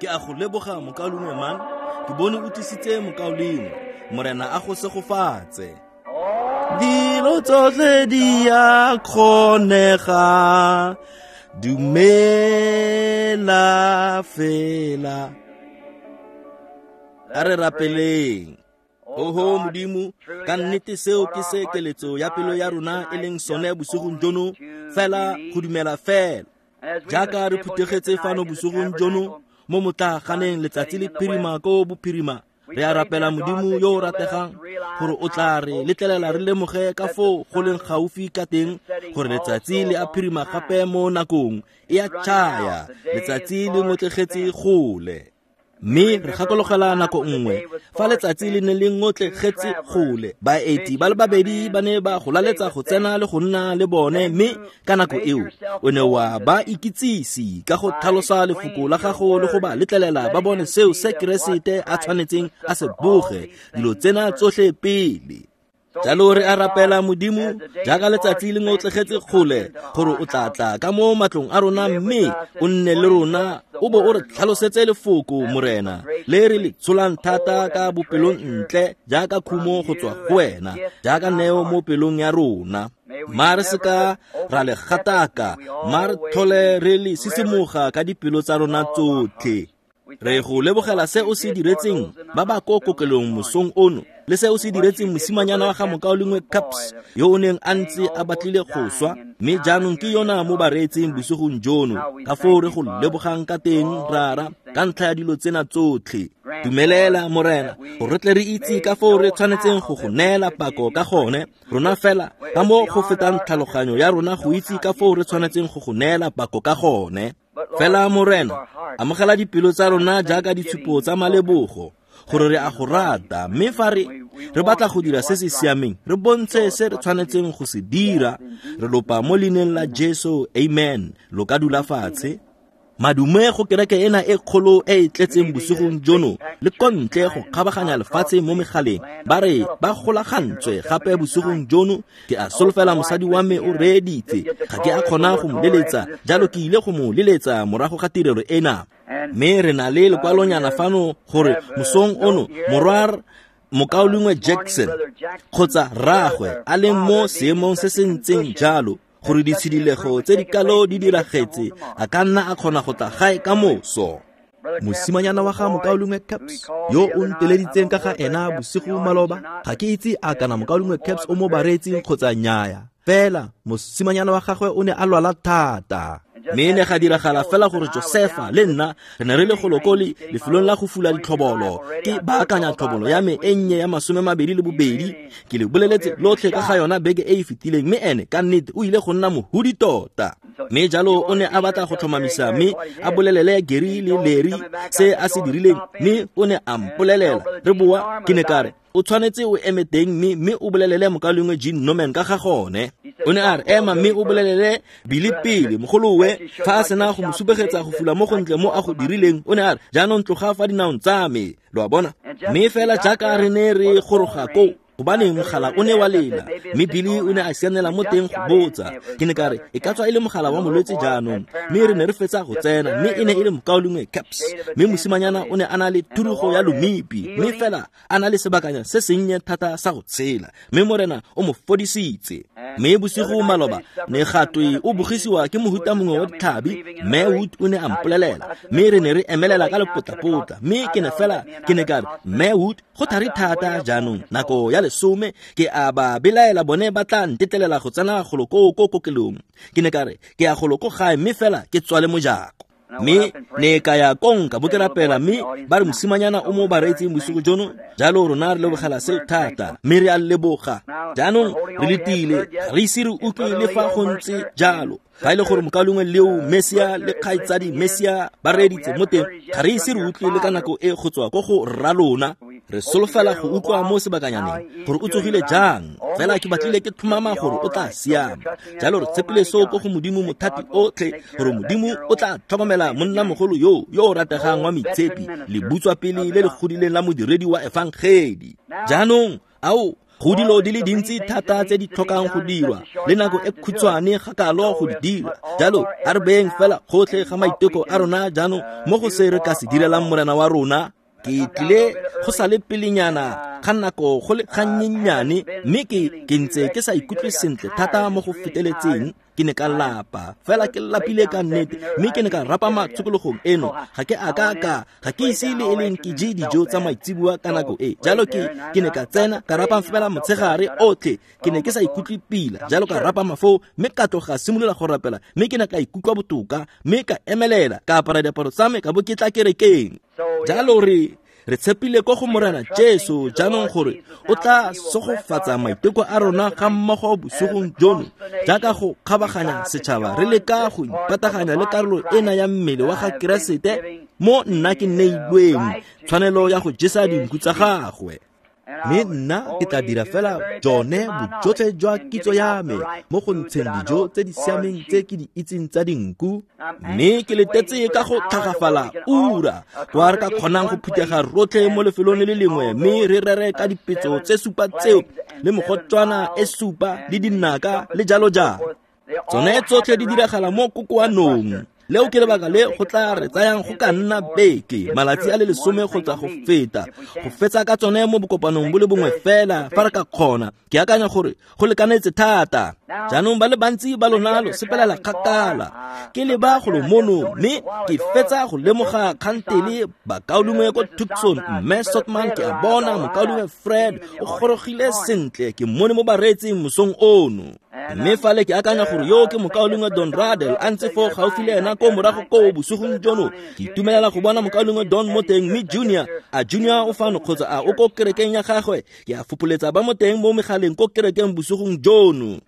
Ke a go leboga, mokaulengwe Man. Ke bone o tlisitse mokaulengwe. Morena a go segofatse. Dilo tsotlhe di a kgonega, dumela fela. A re rapeleng. Oho Modimo, ka nnete seo ke se keletso ya pelo ya rona e leng sone bosigong jono, fela go dumela fela. Jaaka re phuthegetse fano bosigong jono mo motlaaganeng letsatsi le phirima ko bophirima, re a rapela Modimo yo o rategang gore o tla re letlelela re lemoge ka foo go leng gaufi ka teng gore letsatsi le a phirima gape mo nakong e a tšhaya, letsatsi le ngotlegetse gole. Mme re gakologela nako nngwe fa letsatsi le ne le ngotlegetse gole, baeti ba le babedi ba ne ba go laletsa go tsena le go nna le bone, mme ka nako eo o ne wa ba ikitsise ka go tlhalosa lefoko la gago le go ba letlelela ba bone seo se Keresete a tshwanetseng a se boge dilo tsena tsotlhe pele. Jalo re a rapela Modimo, jaaka letsatsi le ngotlegetse kgole, gore o tla tla ka mo matlong a rona mme o nne le rona, o bo o re tlhalosetse lefoko, Morena, le re le tsholang thata ka bopelong ntle jaaka khumo go tswa go wena, jaaka neo mo pelong ya rona. Ma re seka ra le gataka, ma re tlhole re le sisimoga ka dipelo tsa rona tsotlhe. Re go lebogela se o se diretseng ba ba ko kokelong mosong ono, le se o se diretseng mosimanyana wa ga mokaulengwe Caps yo o neng a ntse a batlile go swa, mme jaanong ke yona mo bareetseng bosigong jono. Ka foo re go lebogang ka teng, Rara, ka ntlha ya dilo tsena tsotlhe. Dumelela, Morena, gore re tle re itse ka foo re tshwanetseng go go neela pako ka gone, rona fela ka mo go fetang tlhaloganyo ya rona go itse ka foo re tshwanetseng go go neela pako ka gone. Fela, Morena, amogela dipelo tsa rona jaaka ditshupo tsa malebogo, gore re a go rata, mme fa re batla go dira se se siameng, re bontshe se re tshwanetseng go se dira. Re lopa mo leineng la Jesu, amen. Lo ka dula fatshe. Madume go kereke ena e kgolo e e tletseng bosigong jono, le kontle go kgabaganya lefatshe mo megaleng, ba re ba golagantswe gape bosigong jono. Ke a solofela mosadi wa me o reeditse, ga ke a kgona go mo leletsa, jalo ke ile go mo leletsa morago ga tirelo ena. Mme re na le lekwalonyana fano gore mosong ono morwa mokaulengwe Jackson kgotsa rraagwe a leng mo seemong se se ntseng jalo, gore ditshidilego tse di kalo di diragetse, a ka nna a kgona go tla gae ka moso. Mosimanyana wa ga mokaulengwe Caps yo o nteleditseng ka ga ena bosigo maloba, ga ke itse a kana mokaulengwe Caps o mo bareetsing kgotsa nnyaya, fela mosimanyana wa gagwe o ne a lwala thata. Mme ne ga diragala fela gore Josefa le nna re ne re le golokole lefelong la go fula ditlhobolo, ke baakanya tlhobolo ya me e nnye ya 22, ke le boleletse lotlhe ka ga yona beke e e fetileng, mme ene ka nnete o ile go nna mohudi tota. Mme jalo o ne a batla go tlhomamisa mme a bolelele Gary le Larry se a se dirileng, mme o ne a mpolelela re boa. Ke ne ka re, o tshwanetse o eme teng mme o bolelele mokaulengwe Gene Norman ka ga gone. O ne a re, ema mme o bolelele Billy pele, mogolowe, fa a sena go mo supegetsa go fula mo gontle mo a go dirileng. O ne a re, jaanong tloga fa dinaong tsa me, lo a bona. Mme fela jaaka re ne re goroga koo, gobaneng mogala o ne wa lela, mme Billy o ne a sianela mo teng go botsa. Ke ne ka re, e ka tswa e le mogala wa molwetse jaanong. Mme re ne re fetsa go tsena, mme e ne e le mokaulengwe Caps, mme mosimanyana o ne a na le thurugo ya lomipi, mme fela a na le sebakanya se sennye thata sa go tshela, mme Morena o mo fodisitse. Mme bosigo maloba ne gatwe o bogisiwa ke mohuta mongwe wa ditlhabi, Mme Wood o ne a mpolelela, mme re ne re emelela ka lepotlapotla, mme ke ne fela ke ne ka re, Mme Wood, go thari thata jaanong, nako ya 10, ke a ba belaela bone ba tla ntetlelela go tsena golo koo ko kokelong. Ke ne ka re, ke ya golo ko gae mme fela ke tswale mojako. Mme ne ka ya kong ka bo ke rapela, mme ba re mosimanyana o mo bareetseng bosigo jono. Jalo rona re lebogela seo thata, mme re a leboga. Jaanong re letile, ga re ise re utlwe le fa go ntse jalo. Fa e le gore mokaulengwe Leo Mesia le kgaitsadi Mesia ba reeditse mo teng, ga re ise re utlwe le ka nako e go tswa ko go rra lona. Re solofela go utlwa mo sebakanyaneng gore o tsogile jang, fela ke batlile ke tlhomama gore o tla siama. Jalo re tshepile seo ko go Modimo mothati otlhe, gore Modimo o tla tlhokomela monnamogolo yo yo o rategang wa moitshepi, le butswa pele le le godileng la modiredi wa efangedi. Jaanong, ao, Go dilo di le dintsi thata tse di tlhokang go dirwa le nako e khutshwane ga kalo go di dira. Jalo a re beeng fela gotlhe ga maiteko a rona jaanong mo go se re ka se direlang Morena wa rona. Ke tlile go sa le pelenyana ga nako go le gannyenyane, mme ke ntse ke sa ikutlwe sentle thata mo go feteletseng. Ke ne ka lapa fela, ke lapile ka nnete, mme ke ne ka rapama tshokologong eno. Ga ke a ka ga ke ise le e leng ke je dijo tsa maitseboa ka nako e. Jalo ke ne ka tsena ka rapama fela motshegare otlhe. Ke ne ke sa ikutlwe pila, jalo ka rapama foo, mme ka tloga simolola go rapela, mme ke ne ka ikutlwa botoka, mme ka emelela, ka apara diaparo tsa me, ka bo ke tla kerekeng. Jalo re tshepile ko go Morena Jesu jaanong gore o tla sogofatsa maiteko a rona ga mmogo bosigong jono, jaaka go kgabaganya setšhaba re leka go ipataganya le karolo ena ya mmele wa ga Keresete mo nna ke neilweng tshwanelo ya go jesa dinku tsa gagwe. Mme nna ke tla dira fela jone bojotlhe jwa kitso ya me mo go ntsheng dijo tse di siameng tse ke di itseng tsa dinku. Mme ke letetse ka go tlhagafala ura kwa re ka kgonang go phuthega rotlhe mo lefelong le le lengwe, mme re rere ka dipetso tse supa tseo le mogotswana e supa le dinaka le jalo jalo. Tsone tsotlhe di diragala mo kokoanong. Leo ke lebaka le go tla re tsayang go ka nna beke, malatsi a le 10 kgotsa go feta, go fetsa ka tsone mo bokopanong bo le bongwe fela fa re ka kgona. Ke akanya gore go lekanetse thata. Jaanong ba le bantsi ba lona lo sepelela kgakala. Ke leba golo mono, mme ke fetsa go lemoga kgantele bakaulengwe ko Tucson, mme Sotman ke a bona mokaulengwe Fred o gorogile sentle, ke mmone mo bareetsing mosong ono. Mme fale ke akanya gore yo ke mokaulengwe Don Radel a ntse foo gaufi le ena ko morago ko bosigong jono. Ke itumelela go bona mokaulengwe Don mo teng, mme Junior, a Junior o fano kgotsa a o ko kerekeng ya gagwe? Ke a fopoletsa ba mo teng mo megaleng ko kerekeng bosigong jono.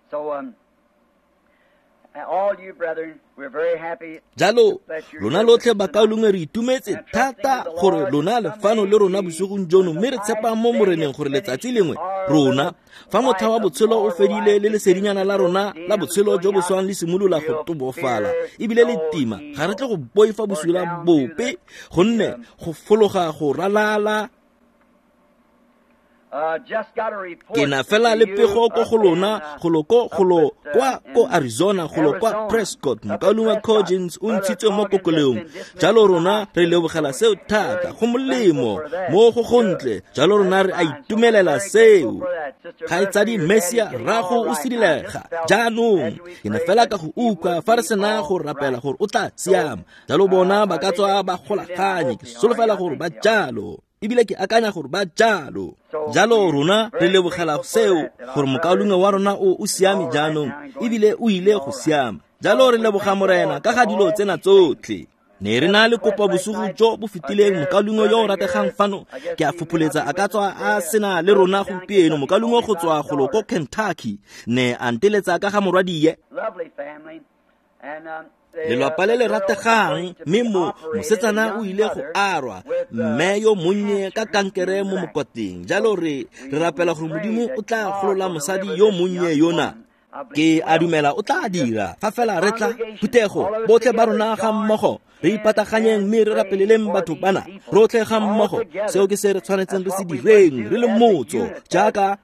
Jalo lona lotlhe bakaulengwe re itumetse thata gore lona le fano le rona bosigong jono, mme re tshepa mo Moreneng gore letsatsi lengwe rona fa motlha wa botshelo o fedile le lesedinyana la rona la botshelo jo bo swang le simolola go tobofala ebile le tima, ga re tle go boifa bosula bope, gonne go fologa go ralala. Ke na fela le pego ko go lona golo kwa ko Arizona, golo kwa Prescott. Mokaulengwe Coggins o ntshitswe mo kokoleong. Jalo rona re lebogela seo thata, go molemo mo go gontle. Jalo rona re a itumelela seo. Kgaitsadi Messia rrago o sidilega jaanong. Ke ne fela ka go utlwa fa re sena go rapela gore o tla siama. Jalo bona ba ka tswa ba golaganye, ke solofela gore ba jalo, ebile ke akanya gore ba jalo. Jalo rona re lebogela seo gore mokaulengwe wa rona o siame jaanong, ebile o ile go siama. Jalo re leboga Morena ka ga dilo tsena tsotlhe. Ne re na le kopo bosigo jo bo fetileng, mokaulengwe yo o rategang fano, ke a fopoletsa a ka tswa a sena le rona gompieno, mokaulengwe go tswa golo ko Kentucky, ne a nteletsa ka ga morwadie. Lelwapa le le rategang, mme mosetsana o ile go arwa, mme yo monnye ka kankere mo mokwateng. Jalo re rapela gore Modimo o tla golola mosadi yo monnye yona. Ke a dumela o tla dira fa fela re tla phuthego botlhe ba rona ga mmogo re ipataganyeng mme re rapeleleng batho bana rotlhe ga mmogo. Seo ke se re tshwanetseng re se direng re le motso, jaaka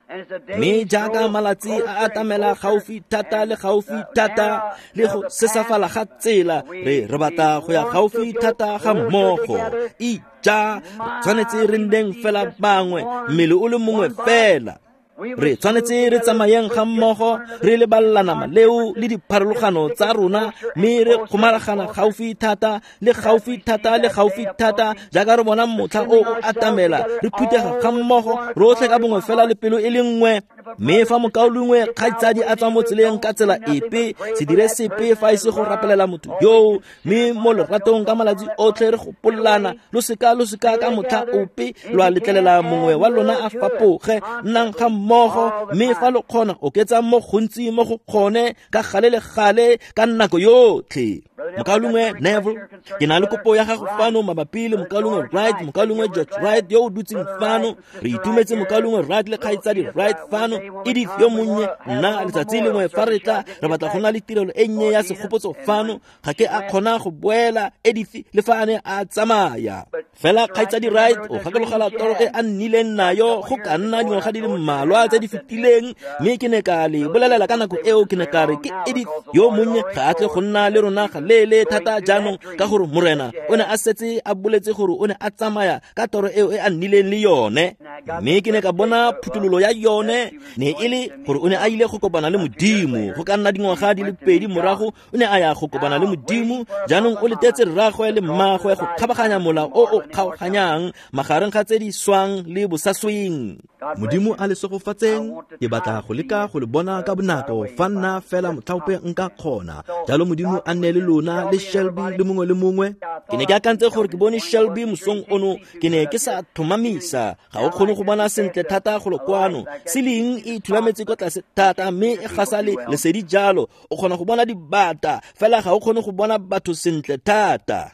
mme jaaka malatsi a atamela gaufi thata le gaufi thata le go sesafala ga tsela, re batla go ya gaufi thata ga mmogo. Ija re tshwanetse re nneng fela bangwe, mmele o le mongwe fela. Re tshwanetse re tsamayeng ga mmogo, re leballana maleo le dipharologano tsa rona, mme re kgomaragana gaufi thata le gaufi thata le gaufi thata jaaka re bona motlha o o atamela. Re phuthega ga mmogo rotlhe ka bongwe fela le pelo e le nngwe. Mme fa mokaulengwe kgaitsadi a tswa mo tseleng ka tsela epe, se dire sepe fa e se go rapelela motho yoo, mme mo leratong ka malatsi otlhe re gopolana. Lo seka ka motlha ope lwa letlelela mongwe wa lona a fapoge. Nnang ga mmogo, mme fa lo kgona oketsa mo gontsi mo go kgone ka gale le gale ka nako yotlhe. Mokaulengwe Neville, ke na le kopo ya gago fano mabapi le mokaulengwe Wright, mokaulengwe George Wright yo o dutseng fano. Re itumetse mokaulengwe Wright le kgaitsadi Wright fano. Edith yo monnye, nna letsatsi lengwe fa re tla re batla go na le tirelo e nnye ya segopotso fano. Ga ke a kgona go boela Edith le fa a ne a tsamaya. Fela kgaitsadi Wright o gakologela toro e a nnileng nayo go ka nna dingwaga di le mmalwa mmalwa tse di fetileng, mme ke ne ka le bolelela ka nako eo, ke ne ka re ke Edith yo monnye ga a tle go nna le rona ga leele thata jaanong, ka gore Morena o ne a setse a boletse gore o ne a tsamaya ka toro eo e a nnileng le yone. Mme ke ne ka bona phuthololo ya yone ne e le gore o ne a ile go kopana le Modimo. Go ka nna dingwaga di le pedi morago o ne a ya go kopana le Modimo. Jaanong o letetse rraagwe le mmaagwe go kgabaganya mola o o kgaoganyang magareng ga tse di swang le bosasweng. Modimo a le segofatseng. Ke batla go leka go le bona ka bonako fa nna fela motlhaope nka kgona. Jalo Modimo a nne le lona le Shelby le mongwe le mongwe. Ke ne ke akantse gore ke bone Shelby mosong ono, ke ne ke sa tlhomamisa. Ga o kgone go bona sentle thata golo kwano. Ceiling e thulametse kwa tlase thata mme e gasa le lesedi jalo. O kgona go bona dibata, fela ga o kgone go bona batho sentle thata.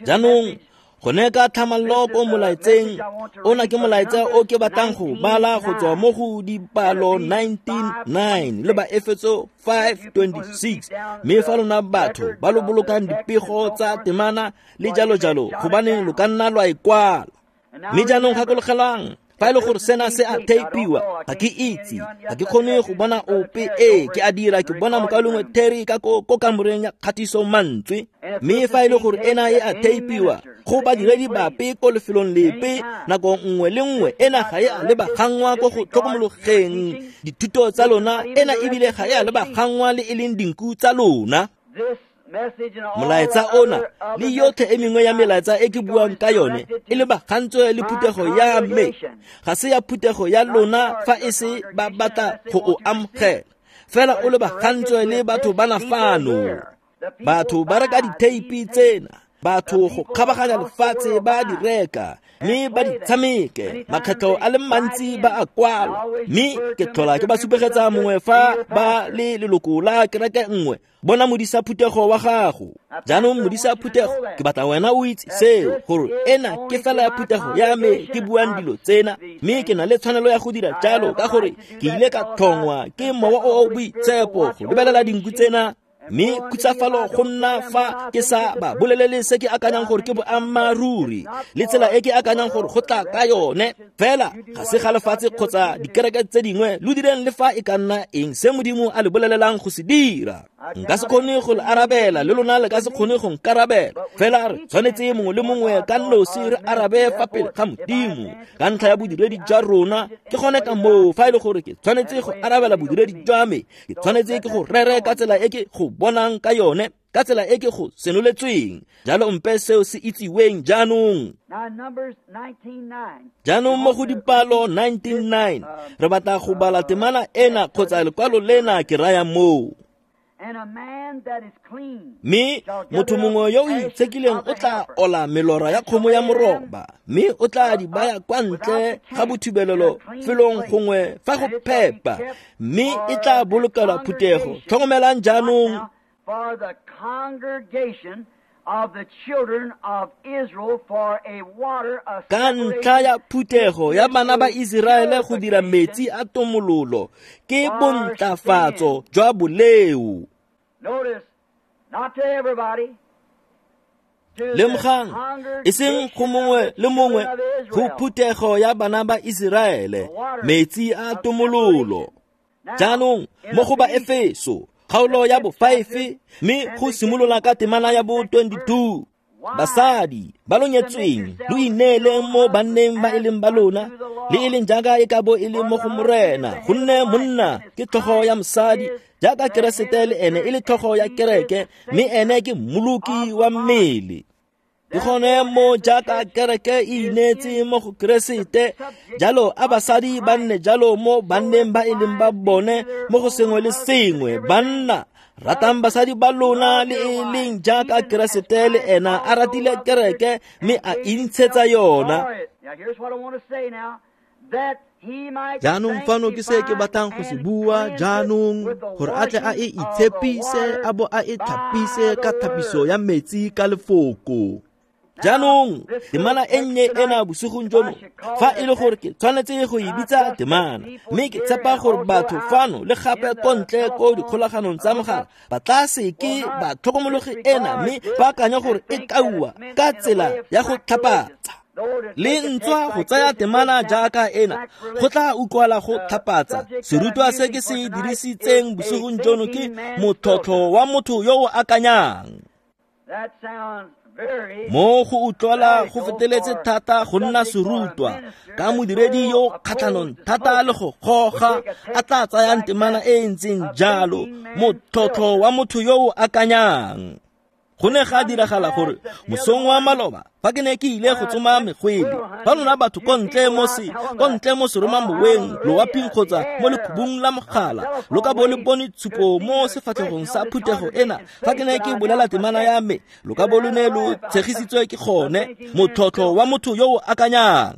Jaanong gone ka tlhamallo ko molaetseng ona, ke molaetsa o ke batlang go bala go tswa mo go dipalo 19:9 le Baefeso 5:26. Mme fa lona batho ba lo bolokang dipego tsa temana le jalo jalo, gobaneng lo ka nna lwa e kwala. Mme jaanong gakologelang, fa e le gore sena se a theipiwa, ga ke itse, ga ke kgone go bona ope. Ee, ke a dira, ke bona mokaulengwe Terry ka ko kamoreng ya kgatiso mantswe. Mme fa e le gore ena e a theipiwa go badiredi bape ko lefelong lepe nako nngwe le nngwe, ena ga e a lebagangwa ko go tlhokomologeng dithuto tsa lona, ena ebile ga e a lebagangwa le e leng dinku tsa lona. Molaetsa ona le yotlhe e mengwe ya melaetsa e ke buang ka yone e lebagantswe le phuthego ya me, ga se ya phuthego ya lona fa e se ba batla go o amogela, fela o lebagantswe le batho bana fano. Batho ba reka ditheipi tsena, batho go kgabaganya lefatshe ba di reka mme ba di tshameke, makgetlho a le mantsi ba a kwala. Mme ke tlhola ke ba supegetsa mongwe fa ba le leloko la kereke nngwe, bona modisa phuthego wa gago. Jaanong modisa phuthego, ke batla wena o itse seo, gore ena ke fela ya phuthego ya me ke buang dilo tsena, mme ke na le tshwanelo ya go dira jalo ka gore ke ile ka tlhongwa ke Mowa o o Boitshepo go lebelela dinku tsena. Mme khutsafalo go nna fa ke sa ba bolelele se ke akanyang gore ke boammaaruri le tsela e ke akanyang gore go tla ka yone. Fela ga se ga lefatshe kgotsa dikereke tse dingwe, lo direng le fa e ka nna eng se Modimo a le bolelelang go se dira. Nka se kgone go le arabela, le lona le ka se kgone go nkarabela, fela re tshwanetse mongwe le mongwe ka nosi re arabe fa pele ga Modimo ka ntlha ya bodiredi jwa rona. Ke gone ka moo fa e le gore ke tshwanetse go arabela bodiredi jwa me, ke tshwanetse ke go rere ka tsela e ke go bonang ka yone, ka tsela e ke go senoletsweng. Jalo mpe seo se itsiweng jaanong. Jaanong mo go dipalo 19:9 re batla go bala temana ena kgotsa lekwalo lena ke raya moo. Mme motho mongwe yo o itshekileng o tla ola melora ya kgomo ya moroba, mme o tla di baya kwa ntle ga bothibelelo felong gongwe fa go phepa, mme e tla bolokelwa phuthego. Tlhokomelang jaanong. Ka ntlha ya phuthego ya bana ba Iseraele go dira metsi a tomololo ke bontlafatso jwa boleo. Lemogang, e seng go mongwe le mongwe, go phuthego ya bana ba Iseraele metsi a tomololo. Jaanong mo go ba Efeso kgaolo ya bo 5 mme go simolola ka temana ya bo 22. Basadi ba lo nyetsweng lo ineeleng mo banneng ba e leng ba lona, le e leng jaaka e ka bo e le mo go Morena, gonne monna ke tlhogo ya mosadi jaaka Keresete le ene e le tlhogo ya kereke, mme ene ke mmoloki wa mmele. Ke gone mo jaaka kereke e ineetse mo go Keresete, jalo a basadi ba nne jalo mo banneng ba e leng ba bone mo go sengwe le sengwe. Banna, ratang basadi ba lona le e leng jaaka Keresete le ena a ratile kereke mme a intshetsa yona. Jaanong fano ke se ke batlang go se bua jaanong, gore a tle a e itshepise a bo a e tlhapise ka thapiso ya metsi ka lefoko. Jaanong temana e nnye ena bosigong jono, fa e le gore ke tshwanetse go e bitsa temana, mme ke tshepa gore batho fano le gape ko ntle ko dikgolaganong tsa mogala ba tla seke ba tlhokomologe ena mme ba akanya gore e kaiwa ka tsela ya go tlhapatsa. Le ntswa go tsaya temana jaaka ena go tla utlwala go tlhapatsa. Serutwa se ke se dirisitseng bosigong jono ke motlhotlho wa motho yo o akanyang. Mo go utlwala go feteletse thata go nna serutwa ka modiredi yo kgatlhanong thata le go goga a tla tsayang temana e e ntseng jalo, motlhotlho wa motho yo o akanyang. Go ne ga diragala gore mosong wa maloba fa ke ne ke ile go tsoma megwele, fa lona batho ko ntle mo seromamoweng, loaping kgotsa mo lekhubung la mogala, lo ka bo le bone tshupo mo sefatlhegong sa phuthego ena fa ke ne ke bolela temana ya me, lo ka bo lo ne lo tshegisitswe ke gone, motlhotlho wa motho yo o akanyang.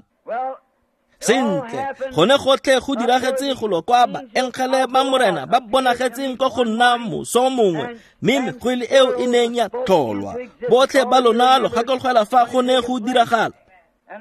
Sentle, gone gotlhe go diragetse go lo kwa baengele ba Morena ba bonagetseng ko go nna moso mongwe, mme megwele eo e neng ya tlholwa. Botlhe ba lona lo gakologelwa fa go ne go diragala.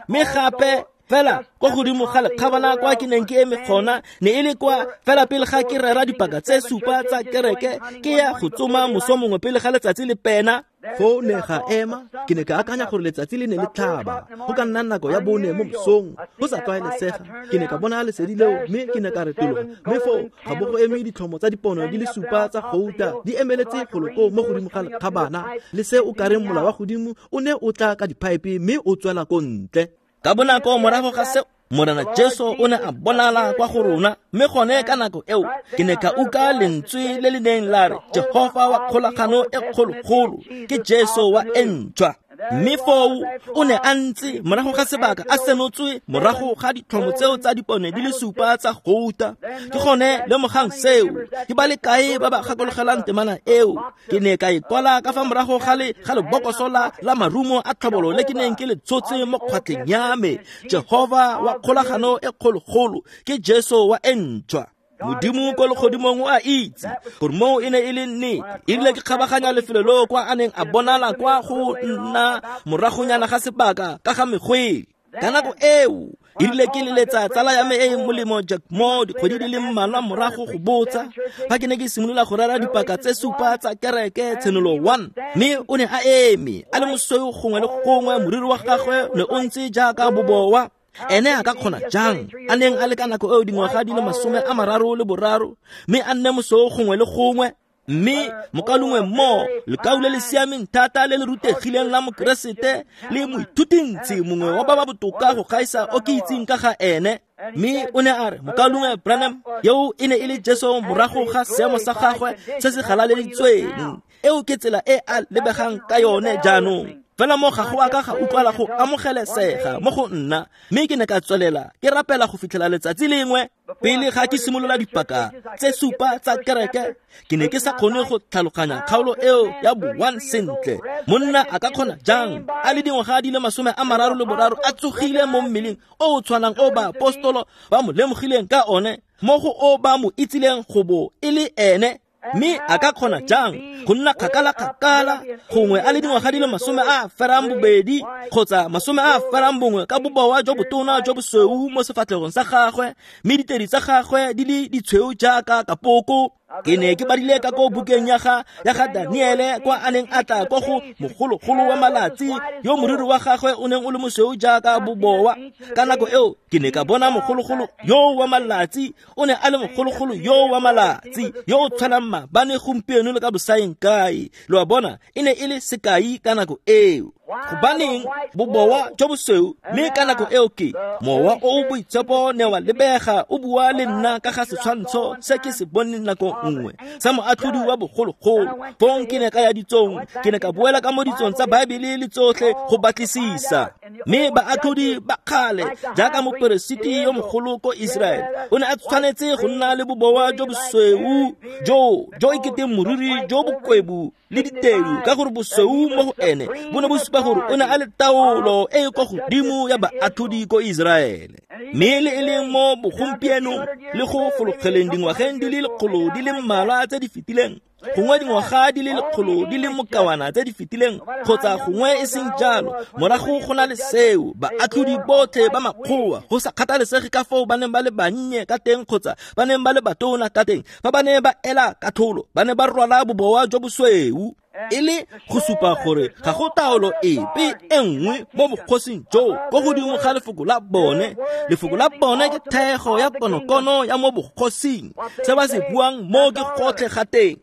Mme gape fela ko godimo ga lekgabana kwa ke neng ke eme gona ne e le kwa fela pele ga ke rera dipaka tse supa tsa kereke, ke ya go tsoma moso mongwe pele ga letsatsi le pena. Foo ne ga ema, ke ne ka akanya gore letsatsi le ne le tlhaba, go ka nna nako ya 4 mo mosong, go sa tlwaelesega. Ke ne ka bona lesedi leo mme ke ne ka retologa, mme foo ga bo go eme ditlhomo tsa dipono di le supa tsa gouta di emeletse golo koo mo godimo ga lekgabana, le se o kareng mola wa godimo o ne o tla ka diphaepe mme o tswela ko ntle. Ka bonako morago ga seo, Morena Jesu o ne a bonala kwa go rona, mme gone ka nako eo ke ne ka utlwa lentswe le le neng la re, Jehofa wa kgolagano e kgologolo ke Jesu wa e ntšhwa. Mme foo o ne a ntse morago ga sebaka a senotswe morago ga ditlhomo tseo tsa dipone di le supa tsa gouta. Ke gone lemogang seo, ke ba le kae ba ba gakologelang temana eo? Ke ne ka e kwala ka fa morago ga lebokoso la marumo a tlhobolo le ke neng ke le tshotse mo kgwatlheng ya me. Jehofa wa kgolagano e kgologolo ke Jesu wa e ntšhwa. Modimo ko legodimong o a itse gore moo e ne e le nnete. Erile ke kgabaganya lefelo leo kwa a neng a bonala kwa go nna moragonyana ga sebaka ka ga megwele. Ka nako eo erile ke leletsa tsala ya me e e molemo Jack Moore dikgwedi di le mmalwa morago go botsa fa ke ne ke simolola go rera dipaka tse supa tsa kereke Tshenolo 1, mme o ne a eme a le mosweu gongwe le gongwe, moriri wa gagwe ne o ntse jaaka bobowa. Ene a ka kgona jang a neng a le ka nako eo dingwaga di le 33, mme a nne mosweu gongwe le gongwe? Mme mokalongwe mo lekau le le siameng thata le le rutegileng la Mokeresete le moithutintsi mongwe wa ba ba botoka go gaisa o ke itseng ka ga ene. Mme o ne a re, mokalongwe Branham, eo e ne e le Jesu morago ga seemo sa gagwe se se galaleditsweng. Eo ke tsela e a lebegang ka yone jaanong. Fela mo ga go a ka ga utlwala go amogelesega mo go nna, mme ke ne ka tswelela ke rapela go fitlhela letsatsi lengwe pele ga ke simolola dipaka tse supa tsa kereke. Ke ne ke sa kgone go tlhaloganya kgaolo eo ya bo-1 sentle. Monna a ka kgona jang a le dingwaga di le 33 a tsogile mo mmeleng o o tshwanang o baapostolo ba mo lemogileng ka one, mo go o ba mo itsileng go bo e le ene? Mme a ka kgona jang go nna kgakala-kgakala gongwe a le dingwaga di le 82 kgotsa 81 ka bobowa jo botona jo bosweu mo sefatlhegong sa gagwe, mme ditedi tsa gagwe di le ditshweu jaaka kapoko? Ke ne ke badile ka ko bukeng ya ga Daniele kwa a neng a tla ko go mogologolo wa malatsi yo moriri wa gagwe o neng o le mosweu jaaka bobowa. Ka nako eo ke ne ka bona mogologolo yo wa malatsi o ne a le mogologolo yo wa malatsi yo o tshwanang maabane, gompieno le ka bosaeng kae. Lo a bona, e ne e le sekai ka nako eo. Gobaneng bobowa jo bosweu? Mme ka nako eo ke mowa o o boitshepo ne wa lebega o bua le nna ka ga setshwantsho se ke se boneng nako nngwe sa moatlhodi wa bogologolo. Fong ke ne ka ya ditsong, ke ne ka boela ka mo ditsong tsa Baebele le tsotlhe go batlisisa. Mme baatlhodi ba kgale jaaka moperesiti yo mogolo ko Israele o ne a tshwanetse go nna le bobowa jo bosweu jo eketeng moriri jo bokwebu le ditedu, ka gore bosweu mo go ene bo ne bo supa gore o ne a le taolo e e kwa godimo ya baatlhodi ko Israele. Mme le e leng mo bogompienong le go fologeleng dingwageng di le 100 di le mmalwa tse di fetileng, gongwe dingwaga di le 100 di le mokawana tse di fetileng, kgotsa gongwe e seng jalo, morago go na le seo, baatlhodi botlhe ba makgowa, go sa kgathalesege ka foo ba neng ba le bannye ka teng kgotsa ba neng ba le batona ka teng, fa ba ne ba ela katlholo, ba ne ba rwala bobowa jo bosweu. E le go supa gore ga go taolo epe e nngwe mo bogosing joo ko godimo ga lefoko la bone. Lefoko la bone ke thego ya konokono ya mo bogosing. Se ba se buang mo ke gotlhe ga teng.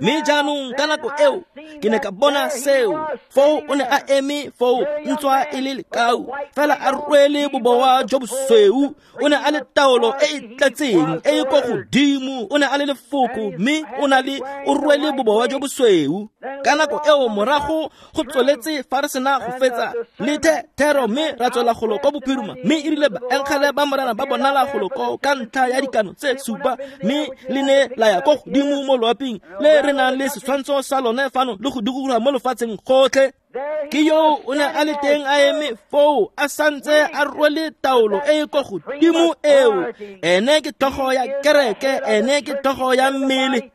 Mme jaanong ka nako eo ke ne ka bona seo. Foo o ne a eme foo ntswa e le lekau, fela a rwele bobowa jo bosweu. O ne a le taolo e e tletseng e e ko godimo. O ne a le lefoko, mme o na le o rwele bobowa jo bosweu. Ka nako eo morago go tsweletse fa re sena go fetsa le thero, mme ra tswela golo ko bophirima. Mme e rile baengele ba Morena ba bonala golo ko ka ntlha ya dikano tse supa, mme le ne la ya ko godimo mo loaping le re nang le setshwantsho sa lone fano le go dikologa mo lefatsheng gotlhe. Ke yo o ne a le teng a eme foo a santse a rwele taolo e e ko godimo eo. Ene ke tlhogo ya kereke, ene ke tlhogo ya mmele.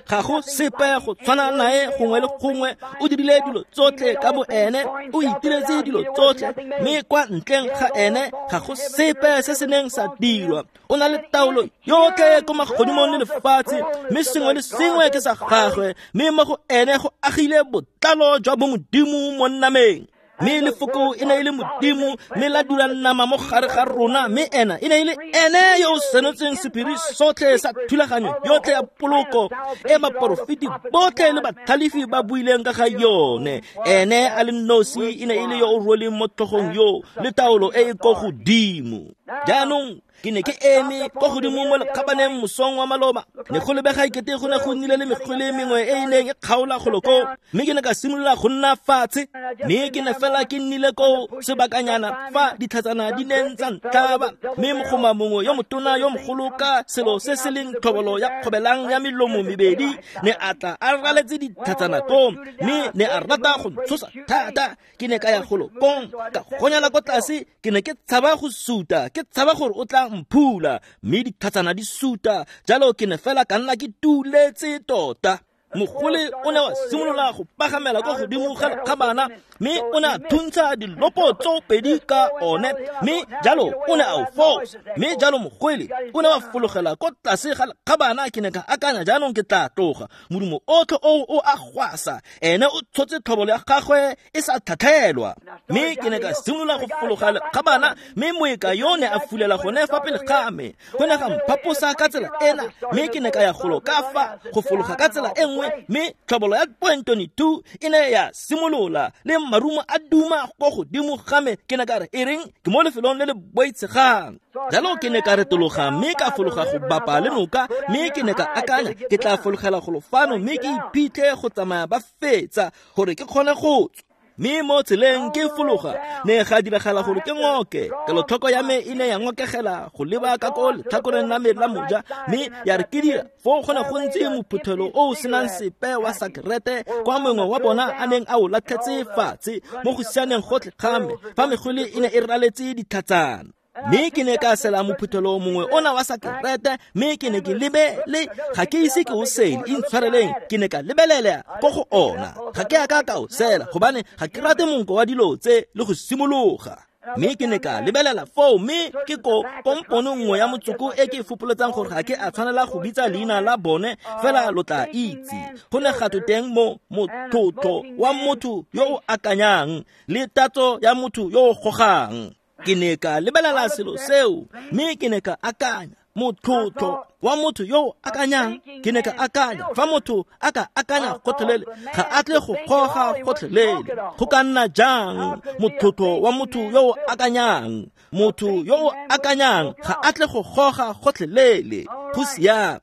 Ga go sepe go tshwana nae gongwe le gongwe. O dirile dilo tsotlhe ka bo ene, o itiretse dilo tsotlhe, mme kwa ntleng ga ene ga go sepe se se neng sa dirwa. O na le taolo yotlhe ko magodimong le lefatshe, mme sengwe le sengwe ke sa gagwe, mme mo go ene go agile botlalo jwa bomodimo mo nameng. Mme lefoko e ne e le Modimo, mme la dula nama mo gare ga rona, mme ena e ne e le ene yo o senotseng sephiri sotlhe sa thulaganyo yotlhe ya poloko e baporofeti botlhe le batlhalefi ba buileng ka ga yone. Ene a le nosi e ne e le yo o rweleng mo tlhogong yo le taolo e e ko godimo. Jaanong ke ne ke eme ko godimo mo lekgabaneng mosong wa maloba. Ne go lebega ekete go ne go nnile le mekgwele mengwe e e neng e kgaola golo koo, mme ke ne ka simolola go nna fatshe. Mme ke ne fela ke nnile koo sebakanyana fa ditlhatsana di neng tsa ntlaba, mme mogoma mongwe yo motona yo mogolo ka selo se se leng tlhobolo ya kgobelang ya melomo mebedi ne a tla a raletse ditlhatsana koo, mme ne a rata go ntshosa thata. Ke ne ka ya golo kong ka gonyela ko tlase. Ke ne ke tshaba go suta, ke tshaba gore o tla mphula, mme ditlhatsana di suta. Jalo ke ne fela ka nna ke tuletse tota. Mogole o ne wa simolola go pagamela ko godimo ga lekgabana, mme o ne a thuntsha dilopo tso pedi ka one, mme jalo o ne a o fosa. Mme jalo mogwele o ne wa fologela ko tlase ga lekgabana. Ke ne ka akanya, jaanong ke tla tloga. Modumo otlhe oo o a gwasa, ene o tshotse tlhobolo ya gagwe e sa tlhatlhelwa. Mme ke ne ka simolola go fologa lekgabana, mme moeka yo ne a fulela gone fa pele ga me. Go ne ga mphaposa ka tsela ena, mme ke ne ka ya golo ka fa go fologa ka tsela e nngwe, mme tlhobolo ya 0.22 e ne ya simolola le marumo a duma ko godimo ga me. Ke ne ka re, e reng ke mo lefelong le le boitshegang. Jalo ke ne ka retologa mme ka fologa go bapa le noka, mme ke ne ka akanya ke tla fologela golo fano mme ke iphitlhe go tsamaya ba fetsa gore ke kgone go tswa. Mme mo tseleng ke fologa ne ga diragala gore ke ngoke. Kelotlhoko ya me e ne ya ngokegela go leba ka ko letlhakoreng la me la moja, mme ya re ke dira foo go ne go ntse mophuthelo o o senang sepe wa sakerete kwa mongwe wa bona a neng a o latlhetse fatshe mo go sianeng gotlhe ga me fa megwele e ne e raletse ditlhatsana. Mme ke ne ka sela mophuthelo mongwe ona wa sakerete, mme ke ne ke lebele, ga ke ise ke o sele, intshwareleng, ke ne ka lebelela ko go ona. Ga ke a ka ka o sela gobane ga ke rate monko wa dilo tse le go simologa. Mme ke ne ka lebelela foo, mme ke ko kompono nngwe ya motsoko e ke e fopoletsang gore ga ke a tshwanela go bitsa leina la bone, fela lo tla itse. Go ne ga twe teng mo motlotlo wa motho yo o akanyang le tatso ya motho yo o gogang. Ke ne ka lebelela selo seo, mme ke ne ka akanya motlotlo wa motho yo o akanyang. Ke ne ka akanya fa motho a ka akanya gotlhelele ga a tle go goga gotlhelele. Go ka nna jang motlotlo wa motho yo o akanyang? Motho yo o akanyang ga a tle go goga gotlhelele. Go siame.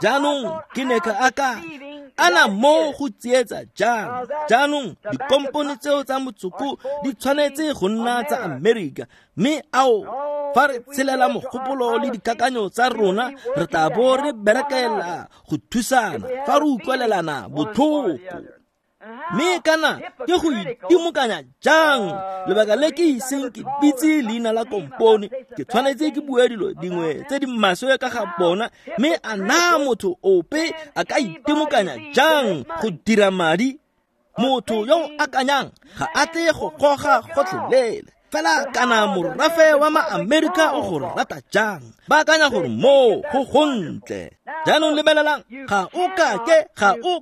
Jaanong ke ne ka akanya, ana mo go tsietsa jang? Jaanong dikompone tseo tsa motsoko di tshwanetse go nna tsa Amerika, mme ao fa re tshelela mogopolo le dikakanyo tsa rona re tla bo re berekela go thusana fa re utlwelelana botlhoko. Mme kana ke go itimokanya jang? Lebaka le ke iseng ke bitse leina la kompone, ke tshwanetse ke bue dilo dingwe tse di maswe ka ga bona. Mme a na motho ope a ka itimokanya jang go dira madi? Motho yo o akanyang ga a tle go goga gotlhelele. Fela kana morafe wa ma-Amerika o go rata jang, ba akanya gore moo go gontle. Jaanong lebelelang, ga o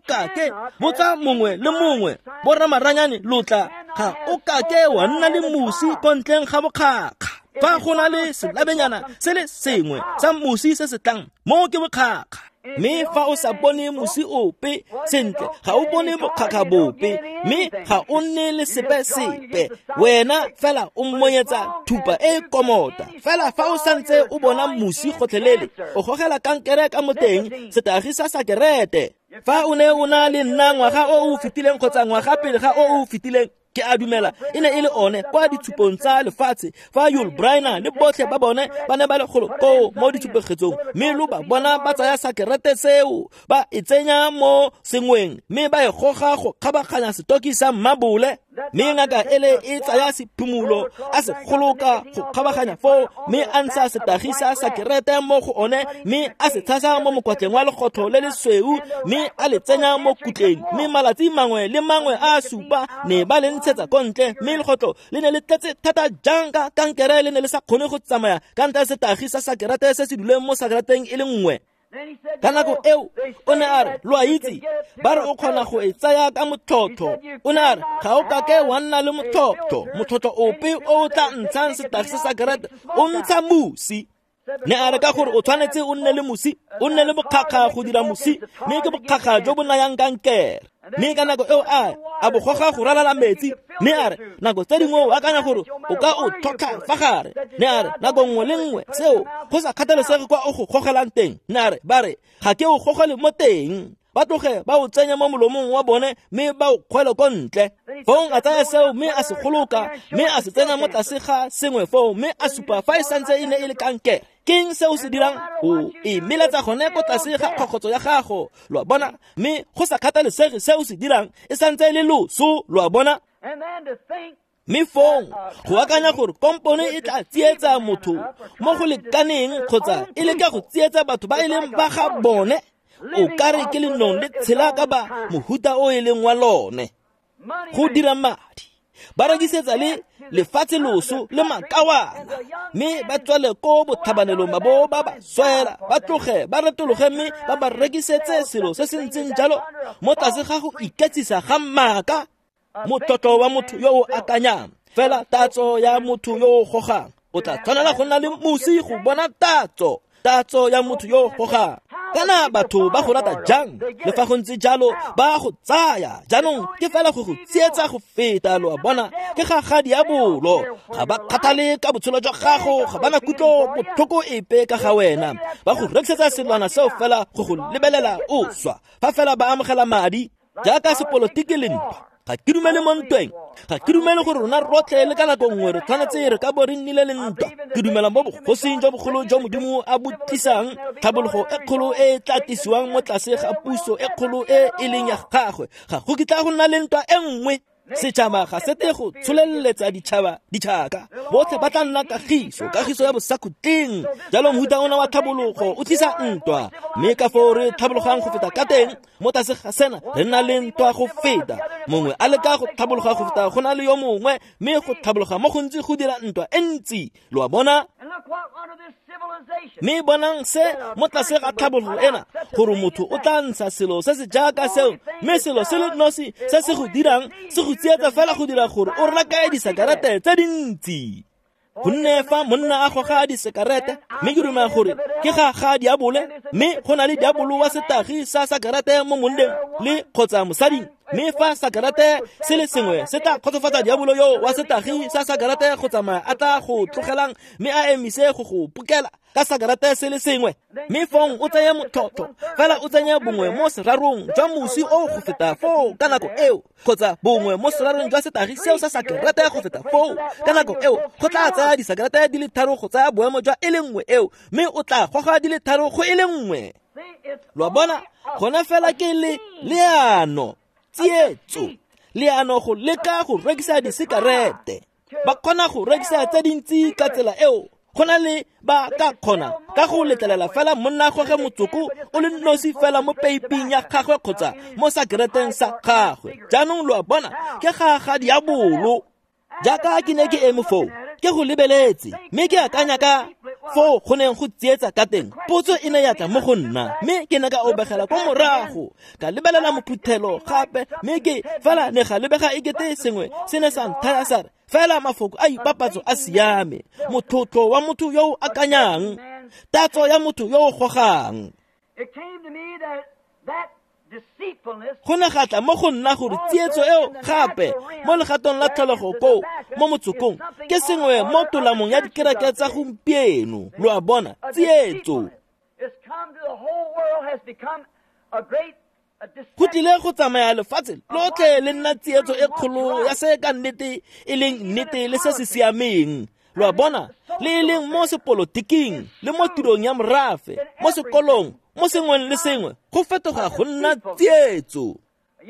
kake botsa mongwe le mongwe, borramaranyane lotla, ga o kake wa nna le mosi ko ntleng ga bokgakga. Fa go na le selabenyana se le sengwe sa mosi se se tlang, moo ke bokgakga. Mme fa o sa bone mosi ope sentle, ga o bone bokgakga bope, mme ga o nne le sepe-sepe. Wena fela o monyetsa thupa e komota. Fela fa o santse o bona mosi gotlhelele, o gogela kankere ka mo teng, setagi sa sakerete. Fa o ne o na le nna ngwaga o o fetileng kgotsa ngwaga pele ga o o fetileng, ke a dumela e ne e le one kwa ditshupong tsa lefatshe, fa Yul Brynner le botlhe ba bone ba ne ba le golo koo mo ditshupegetsong, mme lo ba bona ba tsaya sakerete seo ba e tsenya mo sengweng, mme ba e goga go kgabaganya setoki sa mmabole. Mme ngaka ele e tsaya sephumulo a se goloka go kgabaganya foo, mme a ntsha setagi sa sakerete mo go one, mme a se tshasa mo mokwatleng wa legotlo le lesweu, mme a le tsenya mo kutleng. Mme malatsi mangwe le mangwe a supa ne ba le ntshetsa ko ntle, mme legotlo le ne le tletse thata jang ka kankere le ne le sa kgone go tsamaya ka ntlha ya setagi sa sakerete se se duleng mo sakereteng e le nngwe. Ka nako eo o ne a re, lo a itse, ba re o kgona go e tsaya ka motlhotlho. O ne a re, ga o kake wa nna le motlhotlho, motlhotlho ope o o tla ntshang setagi sa sakerete o ntsha mosi. Ne a re ka gore o tshwanetse o nne le mosi, o nne le bokgakga go dira mosi, mme ke bokgakga jo bo nayang kankere. Mme ka nako eo a bo goga go ralala metsi. Mme a re, nako tse dingwe o akanya gore o ka o tlhotlha fa gare. Ne a re, nako nngwe le nngwe seo go sa kgathalesege kwa o go gogelang teng. Ne a re, ba re ga ke o gogele mo teng, ba tloge ba o tsenya mo molomong wa bone mme ba o kgwele ko ntle. Fong a tsaya seo mme a se goloka, mme a se tsenya mo tlase ga sengwe foo, mme a supa fa e santse e ne e le kankere. Keng se o se dirang? O e meletsa gone ko tlase ga kgokgotso ya gago, lo a bona. Mme go sa kgathalesege se o se dirang, e santse e le loso, lo a bona. Mme fong go akanya gore kompone e tla tsietsa motho mo go lekaneng kgotsa e leka go tsietsa batho ba e leng ba ga bone, o ka re ke lenong le tshela ka ba mohuta o e leng wa lone. Go dira madi, ba rekisetsa le lefatshe loso le makawana, mme ba tswale ko botlhabanelong ba bo ba ba swela, ba tloge ba retologe mme ba ba rekisetse selo se se ntseng jalo mo tlase ga go iketsisa ga maaka. Motlotlo wa motho yo o akanyang, fela tatso ya motho yo o gogang. O tla tshwanela go nna le mosi go bona tatso, tatso ya motho yo o gogang. Kana batho ba go rata jang, le fa go ntse jalo ba go tsaya. Jaanong ke fela go go tsietsa go feta, lo a bona. Ke ga ga diabolo, ga ba kgathale ka botshelo jwa gago, ga ba na kutlo botlhoko epe ka ga wena. Ba go rekisetsa selwana seo fela go go lebelela o swa, fa fela ba amogela madi jaaka sepolotiki le ntwa. Ga ke dumele mo ntweng, ga ke dumele gore rona rotlhe le ka nako nngwe re tshwanetse re ka bo re nnile le ntwa. Ke dumela mo bogosing jwa bogolo jwa Modimo a bo tlisang, tlhabologo e kgolo e e tla tlisiwang mo tlase ga puso e kgolo e e leng ya gagwe. Ga go kitla go nna le ntwa e nngwe. Setšhaba ga se tle go tsholeletsa ditšhaba ditšhaka, botlhe ba tla nna kagiso, kagiso ya bosakhutleng. Jalo mohuta ona wa tlhabologo o tlisa ntwa, mme ka foo re tlhabologang go feta ka teng mo tlase ga sena re nna le ntwa go feta. Mongwe a leka go tlhabologa go feta go na le yo mongwe, mme go tlhabologa mo gontsi go dira ntwa e ntsi, lo a bona. Mme bonang se mo tlase ga tlhabologo ena, gore motho o tla ntsha selo se se jaaka seo, mme selo se le nosi se se go dirang se go tsietsa fela go dira gore o reke disekerete tse dintsi. Gonne fa monna a goga disekerete, mme ke dumela gore ke ga ga diabole, mme go na le diabolo wa setagi sa sakerete mo monneng le kgotsa mosading. Mme fa sakerete se le sengwe se tla kgotsofatsa diabolo yo wa setagi sa sakerete go tsamaya a tla go tlogelang mme a emise go go pokela ka sakerete se le sengwe. Mme fong o tseye motlhotlho fela o tsenye bongwe mo serarong jwa mosi o go feta foo ka nako eo, kgotsa bongwe mo serarong jwa setagi seo sa sakerete go feta foo ka nako eo, go tla tsaya disakerete di le tharo go tsaya boemo jwa e le nngwe eo, mme o tla goga di le tharo go e le nngwe. Lo a bona, gona fela ke le leano, tsietso, leano go leka go rekisa disekerete. Ba kgona go rekisa tse dintsi ka tsela eo, go na le ba ka kgona ka go letlelela fela monna goge motsoko o le nosi fela mo peiping ya gagwe kgotsa mo sakereteng sa gagwe. Jaanong lo a bona, ke ga ga diabolo. Jaaka ke ne ke eme foo, ke go lebeletse, mme ke akanya ka foo go neng go tsietsa ka teng. Potso e ne ya tla mo go nna, mme ke ne ka obegela kwa morago, ka lebelela mophuthelo gape, mme ke fela ne ga lebega ekete sengwe se ne sa nthaya sa re, fela mafoko a ipapatso a siame, motlotlo wa motho yo o akanyang, tatso ya motho yo o gogang. Go ne ga tla mo go nna gore tsietso eo gape mo legatong la tlholego koo mo motsokong ke sengwe mo tolamong ya dikereke tsa gompieno. Lo a bona, tsietso go tlile go tsamaya lefatshe lotlhe le nna tsietso e kgolo ya se ka nnete e leng nnete le se se siameng. Lo a bona, le e leng mo sepolotiking le mo tirong ya morafe, mo sekolong, mo sengweng le sengwe, go fetoga go nna tsietso.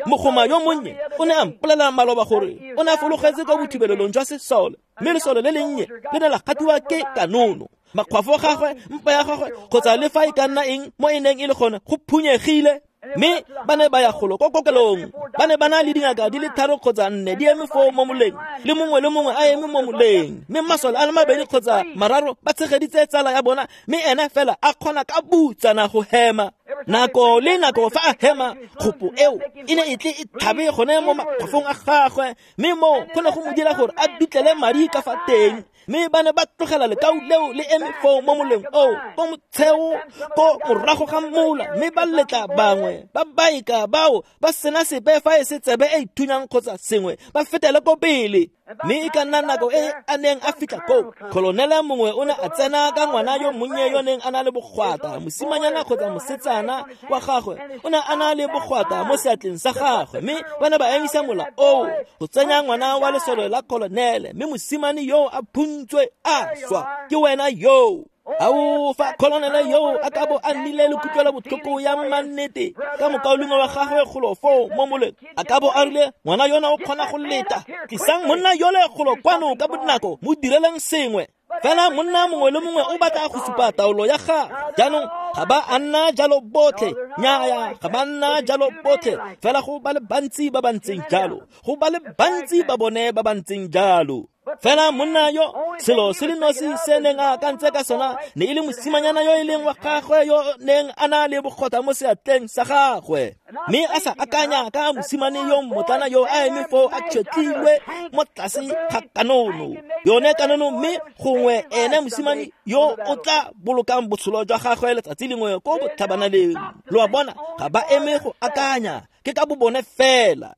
Mogoma yo monnye o ne a mpolelela maloba gore o ne a fologetse kwa bothibelelong jwa sesole, mme lesole le lennye le ne la gatiwa ke kanono. Makgwafo a gagwe, mpa ya gagwe, kgotsa le fa e ka nna eng mo e neng e le gone, go phunyegile. Mme ba ne ba ya golo ko kokelong, ba ne ba na le dingaka di le 3 kgotsa 4 di eme foo mo moleng, le mongwe le mongwe a eme mo moleng, mme masole a le 2 kgotsa 3 ba tshegeditse tsala ya bona, mme ene fela a kgona ka butsana go hema. Nako le nako fa a hema, kgopo eo e ne e tle e tlhabe gone mo makgwafong a gagwe, mme moo go ne go mo dira gore a dutlele madi ka fa teng. Mme ba ne ba tlogela lekau leo le eme foo mo moleng oo, ko motsheo, ko morago ga mola, mme ba letla bangwe ba baika bao ba sena sepe fa e se tsebe e ithunyang kgotsa sengwe, ba fetele ko pele. Mme e ka nna nako e a neng a fitlha koo, kolonele mongwe o ne a tsena ka ngwana yo monnye yo neng a na le bogwata, mosimanyana kgotsa mosetsana wa gagwe o ne a na le bogwata mo seatleng sa gagwe, mme ba ne ba emisa mola oo go tsenya ngwana wa lesole la kolonele, mme mosimane yo a phuntswe a swa. Ke wena yo. Ao, fa kolonele yo a ka bo a nnile le kutlwelo botlhoko ya mannete ka mokaulengwe wa gagwe golo foo mo moleng, a ka bo a rile, ngwana yona o kgona go leta, tlisang monna yole golo kwano ka bonako, mo direleng sengwe. Fela monna mongwe le mongwe o batla go supa taolo ya gagwe. Jaanong ga ba a nna jalo botlhe, nnyaya, ga ba nna jalo botlhe, fela go ba le bantsi ba ba ntseng jalo, go ba le bantsi ba bone ba ba ntseng jalo. Fela monna yo, selo se le nosi se neng a akantse ka sona ne e le mosimanyana yo e leng wa gagwe yo neng a na le bogota mo seatleng sa gagwe, mme a sa akanya ka mosimane yo mmotlana yo a eme foo a tšhetlilwe mo tlase ga kanono, yone kanono, mme gongwe ene mosimane yo o tla bolokang botshelo jwa gagwe letsatsi lengwe ko botlhabanaleng. Lo a bona, ga ba eme go akanya, ke ka bo bone fela.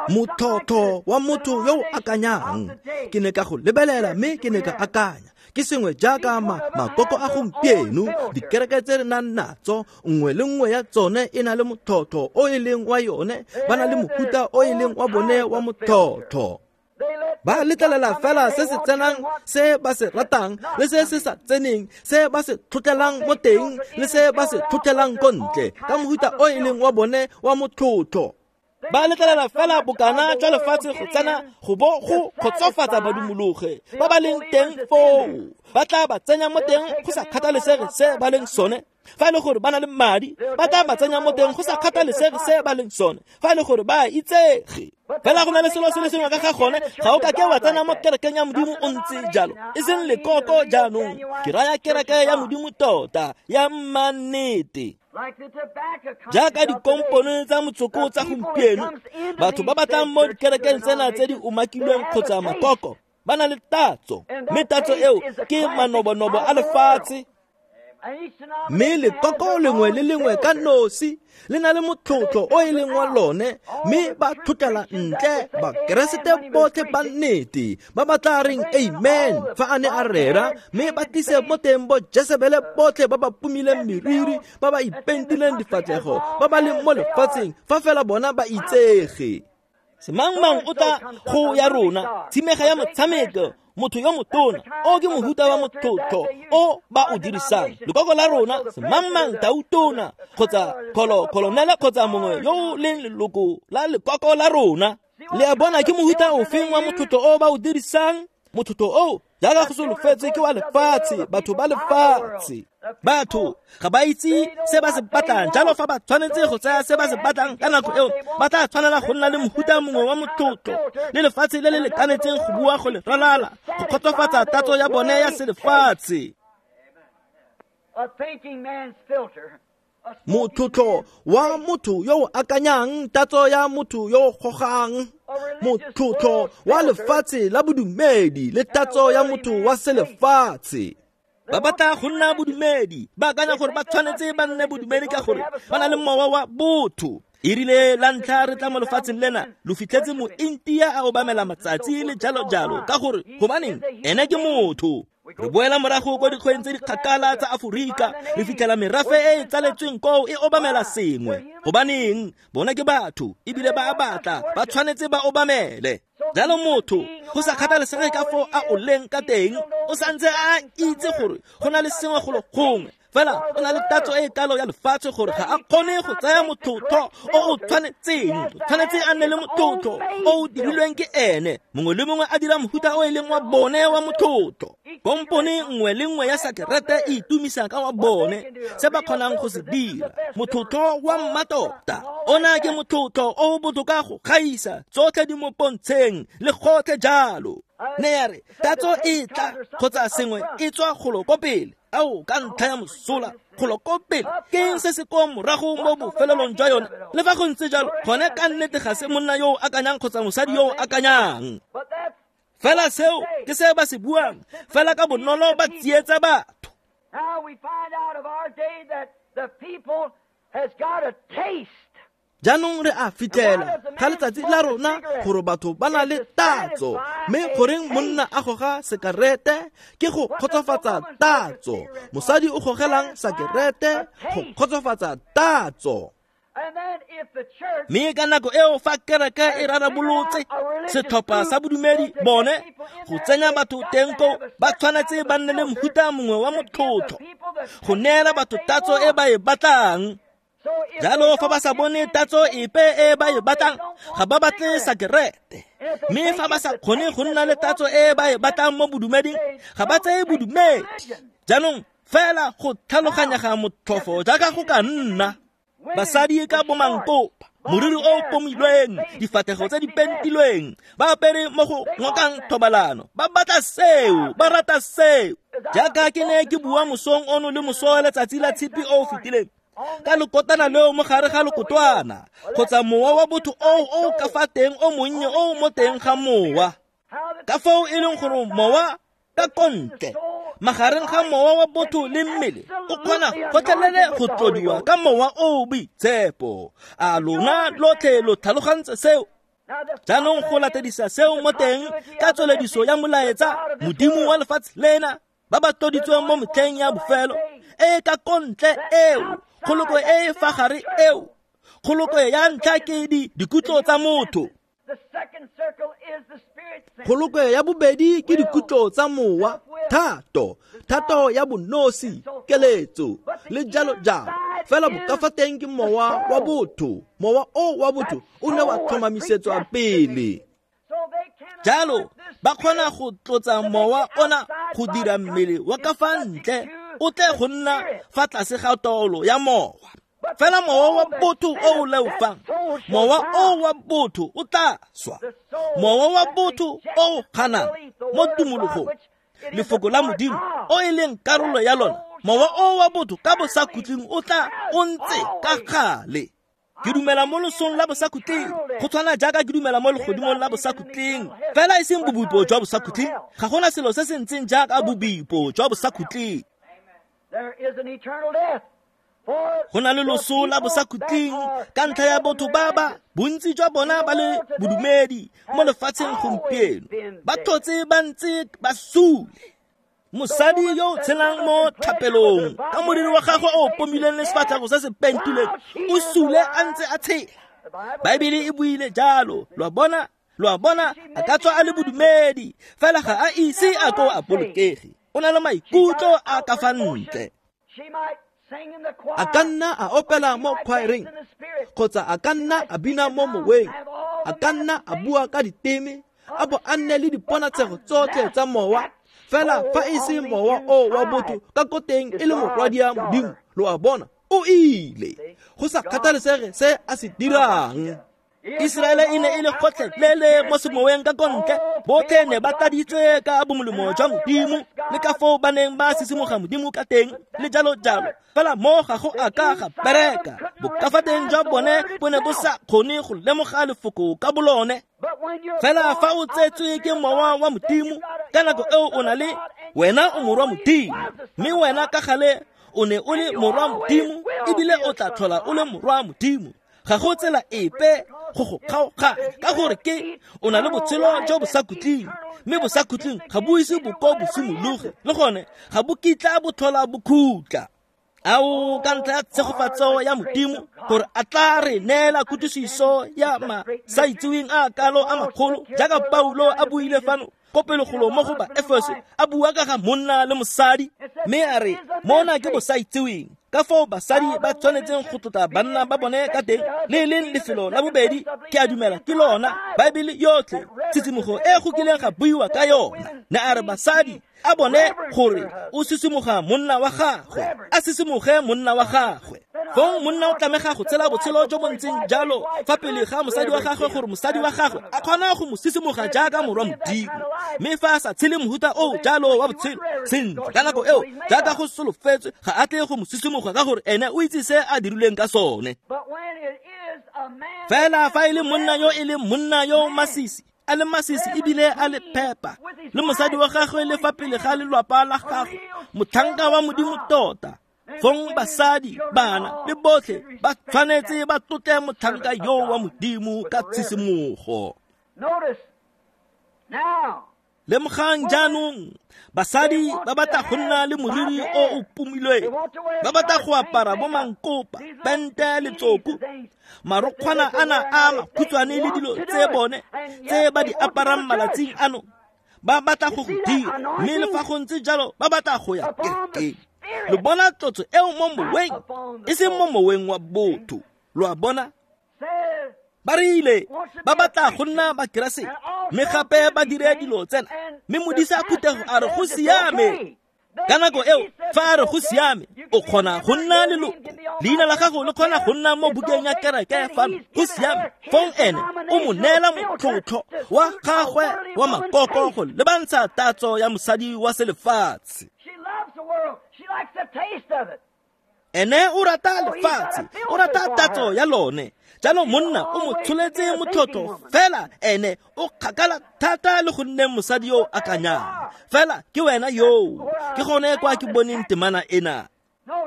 Motlotlo wa motho yo o akanyang. Ke ne ka go lebelela mme ke ne ka akanya, ke sengwe jaaka makoko a gompieno, dikereke tse re nang natso, nngwe le nngwe ya tsone e na le motlotlo o e leng wa yone, ba na le mohuta o e leng wa bone wa motlotlo. Ba letlelela fela se se tsenang se ba se ratang le se se sa tseneng, se ba se tlotlelang mo teng le se ba se tlotlelang ko ntle, ka mohuta o e leng wa bone wa motlotlo. Ba letlelela fela bokana jwa lefatshe go tsena go bo go kgotsofatsa badumologe ba ba leng teng foo, ba tla ba tsenya mo teng go sa kgathalesege se ba leng sone. Fa e le gore ba na le madi, ba tla ba tsenya mo teng go sa kgathalesege se ba leng sone. Fa e le gore ba itsege, fela go na le selo se le sengwe ka ga gone, ga o ka ke wa tsena mo kerekeng ya Modimo o ntse jalo, e seng lekoko jaanong. Ke raya kereke ya Modimo tota, ya mannete. Jaaka dikompone tsa motsoko tsa gompieno, batho ba batlang mo dikerekeng tsena tse di umakilweng kgotsa makoko, ba na le tatso, mme tatso eo ke manobonobo a lefatshe. Mme lekoko lengwe le lengwe ka nosi le na le motlotlo o e leng wa lone, mme ba tlotlela ntle bakeresete botlhe ba nnete ba ba tla reng amen fa a ne a rera, mme ba tlise mo teng bo Jesebele botlhe ba ba pumileng meriri, ba ba ipentileng difatlhego, ba ba leng mo lefatsheng fa fela bona ba itsege. Semangmang o tla go ya rona, tshimega ya motshameko, motho yo motona, o ke mohuta wa motlotlo o ba o dirisang. Lekoko la rona, semangmang tautona, kgotsa kolonele kgotsa mongwe yo o leng leloko la lekoko la rona. Le a bona ke mohuta ofeng wa motlotlo o ba o dirisang? Motlotlo o jaaka go solofetse ke wa lefatshe, batho ba lefatshe. Batho ga ba itse se ba se batlang, jalo fa ba tshwanetse go tsaya se ba se batlang ka nako eo, ba tla tshwanela go nna le mohuta mongwe wa motlotlo le lefatshe le le lekanetseng go bua go le ralala go kgotsofatsa tatso ya bone ya selefatshe. Motlotlo wa motho yo o akanyang, tatso ya motho yo o gogang, motlotlo wa lefatshe la bodumedi le tatso ya motho wa selefatshe. Ba batla go nna bodumedi, ba akanya gore ba tshwanetse ba nne bodumedi ka gore ba na le mowa wa botho. E rile la ntlha re tla mo lefatsheng lena, lo fitlhetse mointia a obamela matsatsi le jalo-jalo, ka gore gobaneng ene ke motho. Re boela morago ko dikgweng tse di kgakala tsa Aforika, re fitlhela merafe e e tsaletsweng koo e obamela sengwe. Gobaneng bona ke batho, ebile ba a batla, ba tshwanetse ba obamele. Jalo motho, go sa kgathalesege ka foo a o leng ka teng, o santse a itse gore go na le sengwe golo gongwe, fela o na le tatso e kalo ya lefatshe gore ga a kgone go tsaya motlotlo o o tshwanetseng. O tshwanetse a nne le motlotlo o o dirilweng ke ene, mongwe le mongwe a dira mohuta o e leng wa bone wa motlotlo. Kompone nngwe le nngwe ya sakerete e itumisa ka wa bone, se ba kgonang go se dira. Motlotlo wa mmatota ona ke motlotlo o o botoka go gaisa tsotlhe di mo pontsheng le gotlhe jalo. Ne ya re tatso e tla kgotsa sengwe e tswa golo ko pele, ao ka ntlha ya mosola golo ko pele, ke eng se se ko morago mo bofelelong jwa yone? Le fa go ntse jalo, gone ka nnete ga se monna yo o akanyang kgotsa mosadi yo o akanyang. Fela seo ke se ba se buang, fela ka bonolo ba tsietsa batho. Jaanong re a fitlhela ga letsatsi la rona gore batho ba na le tatso, mme goreng monna a goga sekarete ke go kgotsofatsa tatso, mosadi o gogelang sakerete go kgotsofatsa tatso. Mme ka nako eo fa kereke e rarabolotse setlhopha sa bodumedi bone go tsenya batho teng koo, ba tshwanetse ba nne le mohuta mongwe wa motlotlo go neela batho tatso e ba e batlang. Jalo fa ba sa bone tatso epe e ba e batlang, ga ba batle sakerete. Mme fa ba sa kgone go nna le tatso e ba e batlang mo bodumeding, ga ba tseye bodumedi. Jaanong fela go tlhaloganyega motlhofo jaaka go ka nna. Basadi ka bomankopa, moriri o pomilweng, difatlhego tse di pentilweng, ba apere mo go ngokang thobalano, ba batla seo, ba rata seo. Jaaka ke ne ke bua mosong ono le moso wa letsatsi la tshipi o o fetileng, ka lekotana leo mo gare ga lekotwana, kgotsa mowa wa botho o o ka fa teng o monnye o mo teng ga mowa, ka foo e leng gore mowa ka kontle magareng ga mowa wa botho le mmele o kgona gotlhelele go tlodiwa ka mowa o boitshepo. A lona lotlhe lo tlhalogantse seo? Jaanong go latedisa seo mo teng ka tswelediso ya molaetsa, Modimo wa lefatshe lena, ba ba tloditsweng mo metlheng ya bofelo, e ka kontle eo, kgoloko e e fa gare eo, kgoloko ya ntlha ke dikutlo tsa motho. Kgoloko ya bobedi ke dikutlo tsa mowa, thato, thato ya bonosi, keletso le jalo jalo. Fela bokafa teng ke mowa wa botho, mowa o wa botho o ne wa tlhomamisetswa pele. Jalo ba kgona go tlotsa mowa ona go dira mmele wa ka fa ntle o tle go nna fa tlase ga taolo ya mowa. Fela mowa wa botho o o leofang, mowa o wa botho o tla swa. Mowa wa botho o o kganang mo tumologong, lefoko la Modimo o e leng karolo ya lona, mowa o wa botho ka bosakhutleng o tla o ntse ka gale. Ke dumela mo losong la bosakhutleng, go tshwana jaaka ke dumela mo legodimong la bosakhutleng, fela e seng bobipo jwa bosakhutleng. Ga gona selo se se ntseng jaaka bobipo jwa bosakhutleng. Go na le loso la bosakhutleng ka ntlha ya botho ba ba bontsi jwa bona ba le bodumedi mo lefatsheng gompieno, ba tlotse ba ntse ba sule. Mosadi yo o tshelang mo thapelong ka moriri wa gagwe o pomileng le sefatlhego se se pentilweng, o sule a ntse a tshela. Baebele e buile jalo. Lo a bona, a ka tswa a le bodumedi, fela ga a ise a ko a bolokege. O na le maikutlo a ka fa ntle. A ka nna a opela mo khwaereng, kgotsa a ka nna a bina mo moweng, a ka nna a bua ka diteme, a bo a nne le diponatshego tsotlhe tsa mowa. Fela fa e se mowa o wa botho ka ko teng e le morwadia Modimo, lo a bona, o ile go sa kgathalesege se a se dirang. Iseraele e ne e le gotlhelele mo semoweng ka kontle, botlhe ne ba tladitswe ka bomolemo jwa Modimo le ka foo ba neng ba sisimoga Modimo ka teng le jalo jalo. Fela mo ga go a ka ga bereka, bokafateng jwa bone bo ne bo sa kgone go lemoga lefoko ka bolone. Fela fa o tsetswe ke mowa wa Modimo, ka nako eo o na le wena o morwa Modimo, mme wena ka gale o ne o le morwa Modimo, ebile o tla tlhola o le morwa Modimo. Ga go tsela epe go go kgaoganya, ka gore ke o na le botshelo jo bo sa khutleng, mme bo sa khutleng ga bo ise bo ko bo simologe, le gone ga bo kitla bo tlhola bo khutla. Ao, ka ntlha ya tshegofatso ya Modimo gore a tla re neela kutlwisiso ya masaitseweng a kalo a magolo, jaaka Paulo a buile fano ko pelegolo mo go ba Efeso, a bua ka ga monna le mosadi, mme a re mona ke bosaitseweng, ka foo basadi ba tshwanetseng go tlotla banna ba bone ka teng, le leng lefelo la bobedi ke a dumela ke lona Baebele yotlhe tshisimogo e go kileng ga buiwa ka yona. Ne a re basadi a bone gore o sisimoga monna wa gagwe, a sisimoge monna wa gagwe. Fong monna o tlamega go tshela botshelo jo bo ntseng jalo fa pele ga mosadi wa gagwe, gore mosadi wa gagwe a kgona go mo sisimoga jaaka morwa Modimo. Mme fa a sa tshele mohuta o jalo wa botshelo sentle ka nako eo, jaaka go solofetswe, ga a tle go mo sisimoga, ka gore ene o itse se a dirileng ka sone. Fela fa e le monna yo e leng monna yo masisi, a le masisi ebile a le phepa, le mosadi wa gagwe le fa pele ga lelwapa la gagwe, motlhanka wa Modimo tota, fong basadi, bana le botlhe ba tshwanetse ba tlotle motlhanka yo wa Modimo ka tshisimogo. Lemogang jaanong, basadi ba batla go nna le moriri o o pomilweng, ba batla go apara bo mankopa, pente le tsoku, marokgwana ana a makhutshwane le dilo tse bone tse ba di aparang malatsing ano, ba batla go go dira, mme le fa go ntse jalo ba batla go ya kerekeng. Lo bona tlotso eo mo moweng, e seng mo moweng wa botho. Lo a bona? Ba rile ba batla go nna Bakeresete, mme gape ba dire dilo tsena, mme modisa phuthego a re go siame. Ka nako eo fa a re go siame, o kgona go nna leloko, leina la gago le kgona go nna mo bukeng ya kereke fano, go siame. Fong ene o mo neela motlhotlho wa gagwe wa makoko go lebantsha tatso ya mosadi wa selefatshe. Ene o rata lefatshe, o rata tatso ya lone. Jalo monna o mo tsholetse motlhotlho, fela ene o kgakala thata le go nneng mosadi yo akanyang. Fela ke wena yoo, ke gone kwa ke boneng temana ena.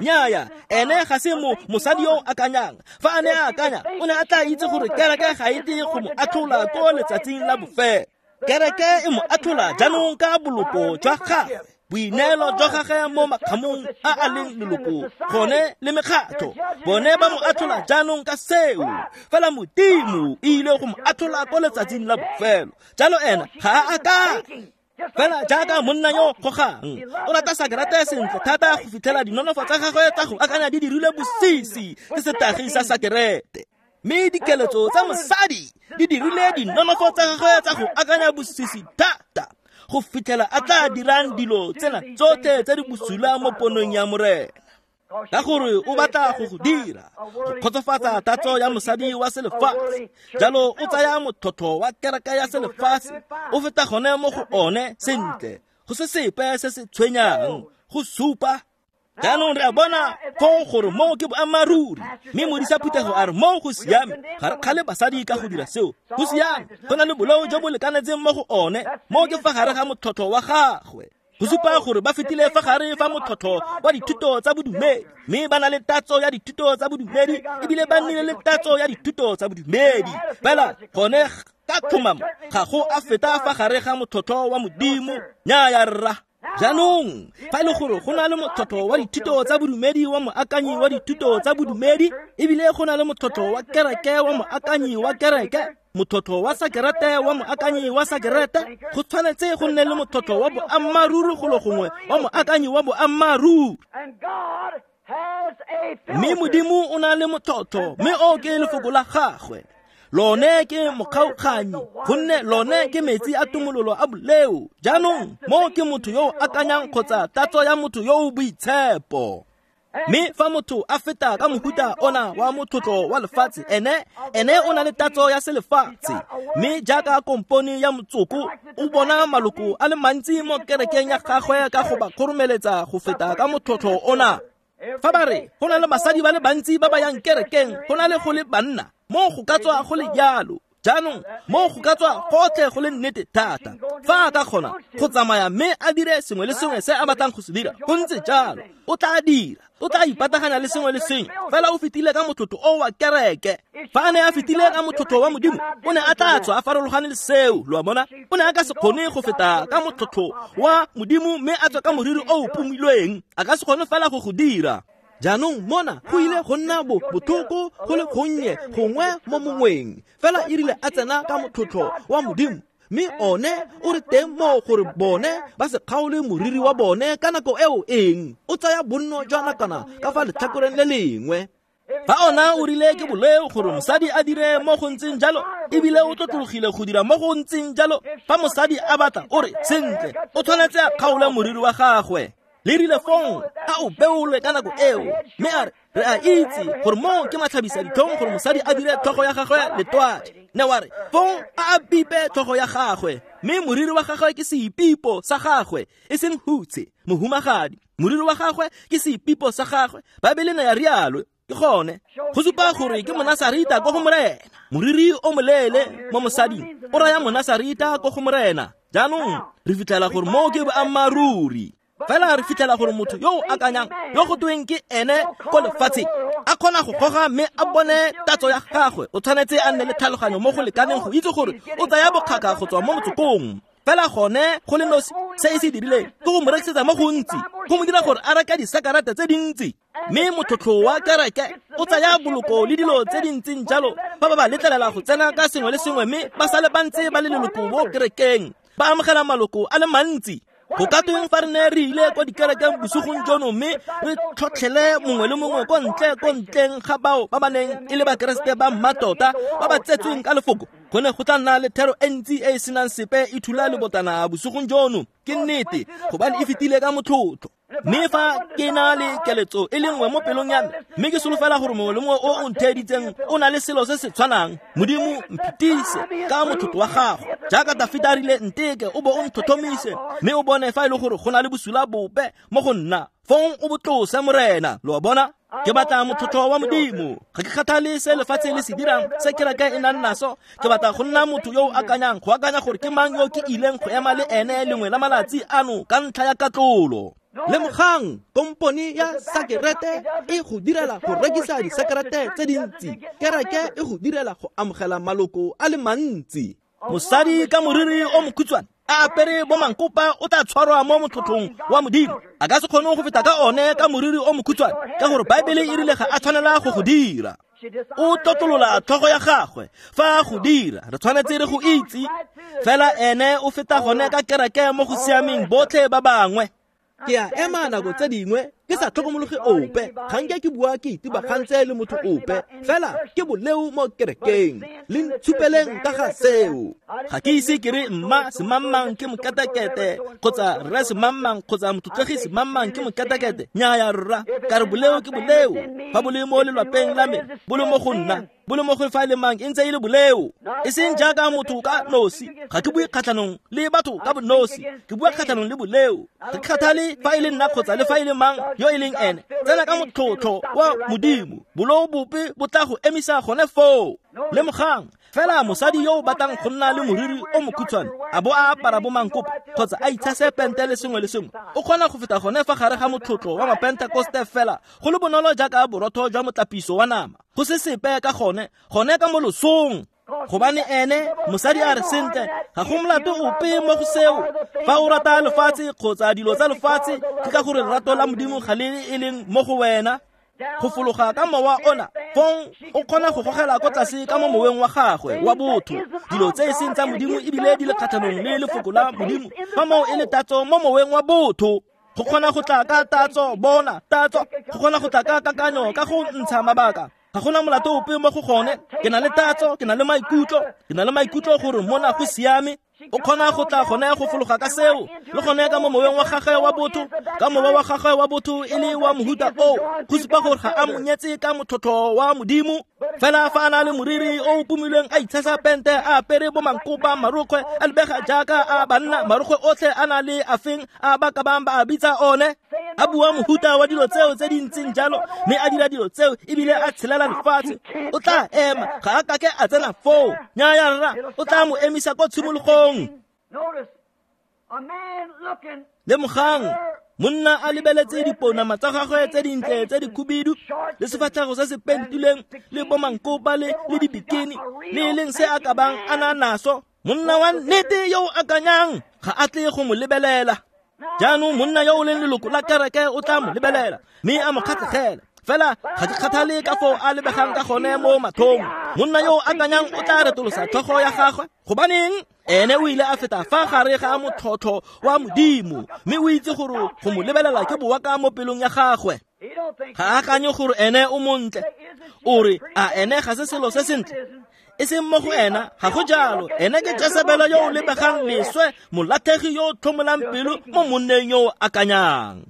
Nnyaya, ene ga se mosadi yo akanyang. Fa a ne a akanya, o ne a tla itse gore kereke ga e tle go mo atlhola ko letsatsing la bofelo. Kereke e mo atlhola jaanong ka boloko jwa gagwe, boineelo jwa gagwe mo makgamong a a leng leloko gone le mekgatlho. Bone ba mo atlhola jaanong ka seo, fela Modimo e ile go mo atlhola ko letsatsing la bofelo. Jalo ena ga a akanye. Fela jaaka monna yo gogang, o rata sakerete sentle thata go fitlhela dinonofo tsa gagwe tsa go akanya di dirilwe bosisi ke setagi sa sakerete. Mme dikeletso tsa mosadi di dirile dinonofo tsa gagwe tsa go akanya bosisi thata go fitlhela a tla dirang dilo tsena tsotlhe tse di bosula mo ponong ya Morena, ka gore o batla go go dira go kgotsofatsa tatso ya mosadi wa selefatshe. Jalo o tsaya motlhotlho wa kereke ya selefatshe, o feta gone mo go one sentle, go se sepe se se tshwenyang, go supa. Jaanong re a bona foo gore moo ke boammaaruri, mme modisa phuthego a re moo go siame. Ga re kgale basadi ka go dira seo, go siame, go na le boleo jo bo lekanetseng mo go one. Moo ke fa gare ga motlhotlho wa gagwe, go supa gore ba fetile fa gare fa motlhotlho wa dithuto tsa bodumedi, mme ba na le tatso ya dithuto tsa bodumedi, ebile ba nnile le tatso ya dithuto tsa bodumedi. Fela gone ka tlhomamo ga go a feta fa gare ga motlhotlho wa Modimo. Nnyaya rra. Jaanong fa e le gore go na le motlhotlho wa dithuto tsa bodumedi wa moakanyi wa dithuto tsa bodumedi, ebile go na le motlhotlho wa kereke wa moakanyi wa kereke, motlhotlho wa sakerete wa moakanyi wa sakerete, go tshwanetse go nne le motlhotlho wa boammaaruri golo gongwe wa moakanyi wa boammaaruri. Mme Modimo o na le motlhotlho, mme o ke lefoko la gagwe. Lone ke mokgaoganyi, gonne lone ke metsi a tumololo a boleo. Jaanong mo ke motho yo o akanyang kgotsa tatso ya motho yo o boitshepo. Mme fa motho a feta ka mohuta ona wa motlotlo wa lefatshe, ene o na le tatso ya selefatshe. Mme jaaka kompone ya motsoko, o bona maloko a le mantsi mo kerekeng ya gagwe ka go ba kgoromeletsa go feta ka motlotlo ona. Fa ba re go na le basadi ba le bantsi ba ba yang kerekeng go na le go le banna, mo go ka tswa go le jalo. Jaanong mo go ka tswa gotlhe go le nnete thata. Fa a ka kgona go tsamaya mme a dire sengwe le sengwe se a batlang go se dira, go ntse jalo, o tla dira, o tla ipataganya le sengwe le sengwe. Fela o fetile ka motlotlo o wa kereke. Fa a ne a fetile ka motlotlo wa Modimo, o ne a tla tswa a farologane le seo, lo a bona. O ne a ka se kgone go feta ka motlotlo wa Modimo mme a tswa ka moriri o o pomilweng. A ka se kgone fela go go dira. Jaanong mona go ile go nna botlhoko go le gonnye gongwe mo mongweng, fela e rile a tsena ka motlotlo wa Modimo, mme one o re teng moo gore bone ba se kgaole moriri wa bone ka nako eo eng, o tsaya bonno jwa nakwana ka fa letlhakoreng le lengwe. Fa ona o rile ke boleo gore mosadi a dire mo go ntseng jalo, ebile o tlotlologile go dira mo go ntseng jalo, fa mosadi a batla o re sentle, o tshwanetse a kgaole moriri wa gagwe. Le rile fong a o beolwe ka nako eo, mme a re re a itse gore moo ke matlhabisa ditlhong gore mosadi a dire tlhogo ya gagwe letwadi. Ne wa re fong a a bipe tlhogo ya gagwe, mme moriri wa gagwe ke seipipo sa gagwe, e seng hutshe mohumagadi. Moriri wa gagwe ke seipipo sa gagwe. Baebele ne ya rialo. Ke gone go supa gore ke monasarita ko go Morena. Moriri o moleele mo mosading o raya monasarita ko go Morena. Jaanong re fitlhela gore moo ke boammaaruri. Fela re fitlhela gore motho yo o akanyang, yo go tweng ke ene ko lefatsheng, a kgona go goga mme a bone tatso ya gagwe, o tshwanetse a nne le tlhaloganyo mo go lekaneng go itse gore o tsaya bokgaka go tswa mo motsokong. Fela gone go le nosi se e se dirileng ke go mo rekisetsa mo gontsi, go mo dira gore a reka disakarata tse dintsi. Mme motlotlo wa kereke o tsaya boloko le dilo tse di ntseng jalo, fa ba ba letlelela go tsena ka sengwe le sengwe, mme ba sale ba ntse ba le leloko mo kerekeng, ba amogela maloko a le mantsi. Go ka tweng fa re ne re ile kwa dikerekeng bosigong jono mme re tlhotlhele mongwe le mongwe ko ntle ko ntleng ga bao ba ba neng e le bakeresete ba mmatota ba ba tsetsweng ka lefoko, go ne go tla nna le thero e ntsi e e senang sepe e thula lebotana bosigong jono. Ke nnete, gobane e fetile ka motlotlo. Mme fa ke na le keletso e le nngwe mo pelong ya me, mme ke solofela gore mongwe le mongwe o o ntheeditseng o na le selo se se tshwanang, Modimo mphitise ka motlotlo wa gago. Jaaka Dafita a rile, nteke o bo o ntlhotlhomise, mme o bone fa e le gore go na le bosula bope mo go nna, fong o botlose Morena. Lo a bona? Ke batla motlotlo wa Modimo. Ga ke kgathale se lefatshe le se dirang, se kereke e nang naso. Ke batla go nna motho yo o akanyang, go akanya gore ke mang yo ke ileng go ema le ene lengwe la malatsi ano ka ntlha ya katlolo. Lemogang, kompone ya sakerete e go direla go rekisa disakerete tse dintsi, kereke e go direla go amogela maloko a le mantsi. Mosadi ka moriri o mokhutshwane a apere bo mankopa o tla tshwarwa mo motlotlong wa Modimo. A ka se kgone go feta ka one ka moriri o mokhutshwane, ka gore Baebele e rile ga a tshwanela go go dira. O tlotlolola tlhogo ya gagwe fa a go dira, re tshwanetse re go itse. Fela ene o feta gone ka kereke mo go siameng botlhe ba bangwe. Ke a ema nako tse dingwe ke sa tlhokomologe ope, ga nke ke bua ke itebagantse le motho ope, fela ke boleo mo kerekeng. Le ntshupeleng ka ga seo. Ga ke ise ke re mma semangmang ke mokatakete, kgotsa rre semangmang, kgotsa motlotlegi semangmang ke mokatakete. Nnyaya rra, ka re boleo ke boleo. Fa bo le mo lelwapeng la me, bo le mo go nna, bo le mo go fa e le mang, e ntse e le boleo. E seng jaaka motho ka nosi. Ga ke bue kgatlhanong le batho ka bonosi, ke bua kgatlhanong le boleo. Ga ke kgathale fa e le nna kgotsa le fa e le mang yo e leng ene. Tsena ka motlotlo wa Modimo, boleo bope bo tla go emisa gone foo. Lemogang, fela mosadi yo o batlang go nna le moriri o mokhutshwane, a bo a apara bo mankopa kgotsa a itshase pente le sengwe le sengwe, o kgona go feta gone fa gare ga motlotlo wa mapentekoste fela go le bonolo jaaka borotho jwa motlapiso wa nama. Go se sepe ka gone, gone ka mo losong. Gobane ene mosadi a re sentle, ga go molato ope mo go seo. Fa o rata lefatshe kgotsa dilo tsa lefatshe, ke ka gore lerato la Modimo ga le e leng mo go wena. Go fologa ka mowa ona, fong o kgona go gogela ko tlase ka mo moweng wa gagwe wa botho dilo tse e seng tsa Modimo ebile di le kgatlhanong le lefoko la Modimo. Fa moo e le tatso mo moweng wa botho, go kgona go tla ka tatso, bona tatso, go kgona go tla ka kakanyo, ka go ntsha mabaka. Ga gona molato ope mo go gone. Ke na le tatso, ke na le maikutlo, ke na le maikutlo gore mona go siame. O kgona go tla gone go fologa ka seo, le gone ka mo moweng wa gagwe wa botho, ka mowa wa gagwe wa botho e le wa mohuta oo, go supa gore ga a monyetse ka motlhotlho wa Modimo. Fela fa a na le moriri o o pomilweng, a itshasa pente, a apere bo mankopa marokgwe, a lebega jaaka a banna, marokgwe otlhe a na le afeng a ba ka bang ba a bitsa one, a bua mohuta wa dilo tseo tse di ntseng jalo, mme a dira dilo tseo ebile a tshelela lefatshe, o tla ema, ga a kake a tsena foo. Nnyaya rra, o tla mo emisa ko tshimologong. Lemogang, monna a lebeletse dipounama tsa gagwe tse dintle tse dikhubidu, le sefatlhego se se pentilweng, le bomankopa le dibikini, le e leng se a ka bang a na naso. Monna wa nnete yo o akanyang ga a tle go mo lebelela. Jaanong monna yo o leng leloko la kereke o tla mo lebelela mme a mo kgatlhegela. Fela ga ke kgathale ka foo a lebegang ka gone mo mathong. Monna yo o akanyang o tla retolosa tlhogo ya gagwe. Gobaneng? Ene o ile a feta fa gare ga motlhotlho wa Modimo, mme o itse gore go mo lebelela ke boaka mo pelong ya gagwe. Ga a akanye gore ene o montle. O re, a ene ga se selo se sentle? E seng mo go ena, ga go jalo. Ene ke Jesebele yo o lebegang leswe, molatlhegi yo o tlhomolang pelo mo monneng yo o akanyang.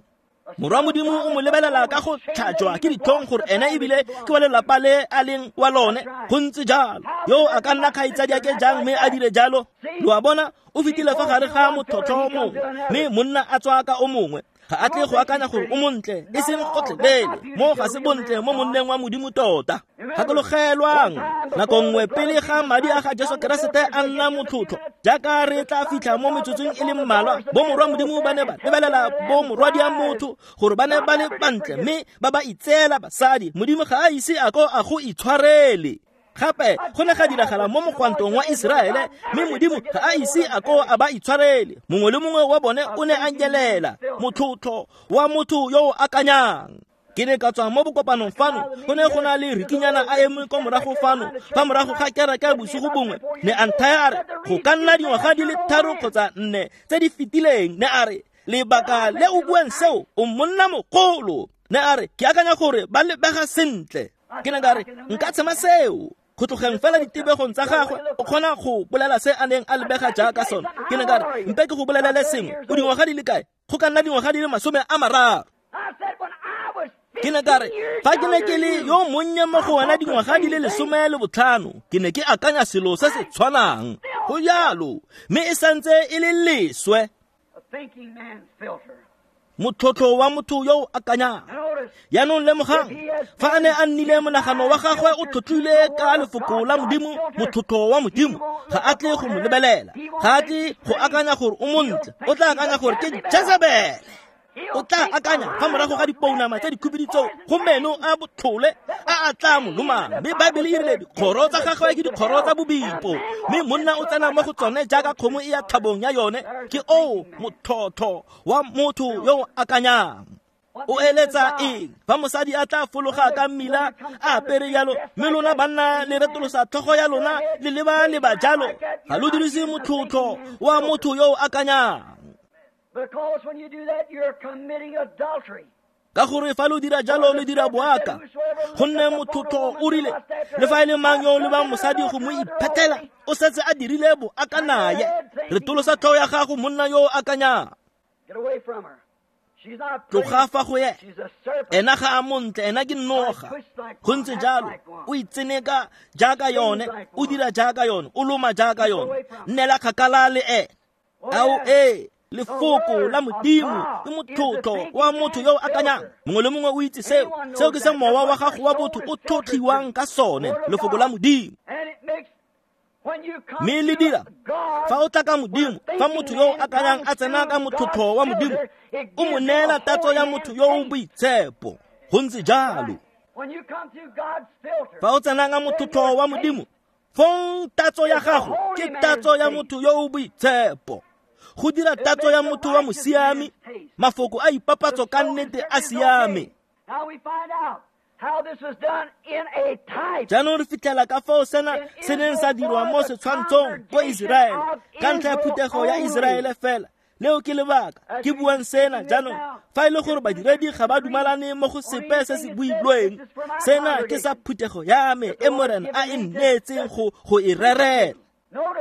Morwa Modimo o mo lebelela ka go tlhajwa ke ditlhong gore ene ebile ke wa lelapa le a leng wa lone. Go ntse jalo. Yo a ka nna kgaitsadiake jang mme a dire jalo? Lo a bona, o fetile fa gare ga motlhotlho o mongwe, mme monna a tswa ka o mongwe. Ga a tle go akanya gore o montle, e seng gotlhelele. Mo ga se bontle mo monneng wa Modimo tota. Gakologelwang, nako nngwe pele ga madi a ga Jesu Keresete a nna motlhotlho, jaaka re tla fitlha mo metsotsong e le mmalwa, bo morwa Modimo ba ne ba lebelela bo morwadia motho gore ba ne ba le bantle, mme ba ba itseela basadi. Modimo ga a ise a ko a go itshwarele. Gape go ne ga diragala mo mogwantong wa Iseraele, mme Modimo ga a ise a ko a ba itshwarele. Mongwe le mongwe wa bone o ne a nyelela, motlhotlho wa motho yo o akanyang. Ke ne ka tswa mo bokopanong fano, go ne go na le rikinyana a eme kwa morago fano, fa morago ga kereke bosigo bongwe, ne a nthaya a re, go ka nna dingwaga di le 3 kgotsa 4 tse di fetileng, ne a re, lebaka le o buang seo, o monna mogolo. Ne a re, ke akanya gore ba lebega sentle. Ke ne ka re, nka tshema seo. Go tlogeng fela ditebegong tsa gagwe, o kgona go bolela se a neng a lebega jaaka sone. Ke ne ka re, mpe ke go bolelele sengwe, o dingwaga di le kae? Go ka nna dingwaga di le 30. Ke ne ka re, fa ke ne ke le yo monnye mo go wena dingwaga di le 15, ke ne ke akanya selo se se tshwanang. Go jalo, mme e santse e le leswe. Motlhotlho wa motho yo o akanyang. Jaanong lemogang, fa a ne a nnile monagano wa gagwe o tlhotlhile ka lefoko la Modimo, motlhotlho wa Modimo, ga a tle go mo lebelela, ga a tle go akanya gore o montle, o tla akanya gore ke Jezebele. O tla akanya fa morago ga dipounama tse dikhubidu tseo go meno a botlhole a a tla mo lomang. Mme Baebele e rile dikgoro tsa gagwe ke dikgoro tsa bobipo, mme monna o tsena mo go tsone jaaka kgomo e ya thabong ya yone. Ke oo motlhotlho wa motho yo o akanyang. O eletsa eng fa mosadi a tla fologa ka mmila a apere jalo, mme lona banna le retolosa tlhogo ya lona le leba leba jalo? Ga lo dirise motlhotlho wa motho yo o akanyang. Ka gore fa lo dira jalo le dira boaka, gonne motlhotlho o rile, le fa e le mang yo o lebang mosadi go mo iphetela, o setse a dirile boaka naye. Retolosa tlhogo ya gago, monna yo o akanyang. Tloga fa go ena. Ena ga a montle, ena ke noga. Go ntse jalo, o itseneka jaaka yone, o dira jaaka yone, o loma jaaka yone. Nnela kgakala le ene. Ao ee, lefoko la Modimo ke motlhotlho wa motho yo o akanyang. Mongwe le mongwe o itse seo. Seo ke se mowa wa gago wa botho o tlhotlhiwang ka sone, lefoko la Modimo. Mme le dira fa o tla ka Modimo, fa motho yo o akanyang a tsena ka motlhotlho wa Modimo, o mo neela tatso ya motho yo o boitshepo. Go ntse jalo. Fa o tsena ka motlhotlho wa Modimo, fong tatso ya gago ke tatso ya motho yo o boitshepo. Go dira tatso ya motho wa mosiami, mafoko a ipapatso ka nnete a siame. Jaanong re fitlhela ka fao sena se neng sa dirwa mo setshwantshong ko Iseraele, ka ntlha ya phuthego ya Iseraele fela. Leo ke lebaka ke buang sena jaanong. Fa e le gore badiredi ga ba dumalane mo go sepe se se builweng, sena ke sa phuthego ya me e Morena a e nneetseng go e rerela.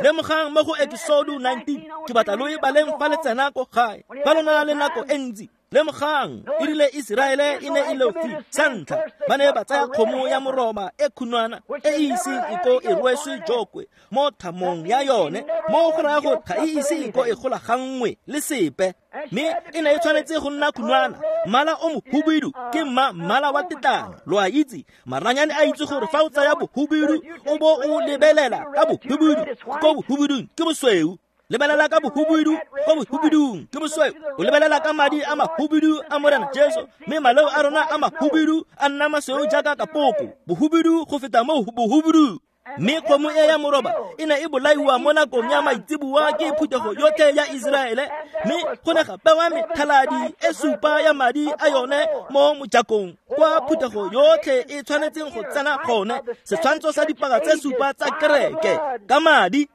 Lemogang mo go Ekisodo 19, ke batla lo e baleng fa le tsena ko gae, fa lo na le nako e ntsi. Lemogang, e rile Iseraele e ne e leofile. Sa ntlha, ba ne ba tsaya kgomo ya moroba e khunwana e e iseng e ko e rweswe jokwe mo thamong ya yone, mo go raya gore ga e ise e ko e golaganngwe le sepe, mme e ne e tshwanetse go nna khunwana. Mmala o mohubidu ke mmala wa tetlanyo. Lo a itse, maranyane a itse gore fa o tsaya bohubidu o bo o lebelela ka bohubidu, ko bohubidung ke bosweu. Lebelela ka bohubidu, ko bohubidung ke bosweu. O lebelela ka madi a mahubidu a Morena Jesu, mme maleo a rona a mahubidu a nna masweu jaaka kapoko, bohubidu go feta mo bohubidu. Mme kgomo e ya moroba e ne e bolaiwa mo nakong ya maitseboa ke phuthego yotlhe ya Iseraele, mme go ne ga bewa methaladi e supa ya madi a yone mo mojakong kwa phuthego yotlhe e tshwanetseng go tsena gone, setshwantsho sa dipaka tse supa tsa kereke ka madi.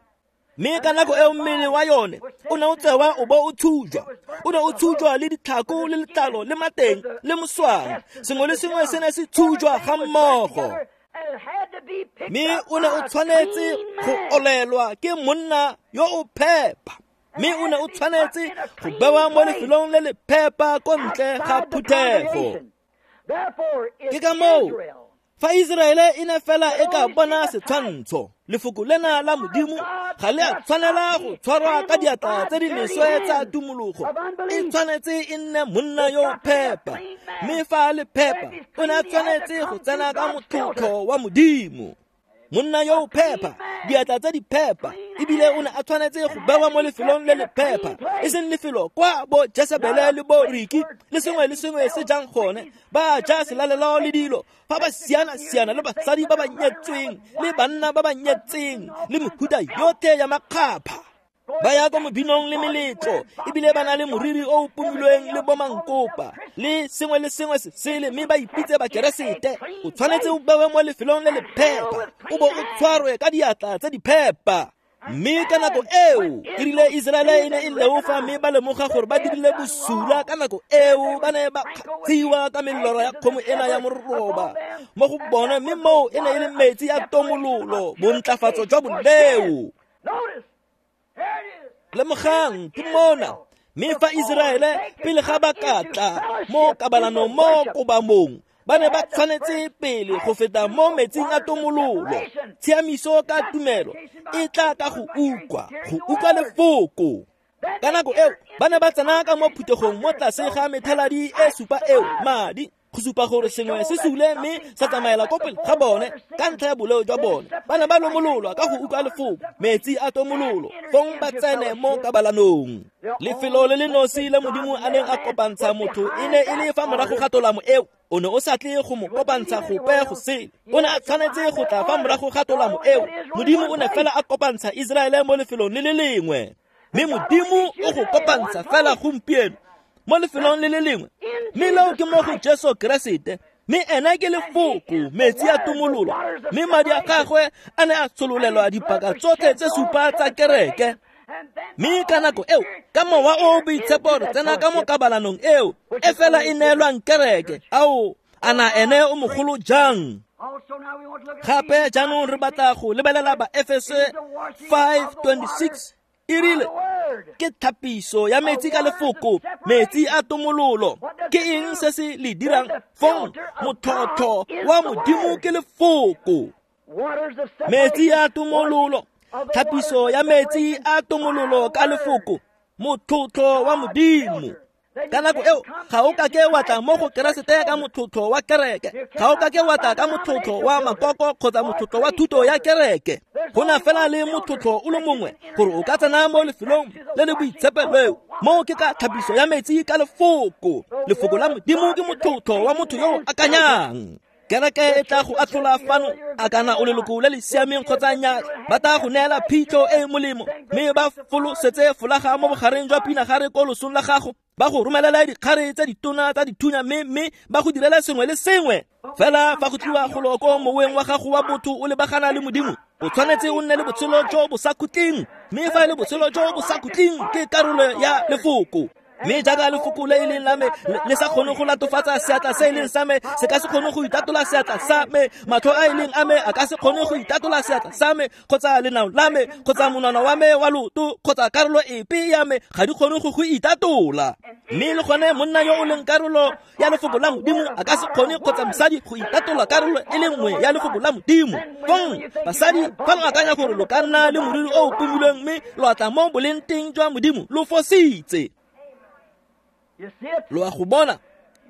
Mme ka nako eo mmele wa yone o ne o tsewa o bo o thujwa, o ne o thujwa le ditlhako le letlalo le mateng le moswang, sengwe le sengwe se ne se thujwa ga mmogo. Mme o ne o tshwanetse go olelwa ke monna yo o phepa, mme o ne o tshwanetse go bewa mo lefelong le le phepa ko ntle ga phuthego. Ke ka moo fa Iseraele e ne fela e ka bona setshwantsho, lefoko lena la Modimo ga le a tshwanela go tshwarwa ka diatla tse di leswe tsa tumologo. E tshwanetse e nne monna yo o phepa, mme fa a le phepa o ne a tshwanetse go tsena ka motlhotlho wa Modimo. Monna yo o phepa, diatla tse di phepa, ebile o ne a tshwanetse go bewa mo lefelong le le phepa, e seng lefelo kwa bo Jesebele le bo Riki le sengwe le sengwe se jang gone, ba ja selalelo le dilo, fa ba siana-siana le basadi ba ba nyetsweng le banna ba ba nyetseng le mehuta yotlhe ya makgapha. Ba ya ko mobinong le meletlo, ebile ba na le moriri o o pomilweng le bomankopa le sengwe le sengwe se sele, mme ba ipitse bakeresete. O tshwanetse o bewe mo lefelong le le phepa, o bo o tshwarwe ka diatla tse di phepa. Mme ka nako eo e rile Iseraele e ne e leofa, mme ba lemoga gore ba dirile bosula. Ka nako eo ba ne ba kgatshiwa ka melora ya kgomo ena ya moroba mo go bone, mme moo e ne e le metsi a tomololo, bontlafatso jwa boleo. Lemogang, ke mona. Mme fa Iseraele pele ga ba ka tla mo kabalanong mo kobamong, ba ne ba tshwanetse pele go feta mo metsing a tomololo. Tshiamiso ka tumelo e tla ka go utlwa, go utlwa lefoko. Ka nako eo ba ne ba tsena ka mo phuthegong mo tlase ga methaladi e supa eo madi, go supa gore sengwe se sule mme sa tsamaela ko pele ga bone ka ntlha ya boleo jwa bone. Ba ne ba lomololwa ka go utlwa lefoko, metsi a tomololo, fong ba tsene mo kabalanong. Lefelo le le nosi le Modimo a neng a kopantsha motho e ne e le fa morago ga tolamo eo. O ne o sa tle go mo kopantsha gope go sele, o ne a tshwanetse go tla fa morago ga tolamo eo. Modimo o ne fela a kopantsha Iseraele mo lefelong le le lengwe, mme Modimo o go kopantsha fela gompieno mo lefelong le le lengwe, mme leo ke mo go Jesu Keresete. Mme ena ke lefoko, metsi a tomololo, mme madi a gagwe a ne a tshololelwa dipaka tsotlhe tse supa tsa kereke. Mme ka nako eo ka mowa o boitshepo re tsena ka mo kabalanong eo e fela e neelwang kereke. Ao, ana ene o mogolo jang. Gape jaanong re batla go lebelela ba Efese 5:26. E rile ke thapiso ya metsi ka lefoko, metsi a tomololo. Ke eng se se le dirang fong? Motlhotlho wa Modimo ke lefoko. Metsi a tomololo, thapiso ya metsi a tomololo ka lefoko, motlhotlho wa Modimo. Ka nako eo ga o ka ke wa tla mo go Keresete ka motlhotlho wa kereke, ga o ka ke wa tla ka motlhotlho wa makoko kgotsa motlhotlho wa thuto ya kereke. Go na fela le motlhotlho o le mongwe gore o ka tsena mo lefelong le le boitshepo leo, moo ke ka tlhapiso ya metsi ka lefoko. Lefoko la Modimo ke motlhotlho wa motho yo o akanyang. Kereke e tla go atlhola fano a kana o leloko le le siameng kgotsa nnyaa, ba tla go neela phitlho e e molemo, mme ba folosetse folaga mo bogareng jwa pinagare ko losong la gago, ba go romelela dikgare tse ditona tsa dithunya, mme ba go direla sengwe le sengwe. Fela fa go tliwa golo ko moweng wa gago wa botho o lebagana le Modimo, O tshwanetse o nne le botshelo jo bo sa khutleng, mme fa e le botshelo jo bo sa khutleng ke karolo ya lefoko. Mme jaaka lefoko le e leng la me le sa kgone go latofatsa seatla se e leng sa me, se ka se kgone go itatola seatla sa me, matlho a e leng a me a ka se kgone go itatola seatla sa me, kgotsa lenao la me, kgotsa monwana wa me wa loto, kgotsa karolo epe ya me ga di kgone go itatola. Mme le gone monna yo o leng karolo ya lefoko la Modimo a ka se kgone, kgotsa mosadi go itatola karolo e le nngwe ya lefoko la Modimo. Fong basadi, fa lo akanya gore lo ka nna le moriri o o pomilweng mme lo atla mo boleng teng jwa Modimo, lo fositse. Lo a go bona,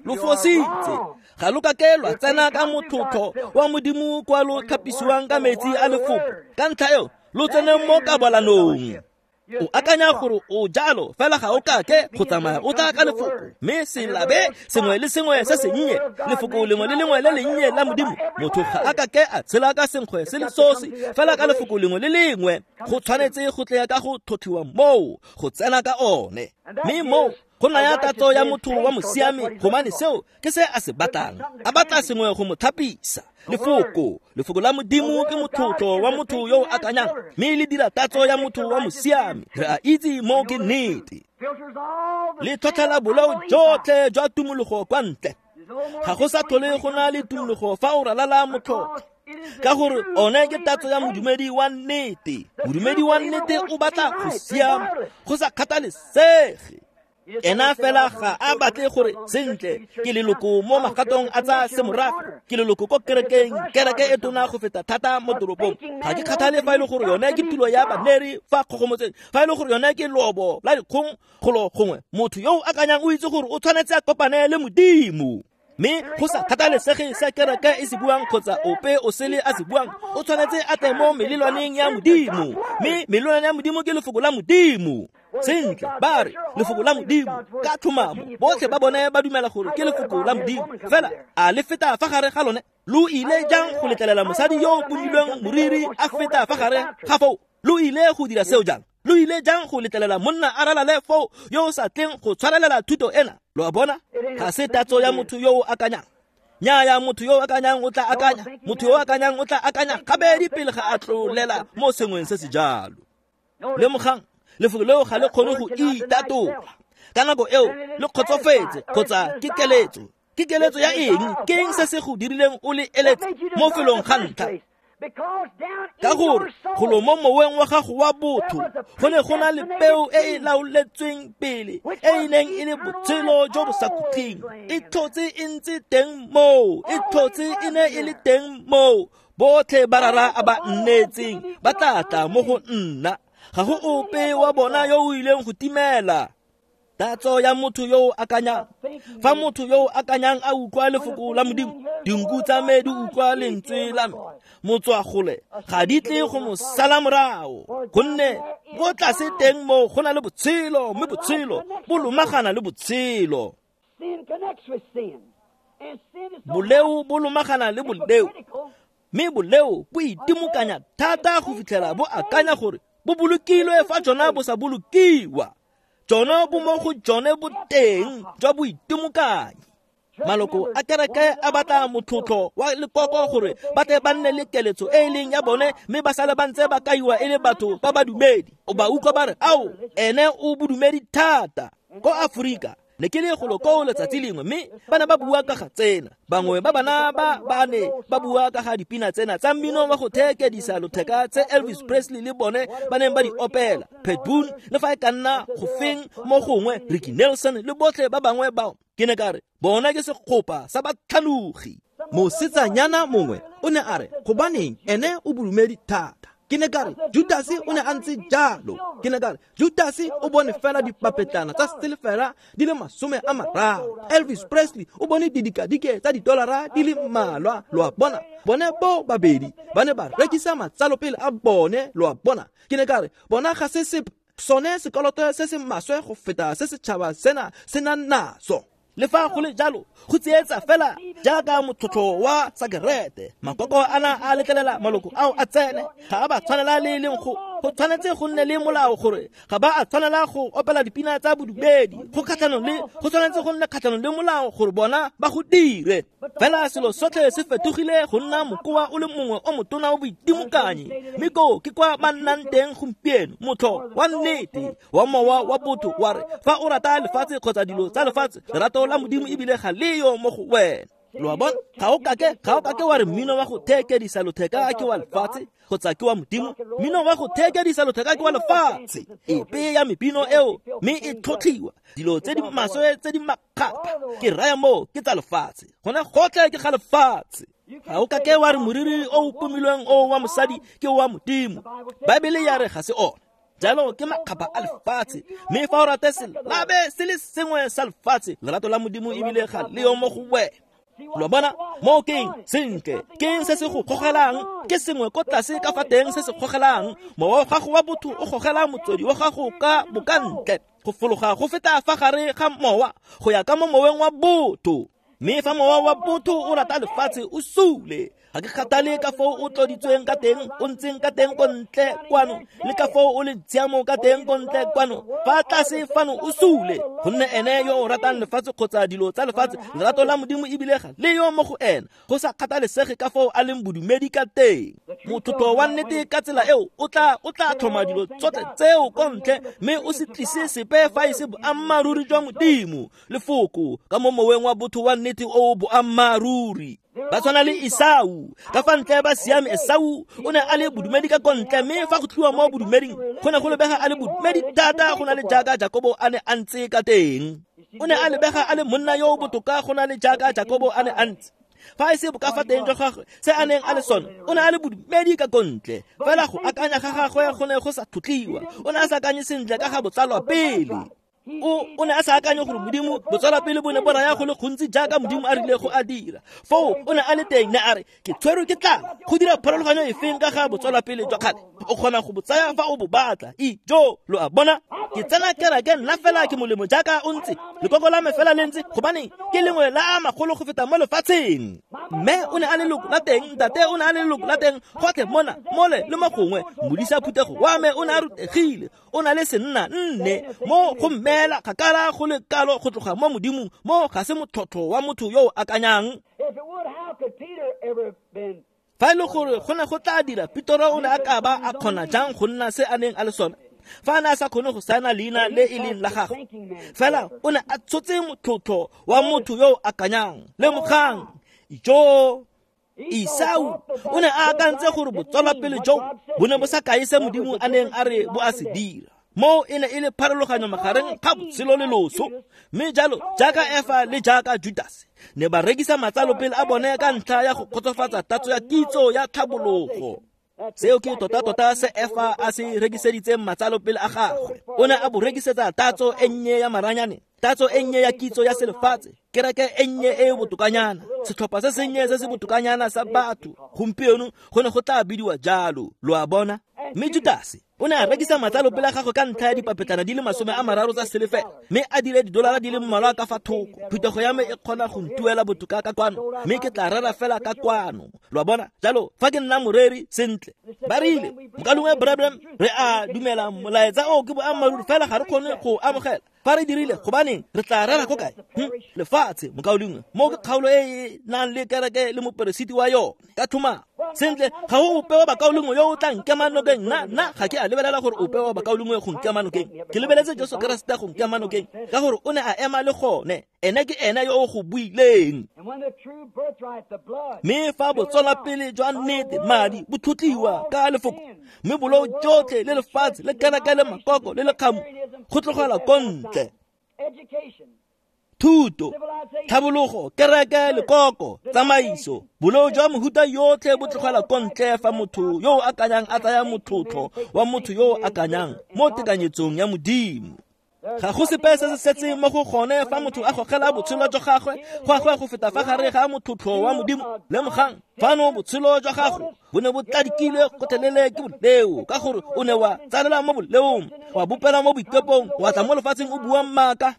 lo fositse. Ga lo kake lwa tsena ka motlhotlho wa Modimo kwa lo tlhapisiwang ka metsi a lefoko. Ka ntlha eo lo tsene mo kabalanong. O akanya gore o jalo, fela ga o kake go tsamaya o tla ka lefoko, mme selabe sengwe le sengwe se sennye, lefoko lengwe le lengwe le lennye la Modimo. Motho ga a kake a tshela ka senkgwe se le sosi, fela ka lefoko lengwe le lengwe. Go tshwanetse go tle ka go tlhotlhiwa moo, go tsena ka one. Mme moo go naya tatso ya motho wa mosiami, gobane seo ke se a se batlang. A batla sengwe go mo thapisa. Lefoko, lefoko la Modimo ke motlotlo wa motho yo o akanyang, mme le dira tatso ya motho wa mosiami. Re a itse mo ke nnete. Le tlhotlhela boleo jotlhe jwa tumologo kwa ntle. Ga go sa tlhole go na le tumologo fa o ralala motlotlo, ka gore one ke tatso ya modumedi wa nnete. Modumedi wa nnete o batla go siama go sa kgathalesege. Ena fela ga a batle gore sentle ke leloko mo magatong a tsa semorafe, ke leloko ko kerekeng, kereke e tona go feta thata mo toropong. Ga ke kgathale fa e le gore yone ke tulo ya baneri fa kgogomotseng, fa e le gore yone ke lobo la dikgong golo gongwe. Motho yo o akanyang o itse gore o tshwanetse a kopane le Modimo. Mme go sa kgathalesege se kereke e se buang kgotsa ope o sele a se buang, o tshwanetse a tle mo melelwaneng ya Modimo. Mme melelwane ya Modimo ke lefoko la Modimo. Sentle, ba re lefoko la Modimo ka tlhomamo, botlhe ba bone ba dumela gore ke lefoko la Modimo. Fela a le feta fa gare ga lone? Lo ile jang go letlelela mosadi yo o pomilweng moriri a feta fa gare ga foo? Lo ile go dira seo jang? Lo ile jang go letlelela monna a ralale foo yo o sa tleng go tshwarelela thuto ena? Lo a bona, ga se tatso ya motho yo o akanyang. Nnyaya, motho yo o akanyang o tla akanya, motho yo o akanyang o tla akanya gabedi pele ga a tlolela mo sengweng se se jalo. Lemogang, lefoko leo ga le kgone go itatola. Ka nako eo le kgotsofetse, kgotsa ke keletso. Ke keletso ya eng? Ke eng se se go dirileng o le eletse mo felong ga ntlha? Ka gore golo mo moweng wa gago wa botho go ne go na le peo e e laoletsweng pele, e e neng e le botshelo jo bo sa khutleng. E tlhotse e ntse teng moo, e tlhotse e ne e le teng moo. Botlhe ba rara a ba nnetseng ba tla tla mo go nna. Ga go ope wa bona yo o ileng go timela. Tatso ya motho yo o akanyang. Fa motho yo o akanyang a utlwa lefoko la Modimo, dinku tsa me di utlwa lentswe la me, motswagole ga di tle go mo sala morago, gonne ko tlase teng moo go na le botshelo, mme botshelo bo lomagana le botshelo. Boleo bo lomagana le boleo, mme boleo bo itimokanya thata go fitlhela bo akanya gore bo bolokilwe fa jona bo sa bolokiwa. Jona bo mo go jone boteng jwa boitimokanyi. Maloko a kereke a batla motlotlo wa lekoko gore ba tle ba nne le keletso e e leng ya bone, mme ba sale ba ntse ba kaiwa e le batho ba badumedi. O ba utlwa ba re, ao, ene o bodumedi thata. Ko Aforika ne ke le golo koo letsatsi lengwe, mme ba ne ba bua ka ga tsena. Bangwe ba bana ba ba ne ba bua ka ga dipina tsena tsa mmino wa go theekedisa lotheka tse Elvis Presley le bone ba neng ba di opela, Pat Boone le fa e ka nna go feng mo gongwe, Ricky Nelson le botlhe ba bangwe bao. Ke ne ka re, bona ke segopa sa batlhanogi. Mosetsanyana mongwe o ne a re, gobaneng ene o bodumedi thata. Ke ne ka re, Judase o ne a ntse jalo. Ke ne ka re, Judase o bone fela dipapetlana tsa silefera di le 30. Elvis Presley o bone didikadike tsa didolara di le mmalwa. Lo a bona, bone bo babedi ba ne ba rekisa matsalopele a bone. Lo a bona, ke ne ka re, bona ga se sepe, sone sekoloto se se maswe go feta se setšhaba sena se nang naso. Le fa go le jalo, go tsietsa fela jaaka motlhotlho wa sakerete. Makoko ana a letlelela maloko ao a tsene, ga a ba tshwanela le e leng go Go tshwanetse go nne le molao gore ga ba a tshwanela go opela dipina tsa bodumedi. Go kgatlhanong le go tshwanetse go nne kgatlhanong le molao gore bona ba go dire. Fela selo sotlhe se fetogile go nna mokoa o le mongwe o motona wa boitimokanyi, mme koo ke kwa ba nnang teng gompieno. Motlho wa nnete wa mowa wa botho wa re fa o rata lefatshe kgotsa dilo tsa lefatshe, lerato la Modimo ebile ga leyo mo go wena. Lo a bona? Ga o kake wa re mmino wa go theekedisa lotheka ke wa lefatshe kgotsa ke wa Modimo. Mmino wa go theekedisa lotheka ke wa lefatshe. Epe ya mebino eo mme e tlhotlhiwa dilo tse di maswe tse di makgapha, ke raya moo ke tsa lefatshe, gone gotlhe ke ga lefatshe. Ga o kake wa re moriri o o pomilweng o wa mosadi ke wa Modimo. Baebele ya re ga se ona. Jalo ke makgapha a lefatshe, mme fa o rate selabe se le sengwe sa lefatshe, lerato la Modimo ebile ga leo mo go wena. Lo bona mo keng sentle, keng se se go gogelang? Ke sengwe ko tlase ka fa teng se se gogelang. Mowa wa gago wa botho o gogela motswedi wa gago ka bokantle, go fologa go feta fa gare ga mowa go ya ka mo moweng wa botho. Mme fa mowa wa botho o rata lefatshe, o sule. Ga ke kgathale ka foo o tloditsweng ka teng, o ntseng ka teng ko ntle kwano, le ka foo o le tshiamo ka teng ko ntle kwano, fa tlase fano o sule. Gonne ene yo o ratang lefatshe kgotsa dilo tsa lefatshe, lerato la Modimo ebile ga leyo mo go ena, go sa kgathalesege ka foo a leng bodumedi ka teng. Motlotlo wa nnete ka tsela eo o tla tlhoma dilo tsotlhe tseo ko ntle, mme o se tlise sepe fa e se boammaaruri jwa Modimo, lefoko ka mo moweng wa botho wa nnete o boammaaruri. Ba tshwana le Esau, ka fa ntle ba siame. Esau o ne a le bodumedi ka kontle, mme fa go tliwa mo bodumeding go ne go lebega a le bodumedi thata go na le jaaka Jakobo a ne a ntse ka teng. O ne a lebega a le monna yo o botoka go na le jaaka Jakobo a ne a ntse. Fa e se bokafa teng jwa gagwe se a neng a le sone, o ne a le bodumedi ka kontle, fela go akanya ga gagwe go ne go sa tlotliwa. O ne a sa akanye sentle ka ga botsalwa pele. O ne a sa akanye gore Modimo botswala pele bo ne bo raya go le gontsi jaaka Modimo a rile go a dira. Foo o ne a le teng, ne a re ke tshwerwe ke tlala. Go dira pharologanyo efeng ka ga botswala pele jwa kgale? O kgona go bo tsaya fa o bo batla. Ijo, lo a bona? Ke tsena kereke nna fela ke molemo jaaka o ntse, lekoko la me fela le ntse, gobane ke lengwe la a magolo go feta mo lefatsheng. Mme o ne a le leloko la teng, ntate o ne a le leloko la teng, gotlhe mona mole le mo gongwe. Modisa phuthego wa me o ne a rutegile, o na le senna nne mo go mmeela kgakala go le kalo go tloga mo Modimong. Mo ga se motlhotlho wa motho yo o akanyang. Fa e le gore go ne go tla dira, Petoro o ne a ka ba a kgona jang go nna se a neng a le sone fa a ne a sa kgone go saena leina le e leng la gagwe? Fela o ne a tshotse motlhotlho wa motho yo o akanyang. Lemogang, ijo Esau o ne a akantse gore botswalapele jo bo ne bo sa kae se Modimo a neng a re bo a se dira. Mo e ne e le pharologanyo magareng ga botshelo le loso. Mme jalo jaaka Efa le jaaka Judas ne ba rekisa matsalopele a bone ka ntlha ya go kgotsofatsa tatso ya kitso ya tlhabologo. Seo ke tota-tota se Efa a se rekiseditseng matsalopele a gagwe. O ne a bo rekisetsa tatso e nnye ya maranyane, tatso e nnye ya kitso ya selefatshe, kereke e nnye e e botokanyana, setlhopha se sennye se se botokanyana sa batho. Gompieno go ne go tla bidiwa jalo, lo a bona. Mme Judase o ne a rekisa matsalopele a gagwe ka ntlha ya dipapetlana di le 30 tsa selefela, mme a dire didolara di le mmalwa ka fa thoko. Phuthego ya me e kgona go ntuela botoka ka kwano, mme ke tla rera fela ka kwano. Lo a bona? Jalo fa ke nna moreri sentle, ba rile mokalengwe Branham, re a dumela molaetsa o ke boammaaruri, fela ga re kgone go amogela. Fa re dirile, gobaneng re tla rera ko kae? Lefatshe, mokaulengwe, mo ke kgaolo e e nang le kereke le moperesiti wa yone ka tlhomamo. Sentle, ga go ope wa bakaulengwe yo o tla nkema nokeng. Nna ga ke a lebelela gore ope wa bakaulengwe go nkema nokeng. Ke lebeletse Jesu Keresete go nkema nokeng, ka gore o ne a ema le gone. Ene ke ene yo o go buileng. Mme fa botswalapele jwa nnete, madi, bo tlotliwa ka lefoko, mme bolou jotlhe le lefatshe le kereke le makoko le lekgamo go tlogela ko ntle. Thuto, tlhabologo, kereke, lekoko, tsamaiso, bolou jwa mohuta yotlhe bo tlogela ko ntle fa motho yo o akanyang a tsaya motlotlo wa motho yo o akanyang mo tekanyetsong ya Modimo. Ga go sepe se se setseng mo go gone fa motho a gogela botshelo jwa gagwe gagwe go feta fa gare ga motlotlo wa Modimo. Lemogang, fano botshelo jwa gago bo ne bo tladikilwe gotlhelele ke boleo, ka gore o ne wa tsalela mo boleong, wa bopela mo boikepong, wa tla mo lefatsheng o bua maaka.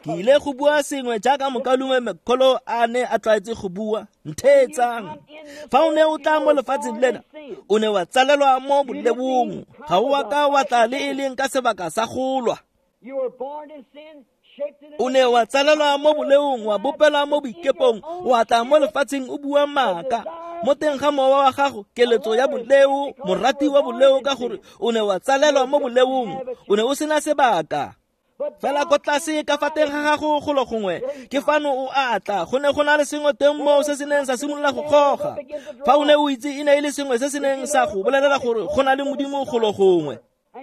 Ke ile go bua sengwe jaaka mokaulengwe McCullough a ne a tlwaetse go bua. Ntheetsang. Fa o ne o tla mo lefatsheng lena, o ne wa tsalelwa mo boleong. Ga o a ka wa tla le e leng ka sebaka sa go lwa. O ne wa tsalelwa mo boleong, wa bopelwa mo boikepong, wa tla mo lefatsheng o bua maaka. Mo teng ga mowa wa gago, keletso ya boleo, morati wa boleo, ka gore o ne wa tsalelwa mo boleong, o ne o sena sebaka. Fela ko tlase ka fa teng ga gago golo gongwe ke fano o atla, go ne go na le sengwe teng moo se se neng sa simolola go goga. Fa o ne o itse e ne e le sengwe se se neng sa go bolelela gore go na le Modimo golo gongwe,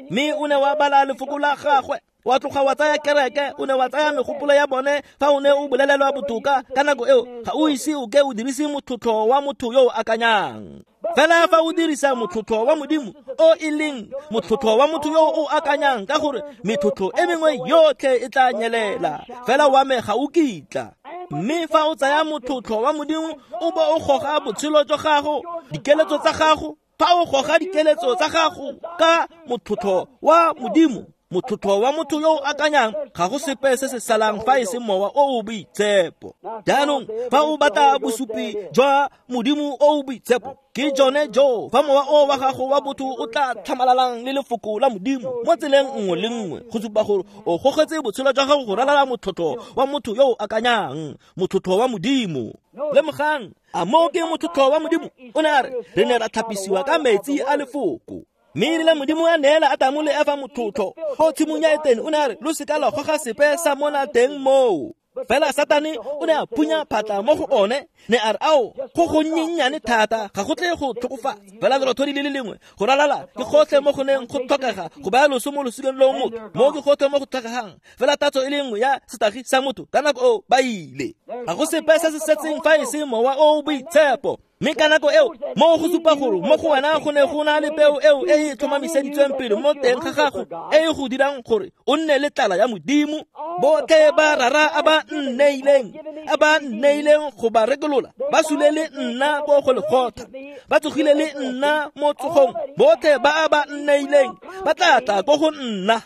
mme o ne wa bala lefoko la gagwe, wa tloga wa tsaya kereke, o ne wa tsaya megopolo ya bone. Fa o ne o bolelelwa botoka ka nako eo, ga o ise o ke o dirise motlhotlho wa motho yo o akanyang. Fela fa o dirisa motlhotlho wa Modimo, o e leng motlhotlho wa motho yo o akanyang, ka gore metlhotlho e mengwe yotlhe e tla nyelela, fela wa me ga o kitla. Mme fa o tsaya motlhotlho wa Modimo o bo o goga botshelo jwa gago, dikeletso tsa gago, fa o goga dikeletso tsa gago ka motlhotlho wa Modimo, motlhotlho wa motho yo o akanyang, ga go sepe se se salang fa e se mowa o o boitshepo. Jaanong fa o batla bosupi jwa Modimo o o boitshepo, ke jone jo fa mowa o wa gago wa botho o tla tlhamalalang le lefoko la Modimo mo tseleng nngwe le nngwe, go supa gore o gogetse botshelo jwa gago go ralala motlhotlho wa motho yo o akanyang, motlhotlho wa Modimo. Lemogang, a moo ke motlhotlho wa Modimo? O ne a re, re ne ra tlhapisiwa ka metsi a lefoko. Mme erile Modimo a neela Adamo le Efa motlhotlho ko tshimong ya Etene, o ne a re, lo seka lwa goga sepe sa mona teng moo. Fela Satane o ne a phunya phatla mo go one, ne a re, ao, go gonnyennyane thata, ga go tle go tlhokofatsa. Fela lerothodi le le lengwe go ralala ke gotlhe mo go neng go tlhokega go baya loso mo losikeng loo motho, mo ke gotlhe mo go tlhokegang fela tatso e le nngwe ya setagi sa motho. Ka nako eo ba ile, ga go sepe se se setseng fa e se mowa o o boitshepo. Mme ka nako eo, mo go supa gore mo go wena go ne go na le peo eo e e tlhomamiseditsweng pele mo teng ga gago, e e go dirang gore o nne le tlala ya Modimo. Botlhe ba Rara a ba nneileng, a ba nneileng go ba rekolola, ba sule le nna ko Golegotha, ba tsogile le nna mo tsogong. Botlhe ba a ba nneileng ba tla tla ko go nna,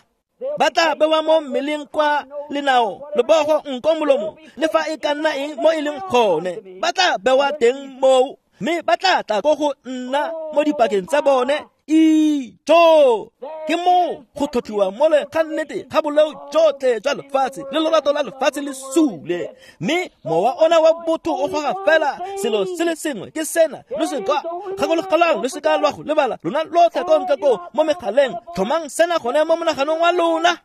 ba tla bewa mo mmeleng kwa lenao, lebogo, nko, molomo, le fa e ka nna eng mo e leng gone, ba tla bewa teng moo, mme ba tla tla ko go nna mo dipakeng tsa bone. Ijo, ke moo go tlhotlhiwa mole ga nnete ga boleo jotlhe jwa lefatshe le lorato la lefatshe le sule. Mme mowa ona wa botho o goga fela selo se le sengwe, ke sena: lo seka gakologelang, lo seka lwa go lebala, lona lotlhe ko ntle ko mo megaleng, tlhomang sena gone mo monaganong wa lona.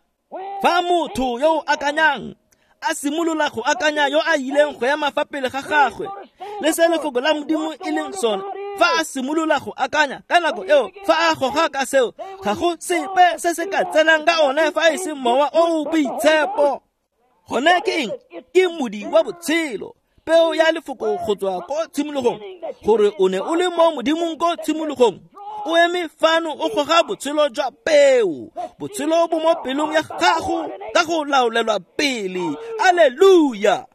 Fa motho yo o akanyang a simolola go akanya yo a ileng go ema fa pele ga gagwe le se lefoko la Modimo e leng sone, fa a simolola go akanya ka nako eo, fa a goga ka seo, ga go sepe se se ka tsenang ka one fa e se mowa o o boitshepo. Gone ke eng? Ke modi wa botshelo, peo ya lefoko go tswa ko tshimologong, gore o ne o le mo Modimong ko tshimologong. O eme fano o goga botshelo jwa peo, botshelo bo mo pelong ya gago ka go laolelwa pele. Alleluia!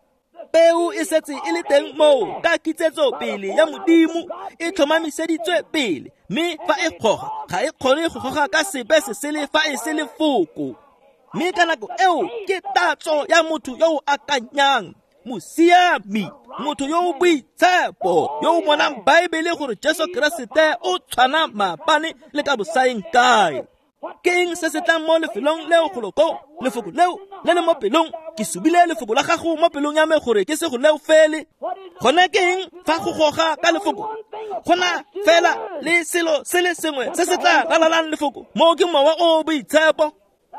Peo e setse e le teng moo ka kitsetso pele ya Modimo, e tlhomamiseditswe pele, mme fa e goga, ga e kgone go goga ka sepe se sele fa e se lefoko. Mme ka nako eo ke tatso ya motho yo o akanyang, mosiami, motho yo o boitshepo, yo o bonang Baebele gore Jesu Keresete o tshwana maabane le ka bosaeng kae. Ke eng se se tlang mo lefelong leo golo ko? Lefoko leo le le mo pelong. Ke subile lefoko la gago mo pelong ya me gore ke se go leo fele. Gone ke eng fa go goga ka lefoko? Go na fela le selo se le sengwe se se tla ralalang lefoko, moo ke mowa o o boitshepo.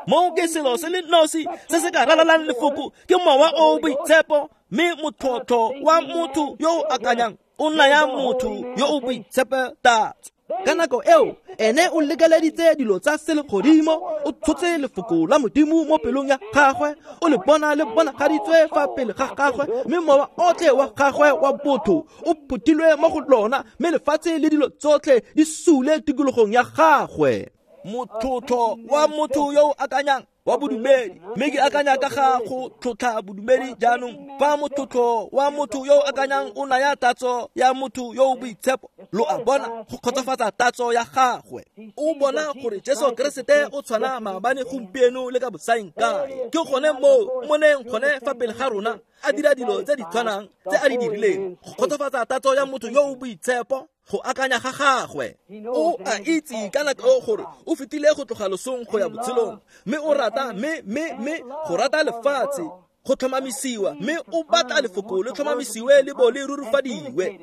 Moo ke selo se le nosi se se ka ralalang lefoko, ke mowa o o boitshepo. Mme motlhotlho wa motho yo o akanyang o naya motho yo o boitshepo tatso. Ka nako eo, ene o lekeleditse dilo tsa selegodimo, o tshotse lefoko la Modimo mo pelong ya gagwe, o le bona le bonagaditswe fa pele ga gagwe, mme mowa otlhe wa gagwe wa botho o phuthilwe mo go lona, mme lefatshe le dilo tsotlhe di sule tikologong ya gagwe. Motlhotlho wa motho yo o akanyang wa bodumedi, mme ke akanya ka ga go tlotla bodumedi jaanong. Fa motlotlo wa motho yo o akanyang o naya tatso ya motho yo o boitshepo, lo a bona, go kgotsofatsa tatso ya gagwe. O bona gore Jesu Keresete o tshwana maabane, gompieno le ka bosaeng kae. Ke gone moo moneng gone fa pele ga rona a dira dilo tse di tshwanang tse a di dirileng, go kgotsofatsa tatso ya motho yo o boitshepo, go akanya ga gagwe. O a itse ka nako eo gore o fetile go tloga losong go ya botshelong, mme o rata mme go rata lefatshe go tlhomamisiwa, mme o batla lefoko le tlhomamisiwe le bo le rurifadiwe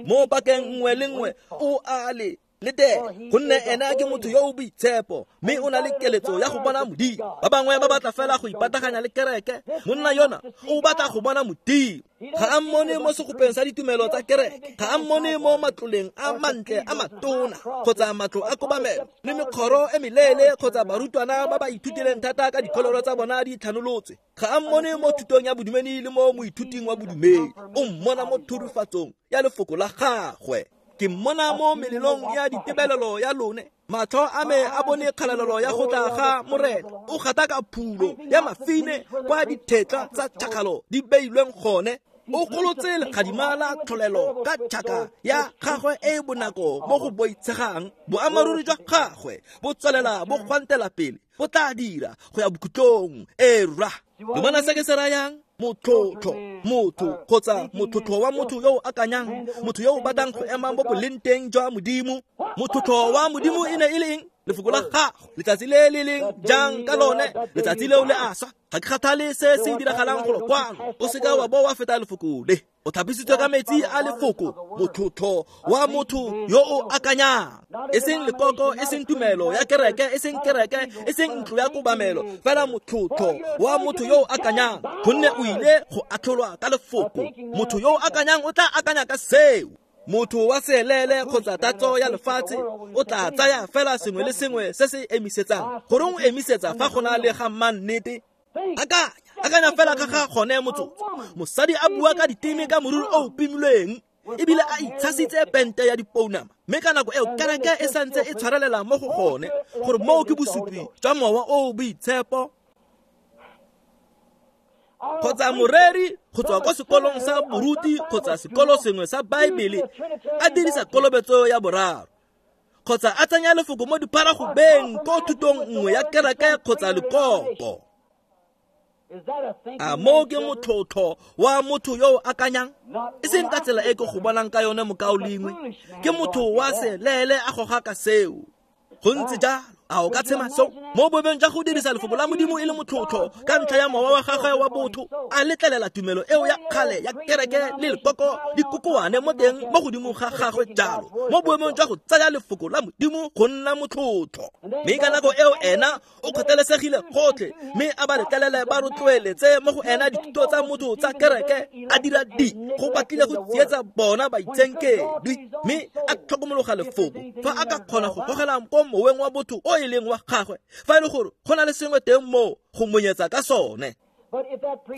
mo pakeng nngwe le nngwe. O a le letela, gonne ena ke motho yo o boitshepo, mme o na le keletso ya go bona Modimo. Ba bangwe ba batla fela go ipataganya le kereke. Monna yona o batla go bona Modimo. Ga a mmone mo segopeng sa ditumelo tsa kereke, ga a mmone mo matloleng a mantle a matona kgotsa matlo a kobamelo le mekgoro e meleele kgotsa barutwana ba ba ithutileng thata ka dikholoro tsa bona di tlhanolotswe. Ga a mmone mo thutong ya bodumedi le mo moithuting wa bodumedi. O mmona mo thurifatsong ya lefoko la gagwe. Ke mmona mo melelong ya ditebelelo ya lone. Matlho a me a bone kgalalelo ya go tla ga Morena. O gata ka phulo ya mafine kwa dithetla tsa tšhakgalo di beilweng gone. O golotse legadima la tlholelo ka tšhaka ya gagwe e e bonako mo go boitshegang. Boammaaruri jwa gagwe bo tswelela bo gwantela pele, bo tla dira go ya bokhutlong. E rra, lo bona se ke se rayang? Motlotlo, motho kgotsa motlotlo wa motho yo o akanyang, motho yo o batlang go ema mo boleng teng jwa Modimo. Motlotlo wa Modimo e ne e le eng? Lefoko la gago. Letsatsi le le leng jang ka lone, letsatsi leo le a swa. Ga ke kgathale se se diragalang golo kwano, o seka wa bo wa feta lefoko le. O thapisitswe ka metsi a lefoko, motlotlo wa motho yo o akanyang. E seng lekoko, e seng tumelo ya kereke, e seng kereke, e seng ntlo ya kobamelo, fela motlotlo wa motho yo o akanyang, gonne o ile go atlholwa ka lefoko. Motho yo o akanyang o tla akanya ka seo. Motho wa seelele kgotsa tatso ya lefatshe o tla tsaya fela sengwe le sengwe se se emisetsang. Goreng o emisetsa fa go na le ga mannete? Akanya fela ka ga gone motsotso. Mosadi a bua ka diteme ka moriri o o pimilweng, ebile a itshasitse pente ya dipounama, mme ka nako eo kereke e santse e tshwarelela mo go gone, gore moo ke bosupi jwa mowa o o boitshepo. Kgotsa moreri go tswa kwa sekolong sa boruti kgotsa sekolo sengwe sa Baebele a dirisa kolobetso ya boraro, kgotsa a tsenya lefoko mo dipharagobeng ko thutong nngwe ya kereke kgotsa lekoko. A moo ke motlotlo wa motho yo o akanyang? E seng ka tsela e ke go bonang ka yone, mokaulengwe. Ke motho wa selele a goga ka seo. Go ntse jalo. A o ka tshema seo? Mo boemong jwa go dirisa lefoko la Modimo e le motlotlo ka ntlha ya mowa wa gagwe wa botho, a letlelela tumelo eo ya kgale ya kereke le lekoko di kokoane mo teng mo godimo ga gagwe jalo, mo boemong jwa go tsaya lefoko la Modimo go nna motlotlo. Mme ka nako eo ena o kgathalesegile gotlhe, mme a ba letlelele ba rotloeletse mo go ena dithuto tsa motho tsa kereke, a dira di go batlile go tsietsa bona baitshenkedwi, mme a tlhokomologa lefoko fa a ka kgona go gogela ko moweng wa botho o e leng wa gagwe, fa e le gore go na le sengwe teng moo go monyetsa ka sone.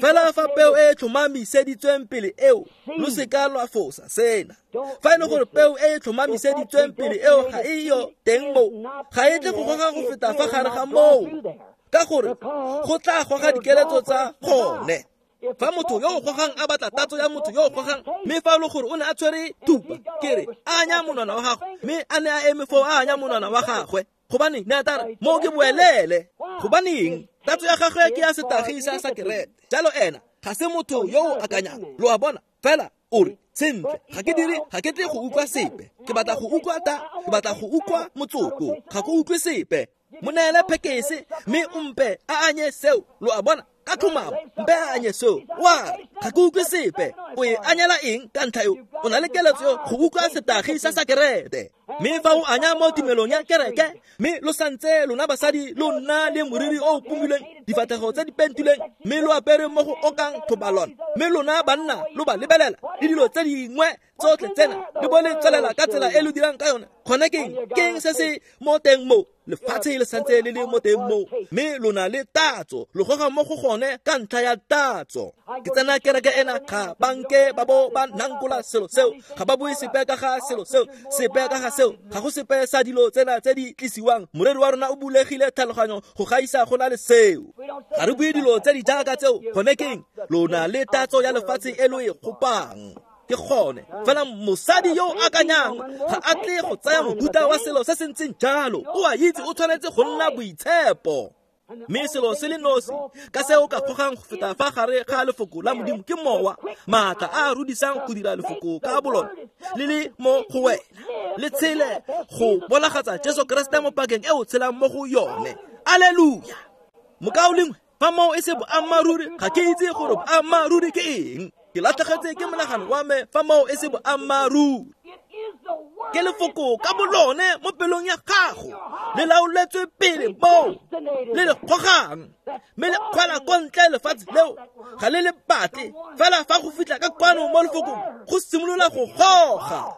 Fela fa peo e e tlhomamiseditsweng pele eo, lo seka lwa fosa sena. Fa e le gore peo e e tlhomamiseditsweng pele eo ga e yo teng moo, ga e tle go goga go feta fa gare ga moo, ka gore go tla goga dikeletso tsa gone. Fa motho yo o gogang a batla tatso ya motho yo o gogang, mme fa e le gore o ne a tshwere thupa, ke re a anya monwana wa gagwe, mme a ne a eme foo a anya monwana wa gagwe, gobane ne a tla re moo ke boelele. Gobaneng? Tatso ya gagwe ke ya setagi sa sakerete. Jalo ena ga se motho yo o akanyang. Lo a bona? Fela o re, sentle, ga ke dire, ga ke tle go utlwa sepe. Ke batla go utlwa ta, ke batla go utlwa motsoko, ga ke utlwe sepe. Mo neele phekese mme o mpe a anye seo. Lo a bona? Ka tlhomamo, mpe a anye seo. Wa ga ke utlwe sepe. O e anyela eng ka ntlha eo? O na le keletso go utlwa setagi sa sakerete. Mme fa o anya mo tumelong ya kereke, mme lo santse lona basadi lo nna le moriri o o pumilweng, difatlhego tse di pentilweng, mme lo apere mo go okang thobalone, mme lona banna lo ba lebelela le dilo tse dingwe tsotlhe tsena, le bo le tswelela ka tsela e lo dirang ka yone. Gone ke eng? Ke eng se se mo teng moo? Lefatshe le santse le le mo teng moo, mme lo na le tatso, lo goga mo go gone ka ntlha ya tatso. Ke tsena kereke ena, ga banke ba bo ba nankola selo seo, ga ba bue sepe ka ga selo seo, sepe ka ga seo. seo, ga go sepe sa dilo tsena tse di tlisiwang. Moreri wa rona o bulegile tlhaloganyo go gaisa go na le seo. Ga re bue dilo tse di jaaka tseo, gone keng lona le tatso ya lefatshe e lo e gopang. Ke gone fela mosadi yo o akanyang ga a tle go tsaya mohuta wa selo se se ntseng jalo. O a itse o tshwanetse go nna boitshepo. Mme selo se le nosi ka se o ka gogang go feta fa gare ga lefoko la Modimo ke mowa, maatla a a rudisang go dira lefoko ka bolone le le mo go wena, le tshele go bonagatsa Jesu Keresete mo pakeng e o tshelang mo go yone. Aleluya! Mokaulengwe, fa moo e se boammaaruri, ga ke itse gore boammaaruri ke eng. Ke latlhegetse ke monagano wa me fa moo e se boammaaruri. Ke lefoko ka bolone mo pelong ya gago, le laoletswe pele moo le le gogang, mme le kgwela ko ntle lefatshe leo ga le le batle. Fela fa go fitlha ka kwano mo lefokong, go simolola go goga.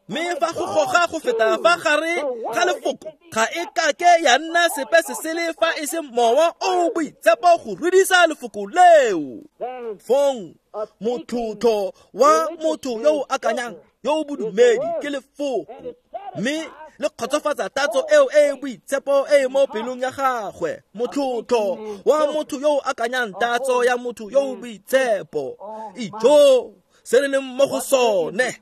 Mme fa go goga go feta fa gare ga lefoko, ga e kake ya nna sepe se sele fa e se mowa o boitshepo go rudisa lefoko leo. Fong motlhotlho wa motho yo o akanyang yo o bodumedi ke lefoko, mme le kgotsofatsa tatso eo e e boitshepo e e mo pelong ya gagwe. Motlhotlho wa motho yo o akanyang tatso ya motho yo o boitshepo. Ijo se re leng mo go sone.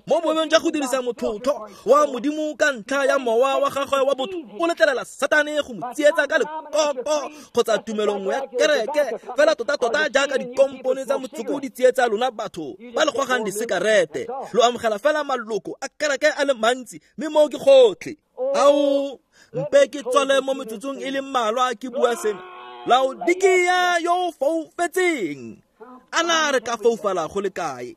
Mo boemong jwa go dirisa motlhotlho wa Modimo ka ntlha ya mowa wa gagwe wa botho, o letlelela Satane go mo tsietsa ka lekoko kgotsa tumelo nngwe ya kereke, fela tota-tota jaaka dikompone tsa motsoko di tsietsa lona batho ba le gogang disekarete. Lo amogela fela maloko a kereke a le mantsi, mme moo ke gotlhe. Ao, mpe ke tswale mo metsotsong e le mmalwa ke bua sena. Laodikia yo o foufetseng, a na re ka foufala go le kae?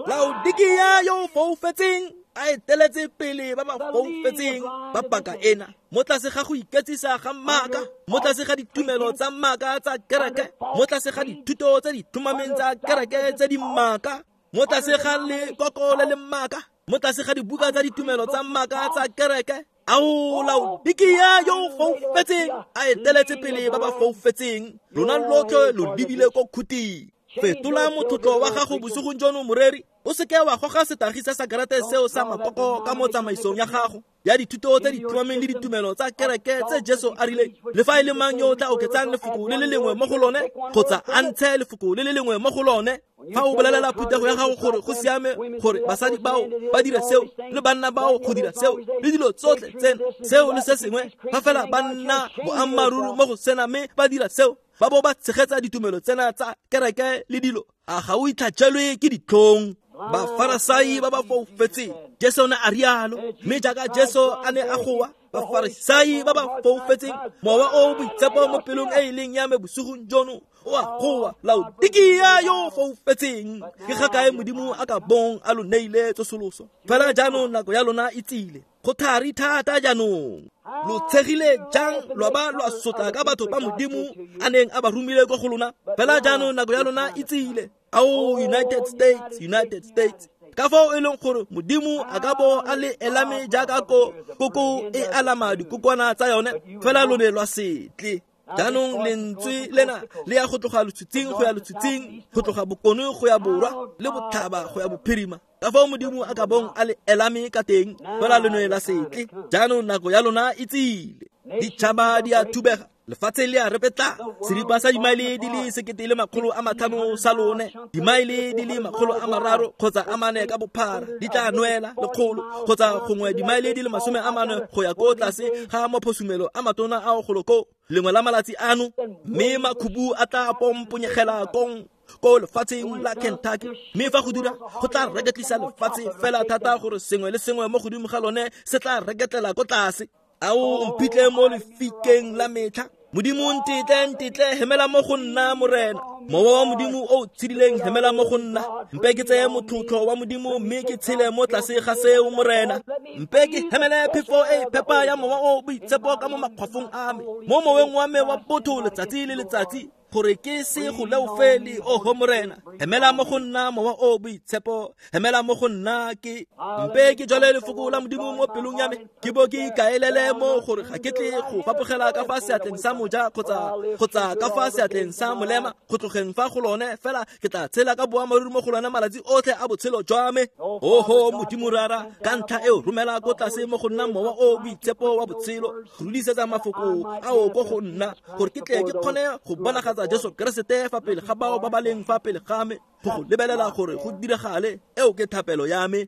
Laodikia yo o foufetseng a eteletse pele ba ba foufetseng ba paka ena, mo tlase ga go iketsisa ga maaka, mo tlase ga ditumelo tsa maaka tsa kereke, mo tlase ga dithuto tse di tlhomameng tsa kereke tse di maaka, mo tlase ga lekoko le le maaka, mo tlase ga dibuka tsa ditumelo tsa maaka tsa kereke. Ao, Laodikia yo o foufetseng a eteletse pele ba ba foufetseng, lona lotlhe lo lebile ko khuting. Fetola motlotlo wa gago bosigong jono, moreri. O seke wa goga setagi sa sakerete seo sa makoko ka mo tsamaisong ya gago ya dithuto tse di tlhomameng le ditumelo tsa kereke tse Jesu a rileng le fa e le mang yo o tla oketsang lefoko le le lengwe mo go lone kgotsa a ntshe lefoko le le lengwe mo go lone. Fa o bolelela phuthego ya gago gore go siame gore basadi bao ba dire seo le banna bao go dira seo le dilo tsotlhe tseno, seo le se sengwe, fa fela ba nna boammaaruri mo go sena mme ba dira seo, ba bo ba tshegetsa ditumelo tsena tsa kereke le dilo, a ga o itlhajelwe ke ditlhong? Bafarasai ba ba foufetseng, Jesu ne a rialo. Mme jaaka Jesu a ne a goa, bafarisai ba ba foufetseng, mowa o boitshepo mo pelong e e leng ya me bosigong jono o a goa, Laodikia yo o foufetseng, ke ga kae Modimo a ka bong a lo neile tsosoloso? Fela jaanong nako ya lona e tsile, go thari thata jaanong. Lo tshegile jang lwa ba lwa sotla ka batho ba Modimo a neng a ba romile ko go lona? Fela jaanong nako ya lona e tsile. Ao, United States, United States, ka fao e leng gore Modimo a ka bo a le elame jaaka koko e alama dikokwana tsa yone, fela lo ne lwa setle. Jaanong lentswe lena le ya go tloga letshwitsing go ya letshwitsing, go tloga bokone go ya borwa le botlhaba go ya bophirima. Ka fao Modimo a ka bong a le elame ka teng, fela lo ne la setle. Jaanong nako ya lona e tsile. Ditšhaba di a thubega, lefatshe le a repetla, seripa sa dimaele di le 1500 sa lone, dimaele di le 300 kgotsa 4 ka bophara di tla nwela 100 kgotsa gongwe dimaele di le 40 go ya ko tlase ga maphosumelo a matona ao golo ko lengwe la malatsi ano, mme makhubu a tla pomponyegela kong ko lefatsheng la Kentucky. Mme fa go dira, go tla reketlisa lefatshe fela thata gore sengwe le sengwe mo godimo ga lone se tla reketlela ko tlase. Ao, mphitlhe mo lefikeng la metlha. Modimo ntetle, ntetle, hemela mo go nna, Morena. Mowa wa Modimo o tshedileng, hemela mo go nna. Mpe ke tseye motlotlo wa Modimo mme ke tshele mo tlase ga seo, Morena. Mpe ke hemele phefo e phepa ya mowa o boitshepo ka mo makgwafong a me, mo moweng wa me wa botho letsatsi le letsatsi. gore ke se go leofele, oho Morena. Hemela mo go nna mowa o boitshepo, hemela mo go nna ke mpe ke jwale lefoko la Modimo mo pelong ya me, ke bo ke ikaelele mo gore ga ke tle go fapogela ka fa seatleng sa moja kgotsa ka fa seatleng sa molema, go tlogeng fa go lone, fela ke tla tshela ka boammaaruri mo go lone malatsi otlhe a botshelo jwa me. Oho Modimo Rara, ka ntlha eo romela ko tlase mo go nna mowa o boitshepo wa botshelo, go rudisetsa mafoko ao ko go nna, gore ke tle ke kgone go bonagatsa Jesu Keresete fa pele ga bao ba ba leng fa pele ga me, go go lebelela gore go diragale. Eo ke thapelo ya me.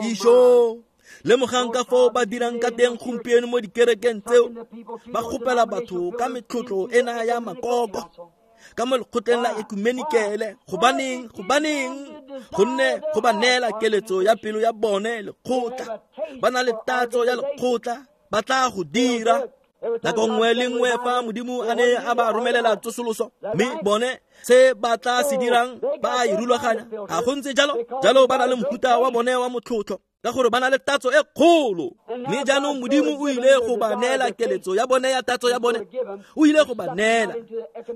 Isho, lemogang ka foo ba dirang ka teng gompieno mo dikerekeng tseo, ba kgopela batho ka metlotlo ena ya makoko ka mo lekgotleng la ekumenikele. Gobaneng? Gonne go ba neela keletso ya pelo ya bone lekgotla, ba na le tatso ya lekgotla, ba tla go dira. Nako nngwe le nngwe fa Modimo a ne a ba romelela tsosoloso, mme bone se ba tla se dirang ba a e rulaganya. Ga go ntse jalo, jalo ba na le mohuta wa bone wa motlotlo, ka gore ba na le tatso e kgolo. Mme jaanong Modimo o ile go ba neela keletso ya bone ya tatso ya bone, o ile go ba neela,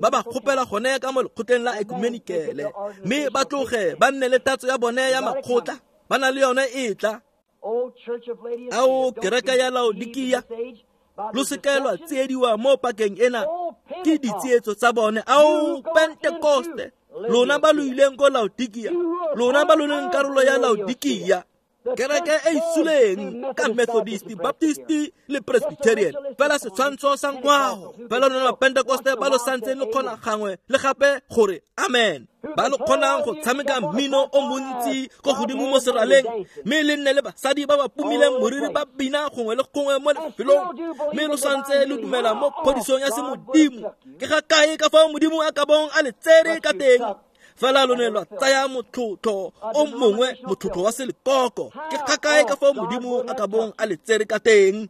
ba ba kgopela gone ka mo lekgotleng la ekumenikele, mme ba tloge ba nne le tatso ya bone ya makgotla, ba na le yone e tla. Ao kereke ya Laodikia, lo seke lwa tsiediwa mo pakeng ena ke ditsietso tsa bone. Ao Pentekoste, lona ba lo ileng ko Laodikia, lona ba lo leng karolo ya Laodikia, kereke e isuleng ka Methodist, Baptist le Presbyterian, fela setshwantsho sa ngwao, fela lona ba Pentekoste ba lo santseng le kgona gangwe le gape gore amen, ba lo kgonang go tshameka mmino o montsi ko godimo mo seraleng, mme le nne le basadi ba ba pumileng moriri ba bina gongwe le gongwe mo lefelong, mme lo santse lo dumela mo phodisong ya semodimo. Ke ga kae ka fao Modimo a ka bong a le tsere ka teng? Fela lo ne lwa tsaya motlotlo o mongwe, motlotlo wa selekoko. Ke ga kae ka fao Modimo a ka bong a le tsere ka teng?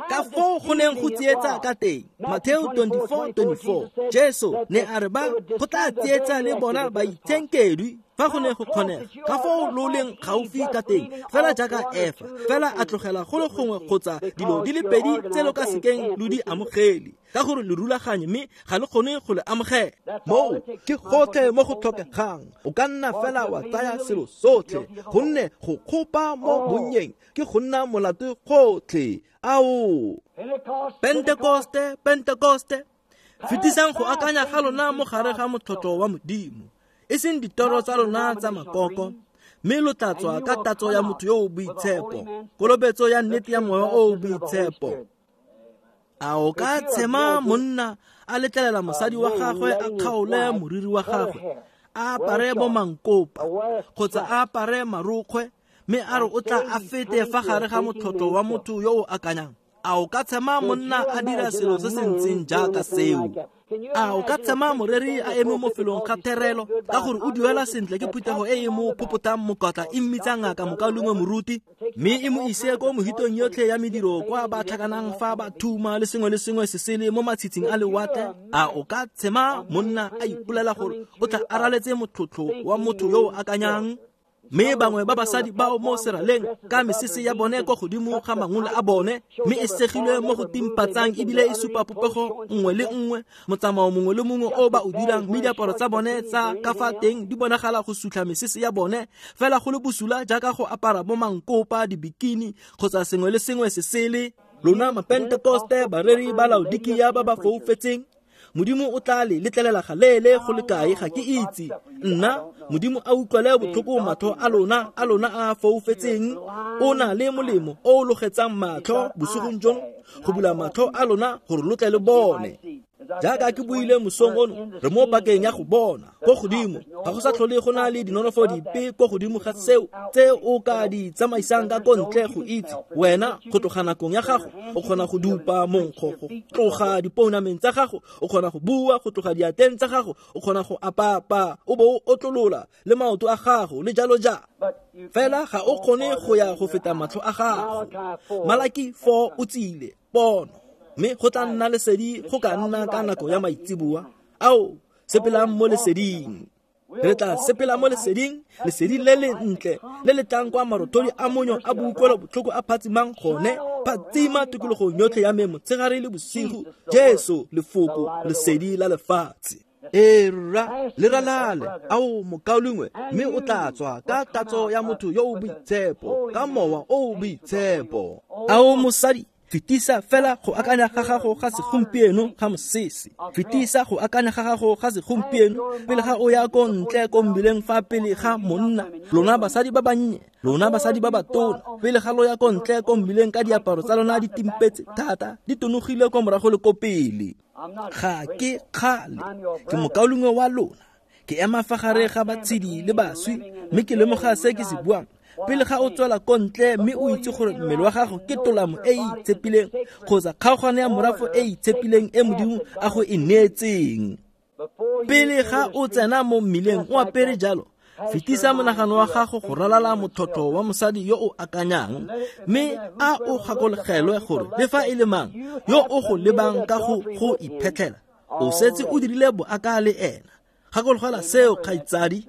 Ka foo go neng go tsietsa ka teng. Mateo 24:24, Jesu ne a re ba go tla tsietsa le bona baitshenkedwi fa go ne go kgonega, ka foo lo leng gaufi ka teng, fela jaaka Efa, fela a tlogela go le gongwe kgotsa dilo di le pedi tse lo ka sekeng lo di amogele, ka gore le rulaganye mme ga le kgone go le amogela. Moo ke gotlhe mo go tlhokegang. O ka nna fela wa tsaya selo sotlhe, gonne go kgopa mo bonnyeng ke go nna molato gotlhe. Ao Pentekoste, Pentekoste, fetisang go akanya ga lona mo gare ga motlotlo wa Modimo, e seng ditoro tsa lona tsa makoko, mme lo tla tswa ka tatso ya motho yo o boitshepo, kolobetso ya nnete ya moya o o boitshepo. A o ka tshema monna a letlelela mosadi wa gagwe a kgaole moriri wa gagwe, a apare bomankopa kgotsa a apare marokgwe, mme a re o tla a fete fa gare ga motlotlo wa motho yo o akanyang? A o ka tshema monna a dira selo se se ntseng jaaka seo? A o ka tshema moreri a eme mo felong ga therelo ka gore o duela sentle ke phuthego e e mo phopotang mokotla e mmitsa ngaka mokaulengwe moruti, mme e mo ise ko mohitong yotlhe ya mediro kwa ba tlhakanang fa ba thuma le sengwe le sengwe se sele mo matshitshing a lewatle? A o ka tshema monna a ipolela gore o tla araletse motlotlo wa motho yo o akanyang? Mme bangwe ba basadi bao mo seraleng ka mesese ya bone kwa godimo ga mangole a bone, mme e segilwe mo go timpatsang ebile e supa popego nngwe le nngwe, motsamao mongwe le mongwe o ba o dirang, mme diaparo tsa bone tsa ka fa teng di bonagala go sutlha mesese ya bone, fela go le bosula jaaka go apara bo mankopa, dibikini kgotsa sengwe le sengwe se sele. Lona Mapentekoste, bareri ba Laodikia ba ba foufetseng, Modimo o tla le letlelela galeele go le kae ga ke itse. Nna Modimo a utlwele botlhoko matlho a lona a foufetseng. O na le molemo o o logetsang matlho bosigong jono, go bula matlho a lona gore lo tle le bone. Jaaka ke buile mosong ono, re mo pakeng ya go bona ko godimo. Ga go sa tlhole go na le dinonofo dipe ko godimo ga seo tse o ka di tsamaisang ka ko ntle go itse. Wena go tloga nakong ya gago o kgona go dupa monkgo go tloga dipounameng tsa gago, o kgona go bua go tloga diateng tsa gago, o kgona go apapa o bo o otlolola le maoto a gago le jalo jalo. Fela ga o kgone go ya go feta matlho a gago. Malaki 4 o tsile pono, mme go tla nna lesedi go ka nna ka nako ya maitseboa. Ao, sepelang mo leseding. Re tla sepela mo leseding, lesedi le le ntle le le tlang kwa marothodi a monyo a boutlwelo botlhoko a phatsimang gone, phatsima tikologong yotlhe ya me motshegare le bosigo. Jesu lefoko, lesedi la lefatshe. Ee rra, le ralale, ao mokaulengwe, mme o tla tswa ka tatso ya motho yo o boitshepo, ka mowa o o boitshepo. Ao mosadi, fetisa fela go akanya ga gago ga segompieno ga mosese. Fetisa go akanya ga gago ga segompieno pele ga o ya ko ntle ko mmileng fa pele ga monna. Lona basadi ba bannye, lona basadi ba batona, pele ga lo ya ko ntle ko mmileng ka diaparo tsa lona di timpetse thata, di tonogile ko morago le ko pele. Ga ke kgale, ke mokaulengwe wa lona. Ke ema fa gare ga batshedi le baswi, mme ke lemoga se ke se buang. Pele ga o tswela ko ntle mme o itse gore mmele wa gago ke tolamo e e itshepileng kgotsa kgaogano ya morafe e e itshepileng e Modimo a go e neetseng. Pele ga o tsena mo mmileng o apere jalo, fetisa monagano wa gago go ralala motlhotlho wa mosadi yo o akanyang, mme a o gakologelwe gore le fa e le mang yo o go lebang ka go go iphetlhela, o setse o dirile boaka le ena. Gakologelwa seo, kgaitsadi.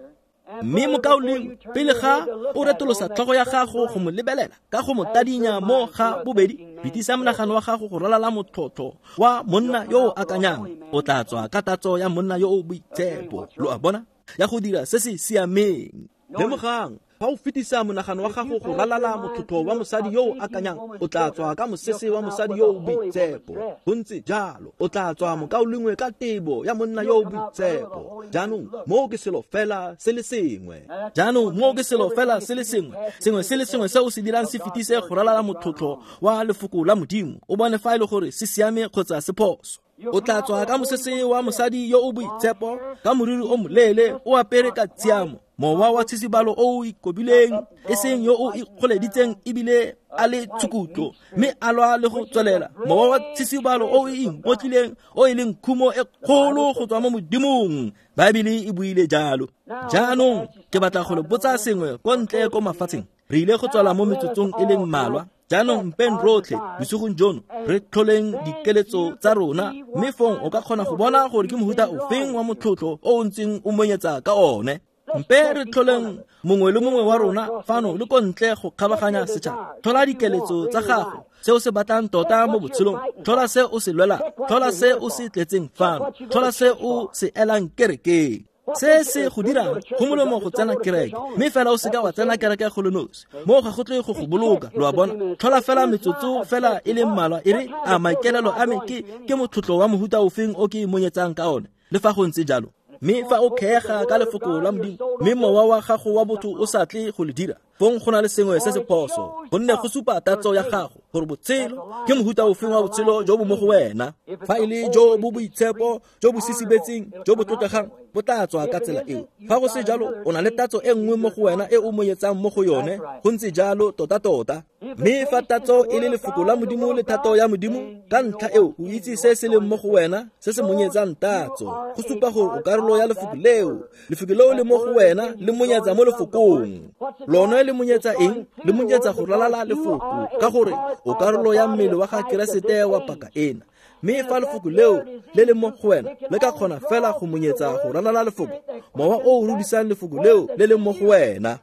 Mme mokaulengwe, pele ga o retolosa tlhogo ya gago go mo lebelela ka go mo tadinya mo ga bobedi, fetisa monagano wa gago go ralala motlhotlho wa monna yo o akanyang. O tla tswa ka tatso ya monna yo o boitshepo, lo a bona, ya go dira se se siameng. Lemogang, fa o fetisa monagano wa gago go ralala motlhotlho wa mosadi yo o akanyang, o tla tswa ka mosese wa mosadi yo o boitshepo. Go ntse jalo, o tla tswa mokaulengwe ka tebo ya monna yo o boitshepo. Jaanong moo ke selo fela se le sengwe. Jaanong moo ke selo fela se le sengwe. Sengwe se le sengwe se o se dirang se fetise go ralala motlhotlho wa lefoko la Modimo, o bone fa e le gore se siame kgotsa se phoso. O tla tswa ka mosese wa mosadi yo o boitshepo, ka moriri o moleele, o apere ka tshiamo, mowa wa tshisibalo o o ikobileng, e seng yo o ikgoleditseng ebile a le tshukutlo, mme a lwa le go tswelela. Mowa wa tshisibalo o o ingotlileng, o e leng khumo e kgolo go tswa mo Modimong. Baebele e buile jalo. Jaanong ke batla go le botsa sengwe ko ntle ko mafatsheng. Re ile go tswala mo metsotsong e leng mmalwa. Jaanong mpeng rotlhe bosigong jono re tlholeng dikeletso tsa rona, mme fong o ka kgona go bona gore ke mohuta ofeng wa motlhotlho o o ntseng o monyetsa ka one. Mpe re tlholeng mongwe le mongwe wa rona fano le ko ntle go kgabaganya setšhaba. Tlhola dikeletso tsa gago, se o se batlang tota mo botshelong, tlhola se o se lwelang, tlhola se o se tletseng fano, tlhola se o se elang kerekeng. Se se go dirang go molemo go tsena kereke, mme fela o seka wa tsena kereke go le nosi. Moo ga go tle go go boloka, lo a bona. Tlhola fela metsotso fela e le mmalwa, e re a maikaelelo a me ke motlhotlho wa mohuta ofeng o ke monyetsang ka one, le fa go ntse jalo. Mme fa o kgeega ka lefoko la Modimo, mme mowa wa gago wa botho o sa tle go le dira, fong go na le sengwe se se phoso, gonne go supa tatso ya gago gore botshelo ke mohuta ofeng wa botshelo jo bo mo go wena. Fa e le jo bo boitshepo, jo bo sisibetseng, jo bo tlotlegang, bo tla tswa ka tsela eo. Fa go se jalo, o na le tatso e nngwe mo go wena e o monyetsang mo go yone, go ntse jalo tota-tota. Mme fa tatso e le lefoko la Modimo le thato ya Modimo, ka ntlha eo o itse se se leng mo go wena, se se monyetsang tatso. Go supa gore o karolo ya lefoko leo. Lefoko leo le mo go wena le monyetsa mo lefokong. Lone le monyetsa eng? Le monyetsa go ralala lefoko, ka gore o karolo ya mmele wa ga Keresete wa paka ena. Mme fa lefoko leo le le mo go wena le ka kgona fela go monyetsa go ralala lefoko, mowa o o rudisang lefoko leo le le mo go wena.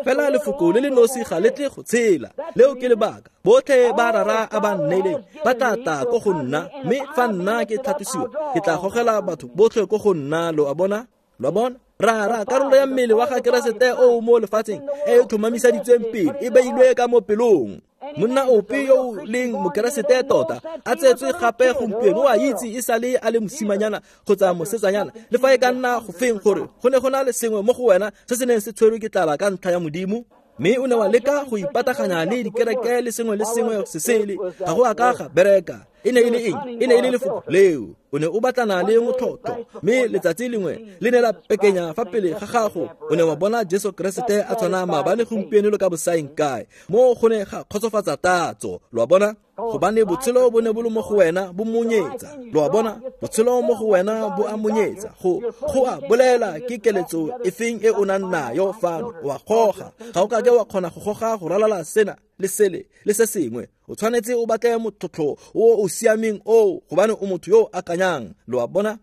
Fela lefoko le le nosi ga le tle go tshela. Leo ke lebaka botlhe ba rara a ba nneileng ba tla tla ko go nna, mme fa nna ke tlhatlosiwa ke tla gogela batho botlhe ko go nna. Lo a bona? Lo a bona? Rara, karolo ya mmele wa ga Keresete o mo lefatsheng e e tlhomamiseditsweng pele e beilwe ka mo pelong. Monna ope yo o leng mokeresete tota a tsetswe gape gompieno o a itse e sale a le mosimanyana kgotsa mosetsanyana, le fa e ka nna go feng, gore go ne go na le sengwe mo go wena se se neng se tshwerwe ke tlala ka ntlha ya Modimo, mme o ne wa leka go ipataganya le dikereke le sengwe le sengwe se sele, ga go a ka ga bereka. E ne e le eng? E ne e le lefoko leo. O ne o batlana le motlhotlho, mme letsatsi lengwe le ne la pekenya fa pele ga gago. O ne wa bona Jesu Keresete a tshwana maabane, gompieno le ka bosaeng kae. Mo go ne ga kgotsofatsa tatso, lo a bona? Gobane botshelo bo ne bo le mo go wena, bo monyetsa. Lo a bona? Botshelo mo go wena bo a monyetsa. Go a bolela ke keletso efeng e o nang nayo fano. O a goga. Ga o kake wa kgona go goga go ralala sena le sele le se sengwe. O tshwanetse o batle motlhotlho o o siameng oo, gobane o motho yo o akanyang. Lo a bona?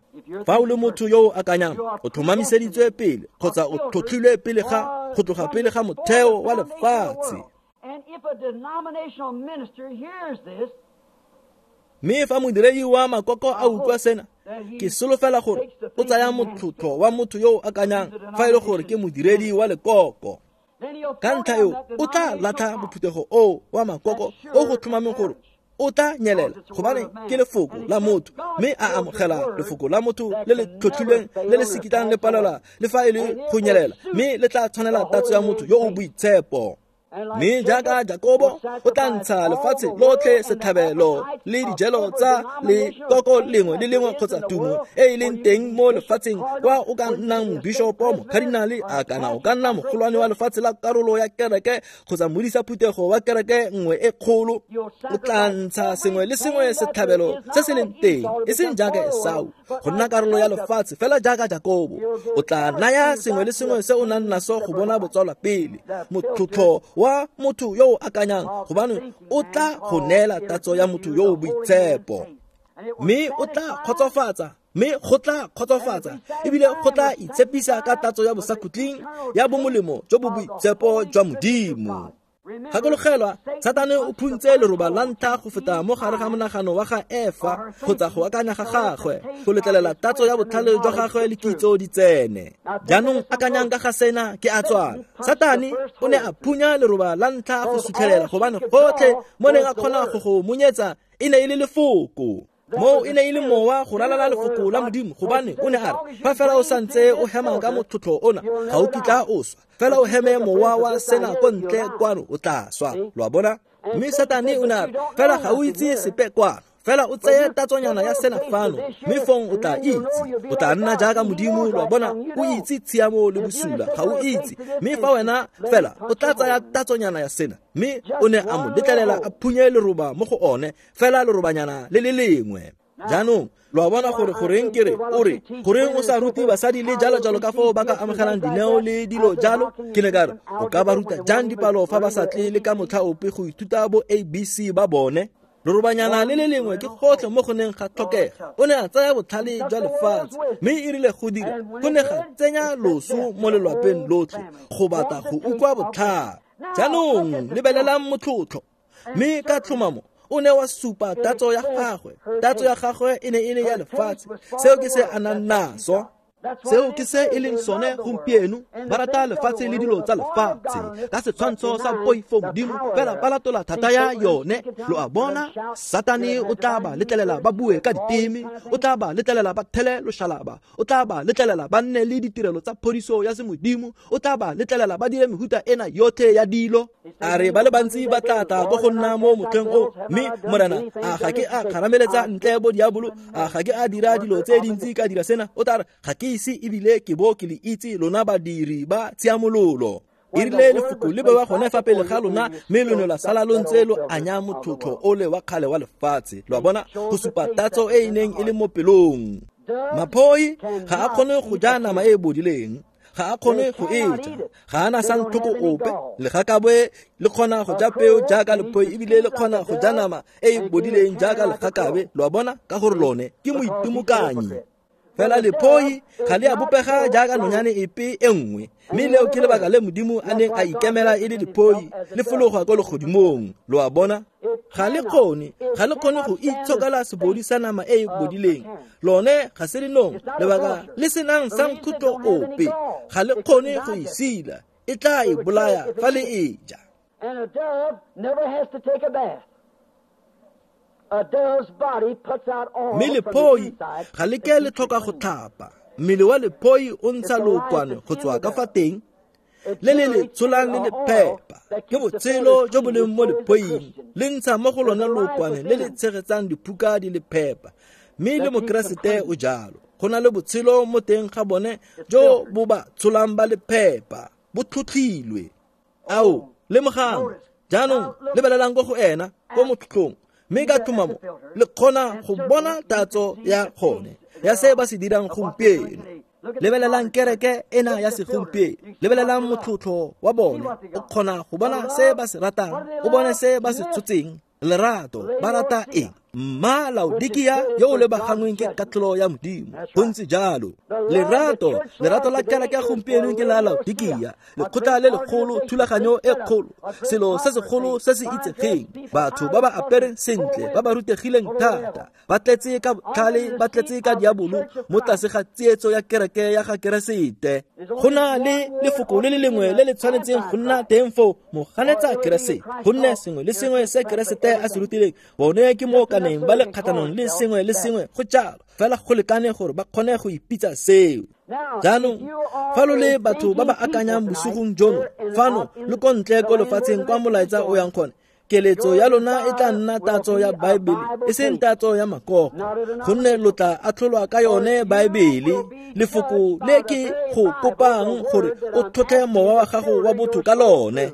Fa o le motho yo o akanyang, o tlhomamiseditswe pele kgotsa o tlhotlhilwe pele ga go tloga pele ga motheo wa lefatshe. And if a denominational minister hears this, Mme fa modiredi wa makoko a utlwa sena, ke solofela gore o tsaya motlotlo wa motho yo o akanyang fa e le gore ke modiredi wa lekoko. Ka ntlha eo o tla latlha bophuthego oo wa makoko o go tlhomameng gore o tla nyelela, gobane ke lefoko la motho, mme a amogela lefoko la motho le le tlhotlhilweng le le sekitang le palelwa le fa e le go nyelela, mme le tla tshwanela tatso ya motho yo o boitshepo. Mme jaaka Jakobo o tla ntsha lefatshe lotlhe setlhabelo le dijelo tsa lekoko lengwe le lengwe kgotsa tumo e e leng teng mo lefatsheng, kwa o ka nnang mobishopo, mokadinale, a kana o ka nna mogolwane wa lefatshe la karolo ya kereke kgotsa modisa phuthego wa kereke nngwe e kgolo, o tla ntsha sengwe le sengwe setlhabelo se se leng teng, e seng jaaka Esau go nna karolo ya lefatshe, fela jaaka Jakobo o tla naya sengwe le sengwe se o nang naso go bona botswalwa pele, motlotlo wa motho yo o akanyang, gobane o tla go neela tatso ya motho yo o boitshepo. Mme o tla kgotsofatsa, mme go tla kgotsofatsa ebile go tla itshepisa ka tatso ya bosakhutleng ya bomolemo jo bo boitshepo jwa Modimo. Gakologelwa, Satane o phuntse leroba la ntlha go feta mo gare ga monagano wa ga Efa kgotsa go akanya ga gagwe, go letlelela tatso ya botlhale jwa gagwe le kitso di tsene. Jaanong akanyang ka ga sena ke a tswala. Satane o ne a phunya leroba la ntlha go sutlhelela, gobane gotlhe mo neng a kgona go go monyetsa e ne e le lefoko. Moo e ne e le mowa go ralala lefoko la Modimo, gobane o ne a re, fa fela o santse o hema ka motlotlo ona, ga o kitla o swa. Fela o heme mowa wa sena ko ntle kwano, o tla swa. Lo a bona? Mme Satane o ne a re, fela ga o itse sepe kwano, fela o tseye tatsonyana ya sena fano, mme fong o tla itse, o tla nna jaaka Modimo. Lo a bona? O itse tshiamo le bosula, ga o itse. Mme fa wena fela o tla tsaya tatsonyana ya sena, mme o ne a mo letlelela a phunye leroba mo go one, fela lerobanyana le le lengwe. Jaanong lo a bona gore goreng ke re o re goreng o sa rute basadi le jalo jalo ka foo ba ka amogelang dineo le dilo jalo. Ke ne ka re, o ka ba ruta jang dipalo fa ba sa tle le ka motlha ope go ithuta bo ABC ba bone? Lerobanyana le le lengwe ke gotlhe mo go neng ga tlhokega. O ne a tsaya botlhale jwa lefatshe, mme e rile go dira, go ne ga tsenya loso mo lelwapeng lotlhe go batla go utlwa botlhale. Jaanong lebelelang motlotlo, mme ka tlhomamo o ne wa supa tatso ya gagwe. Tatso ya gagwe e ne e le ya lefatshe. Seo ke se a nang naso. Seo ke se e leng sone gompieno. Ba rata lefatshe le dilo tsa lefatshe ka setshwantsho sa poifo Modimo, fela ba latola thata ya yone. Lo a bona? Satane o tla ba letlelela ba bue ka diteme, o tla ba letlelela ba thele loshalaba, o tla ba letlelela ba nne le ditirelo tsa phodiso ya semodimo, o tla ba letlelela ba dire mehuta ena yotlhe ya dilo. A re ba le bantsi ba tla tla ko go nna mo motlheng o, mme Morena, a ga ke a kgarameletsa ntle bo diabolo, a ga ke a dira dilo tse dintsi ka dira sena? O tla re, ga ke ise ebile ke bo ke le itse, lona badiri ba tshiamololo. E rile lefoko le bewa gone fa pele ga lona, mme lo ne la sala lo ntse lo anya motlotlo ole wa kgale wa lefatshe. Lo a bona? Go supa tatso e e neng e le mo pelong. Maphoi ga a kgone go ja nama e e bodileng, ga a kgone go e ja, ga a na santlhoko ope. Legakabe le kgona go ja peo jaaka lephoi, ebile le kgona go ja nama e e bodileng jaaka legakabe. Lo a bona? Ka gore lone ke moitimokanyi. Fela lephoi ga le a bopega jaaka nonyane epe e nngwe, mme leo ke lebaka le Modimo a neng a ikemela e le lephoi le fologa ko legodimong. Lo a bona? Ga le kgone go itshokela sebodi sa nama e e bodileng. Lone ga se lenong, lebaka le senang sankhutlo ope. Ga le kgone go e sila, e tla e bolaya fa le e ja. And a dove never has to take a bath. Mme lephoi ga le ke le tlhoka go tlhapa. Mmele wa lephoi o ntsha lookwane go tswa ka fa teng, le le le tsholang le le phepa. Ke botshelo jo bo leng mo lephoing, le ntsha mo go lone lookwane le le tshegetsang diphuka di le phepa. Mme le Mokeresete o jalo. Go na le botshelo mo teng ga bone jo bo ba tsholang ba le phepa, bo tlhotlhilwe. Ao, lemogang jaanong, lebelelang ko go ena ko motlhotlhong, mme ka tlhomamo le kgona go bona tatso ya gone ya se ba se dirang gompieno. Lebelelang kereke ena ya segompieno, lebelelang motlotlo wa bone, o kgona go bona se ba se ratang, o bone se ba se tshotseng. Lerato, ba rata eng? Mma Laodikia yo o lebagangweng ke katlholo ya Modimo. Go ntse jalo. Lerato, lerato la kereke ya gompieno ke la Laodikia, lekgotla le legolo, thulaganyo e kgolo, selo se segolo se se itsegeng, batho ba ba apereng sentle, ba ba rutegileng thata, ba tletse ka botlhale, ba tletse ka diabolo mo tlase ga tsietso ya kereke ya ga Keresete. Go na le lefoko le le lengwe le le tshwanetseng go nna teng foo, moganetsa Keresete, gonne sengwe le sengwe se Keresete a se rutileng bone ke mo kaneng ba le kgatlhanong le sengwe le sengwe go jalo, fela go lekane gore ba kgone go ipitsa seo. Jaanong fa lo le batho ba ba akanyang bosigong jono fano le ko ntle ko lefatsheng kwa molaetsa o yang gone, keletso ya lona e tla nna tatso ya Baebele, e seng tatso ya makoko, gonne lo tla atlholwa ka yone Baebele. Lefoko le ke go kopang gore o tlhotlhe mowa wa gago wa botho ka lone,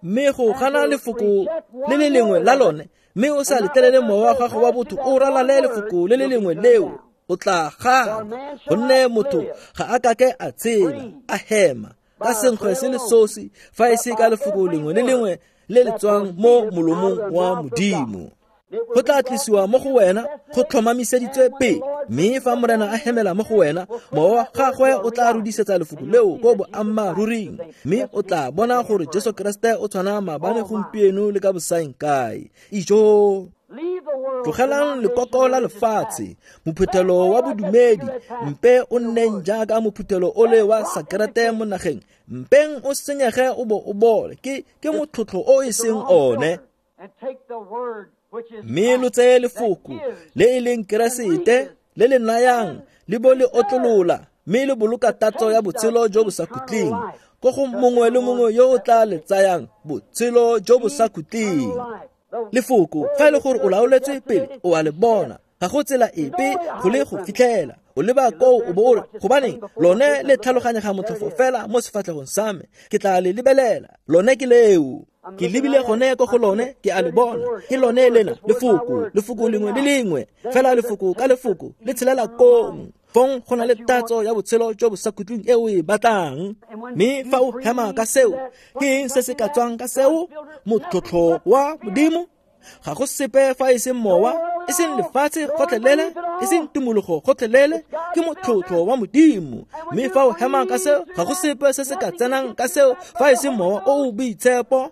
mme go gana lefoko le le lengwe la lone, mme o sa letlelele mowa wa gago wa botho o ralale lefoko le le lengwe leo, o tla gana, gonne motho ga a kake a tshela a hema ka senkgwe se le sosi fa e se ka lefoko lengwe le lengwe le le tswang mo molomong wa Modimo. Go tla tlisiwa mo go wena go tlhomamiseditswe pele, mme fa Morena a hemela mo go wena, mowa wa gagwe o tla rudisetsa lefoko leo ko boammaaruring, mme o tla bona gore Jesu Keresete o tshwana maabane, gompieno le ka bosaeng kae. Ijo! Tlogelang lekoko la lefatshe, mophuthelo wa bodumedi, mpe o nneng jaaka mophuthelo o le wa sakerete mo nageng, mpeng o senyege o bo o bole, ke motlhotlho o e seng one. Mme lo tseye lefoko le e leng Keresete le le nayang le bo le otlolola, mme le boloka tatso ya botshelo jo bo sa khutleng ko go mongwe le mongwe yo o tla le tsayang botshelo jo bo sa khutleng. Lefoko fa e le gore o laoletswe pele, o a le bona, ga go tsela epe go le go fitlhela. O leba koo o bo o re, gobaneng lone le tlhaloganyega motlhofo fela mo sefatlhegong sa me, ke tla le lebelela, lone ke leo. Ke lebile gone ko go lone, ke a le bona, ke lone lena lefoko, lefoko lengwe le lengwe fela, lefoko ka lefoko le tshelela kong. Fong go na le tatso ya botshelo jo bo sa khutleng e o e batlang. Mme fa o hema ka seo, ke eng se se ka tswang ka seo? Motlhotlho wa Modimo. Ga go sepe fa e seng mowa, e seng lefatshe gotlhelele, e seng tumologo gotlhelele, ke motlhotlho wa Modimo. Mme fa o hema ka seo, ga go sepe se se ka tsenang ka seo fa e seng mowa o o boitshepo.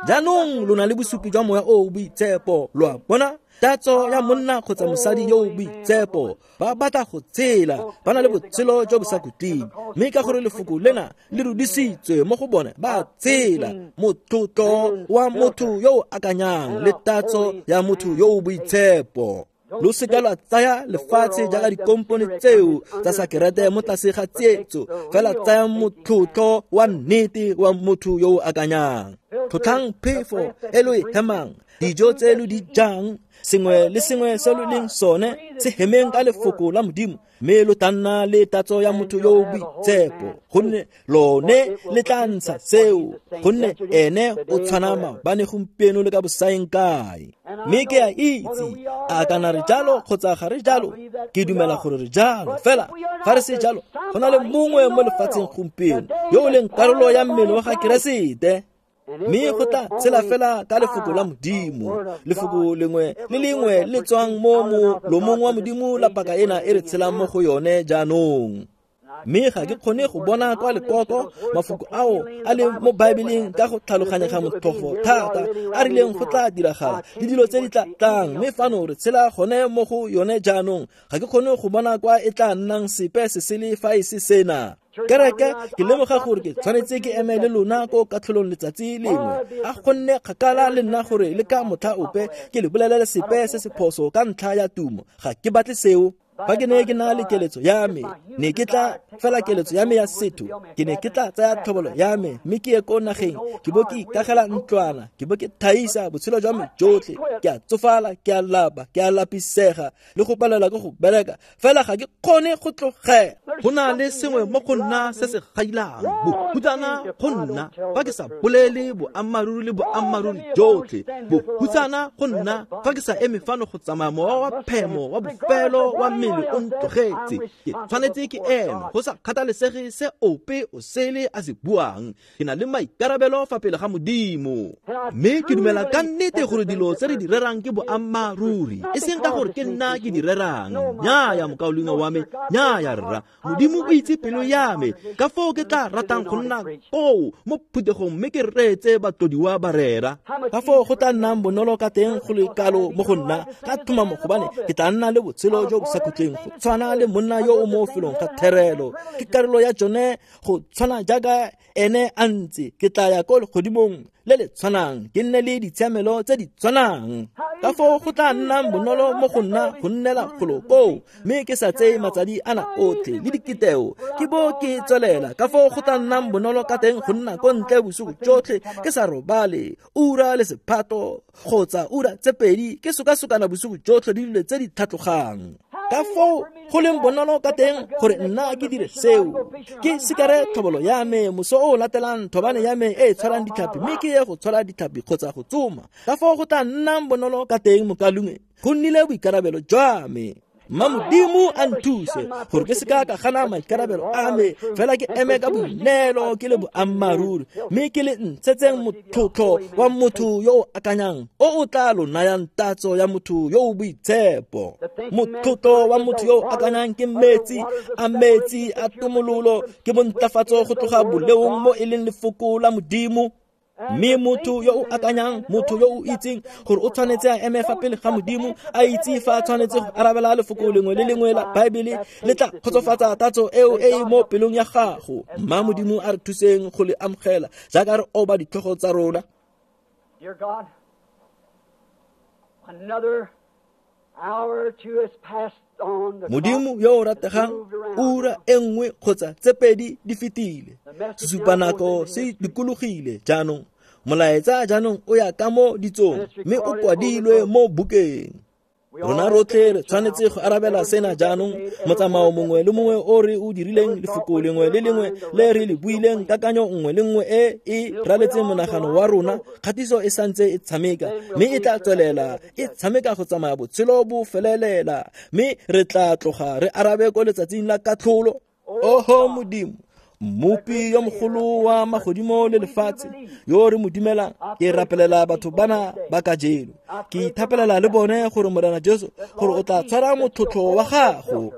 Jaanong lo na le bosupi jwa moya o o boitshepo, lo a bona? Tatso ya monna kgotsa mosadi yo o boitshepo, ba batla go tshela, ba na le botshelo jo bo sa khutleng, mme ka gore lefoko lena le rudisitswe mo go bone, ba tshela. Motlotlo wa motho yo o akanyang le tatso ya motho yo o boitshepo. Lo seka lwa tsaya lefatshe jaaka dikompone tseo tsa sakerete mo tlase ga tsietso, fela tsayang motlotlo wa nnete wa motho yo o akanyang. Tlhotlhang phefo e lo e hemang, dijo tse lo di jang, sengwe le sengwe se lo leng sone se hemeng ka lefoko la Modimo, mme lo tla nna le tatso ya motho yo o boitshepo, gonne lone le tla ntsha seo, gonne ene o tshwana maabane, gompieno le ka bosaeng kae. Mme ke a itse a kana re jalo kgotsa ga re jalo, ke dumela gore re jalo, fela fa re se jalo, go na le mongwe mo lefatsheng gompieno yo o leng karolo ya mmele wa ga Keresete, mme go tla tshela fela ka lefoko la Modimo. Lefoko lengwe le lengwe le tswang mo molomong wa Modimo la paka ena e re tshelang mo go yone jaanong. Mme ga ke kgone go bona kwa lekoko mafoko ao a leng mo Baebeleng ka go tlhaloganyega motlhofo thata, a rileng go tla diragala le dilo tse di tla tlang, mme fano re tshela gone mo go yone jaanong. Ga ke kgone go bona kwa e tla nnang sepe se sele fa e se sena. Kereke, ke lemoga gore ke tshwanetse ke eme le lona ko katlholong letsatsi lengwe. A gonne kgakala le nna gore le ka motlha ope ke le bolelele sepe se se phoso ka ntlha ya tumo. Ga ke batle seo. Fa ke ne ke na le keletso ya me, ne ke tla fela keletso ya me ya setho, ke ne ke tla tsaya tlhobolo ya me mme ke ye ko nageng, ke bo ke ikagela ntlwana, ke bo ke thaisa botshelo jwa me jotlhe. Ke a tsofala, ke a lapa, ke a lapisega le go palelwa ke go bereka, fela ga ke kgone go tlogela. Go na le sengwe mo go nna se se gailang bohutsana go nna fa ke sa bolele boammaaruri le boammaaruri jotlhe, bohutsana go nna fa ke sa eme fano go tsamaya mowa wa phemo wa bofelo wa mmele mmele o ntlogetse, ke tshwanetse ke eme go sa kgathalesege se ope o sele a se buang. Ke na le maikarabelo fa pele ga Modimo, mme ke dumela ka nnete gore dilo tse re di rerang ke boammaaruri, e seng ka gore ke nna ke di rerang. Nnyaya, mokaulengwe wa me, nnyaya rra, Modimo o itse pelo ya me, ka foo ke tla ratang go nna koo mo phuthegong mme ke reetse batlodiwa ba rera. Ka foo go tla nnang bonolo ka teng go le kalo mo go nna ka tlhomamo, gobane ke tla nna le botshelo jo bo sa khutleng go tshwana le monna yo o mo felong ga therelo. Ke karolo ya tsone go tshwana jaaka ene a ntse, ke tla ya ko legodimong le le tshwanang, ke nne le ditshiamelo tse di tshwanang. Ka foo go tla nnang bonolo mo go nna go nnela golo koo, mme ke sa tseye matsadi ana otlhe le dikiteo, ke bo ke tswelela. Ka foo go tla nnang bonolo ka teng go nna ko ntle bosigo jotlhe ke sa robale, ura le sephato kgotsa ura tse pedi ke sokasokana bosigo jotlhe le dilo tse di tlhatlogang. Ka foo go leng bonolo ka teng gore nna ke dire seo, ke sikare tlhobolo ya me moso o latelang thobane ya me e e tshwarang ditlhapi, mme ke ye go tshwara ditlhapi kgotsa go tsoma. Ka foo go tla nnang bonolo ka teng, mokalungwe, go nnile boikarabelo jwa me. Mma Modimo a nthuse gore ke seka ka gana maikarabelo a me, fela ke eme ka boineelo ke le boammaaruri, mme ke le ntshetseng motlotlo wa motho yo o akanyang o o tla lo nayang tatso ya motho yo o boitshepo. Motlotlo wa motho yo o akanyang ke metsi a metsi a tomololo, ke bontlafatso go tloga boleong mo e leng lefoko la Modimo. Mme motho yo o akanyang, motho yo o itseng gore o tshwanetse a eme fa pele ga Modimo, a itse fa a tshwanetse go arabela lefoko lengwe le lengwe la Baebele, le tla kgotsofatsa tatso eo e e mo pelong ya gago. Mma Modimo a re thuseng go le amogela jaaka re oba ditlhogo tsa rona. Dear God, another hour or two has passed on. The Modimo yo o rategang, ura e nngwe kgotsa tse pedi di fetile, sesupanako se dikologile jaanong. Molaetsa jaanong o ya ka mo ditsong, mme o kwadilwe mo bukeng. Rona rotlhe re tshwanetse go arabela sena jaanong. Motsamao mongwe le mongwe o re o dirileng, lefoko lengwe le lengwe le re le buileng, kakanyo nngwe le nngwe e e raletseng monagano wa rona, kgatiso e santse e tshameka, mme e tla tswelela e tshameka go tsamaya botshelo bo felelela, mme re tla tloga re arabe ko letsatsing la katlholo. Oho Modimo, Mmopi yo mogolo wa magodimo le lefatshe, yo re mo dumelang, ke rapelela batho bana ba kajeno. Ke ithapelela le bone gore Morena Jesu, gore o tla tshwara motlotlo wa gago.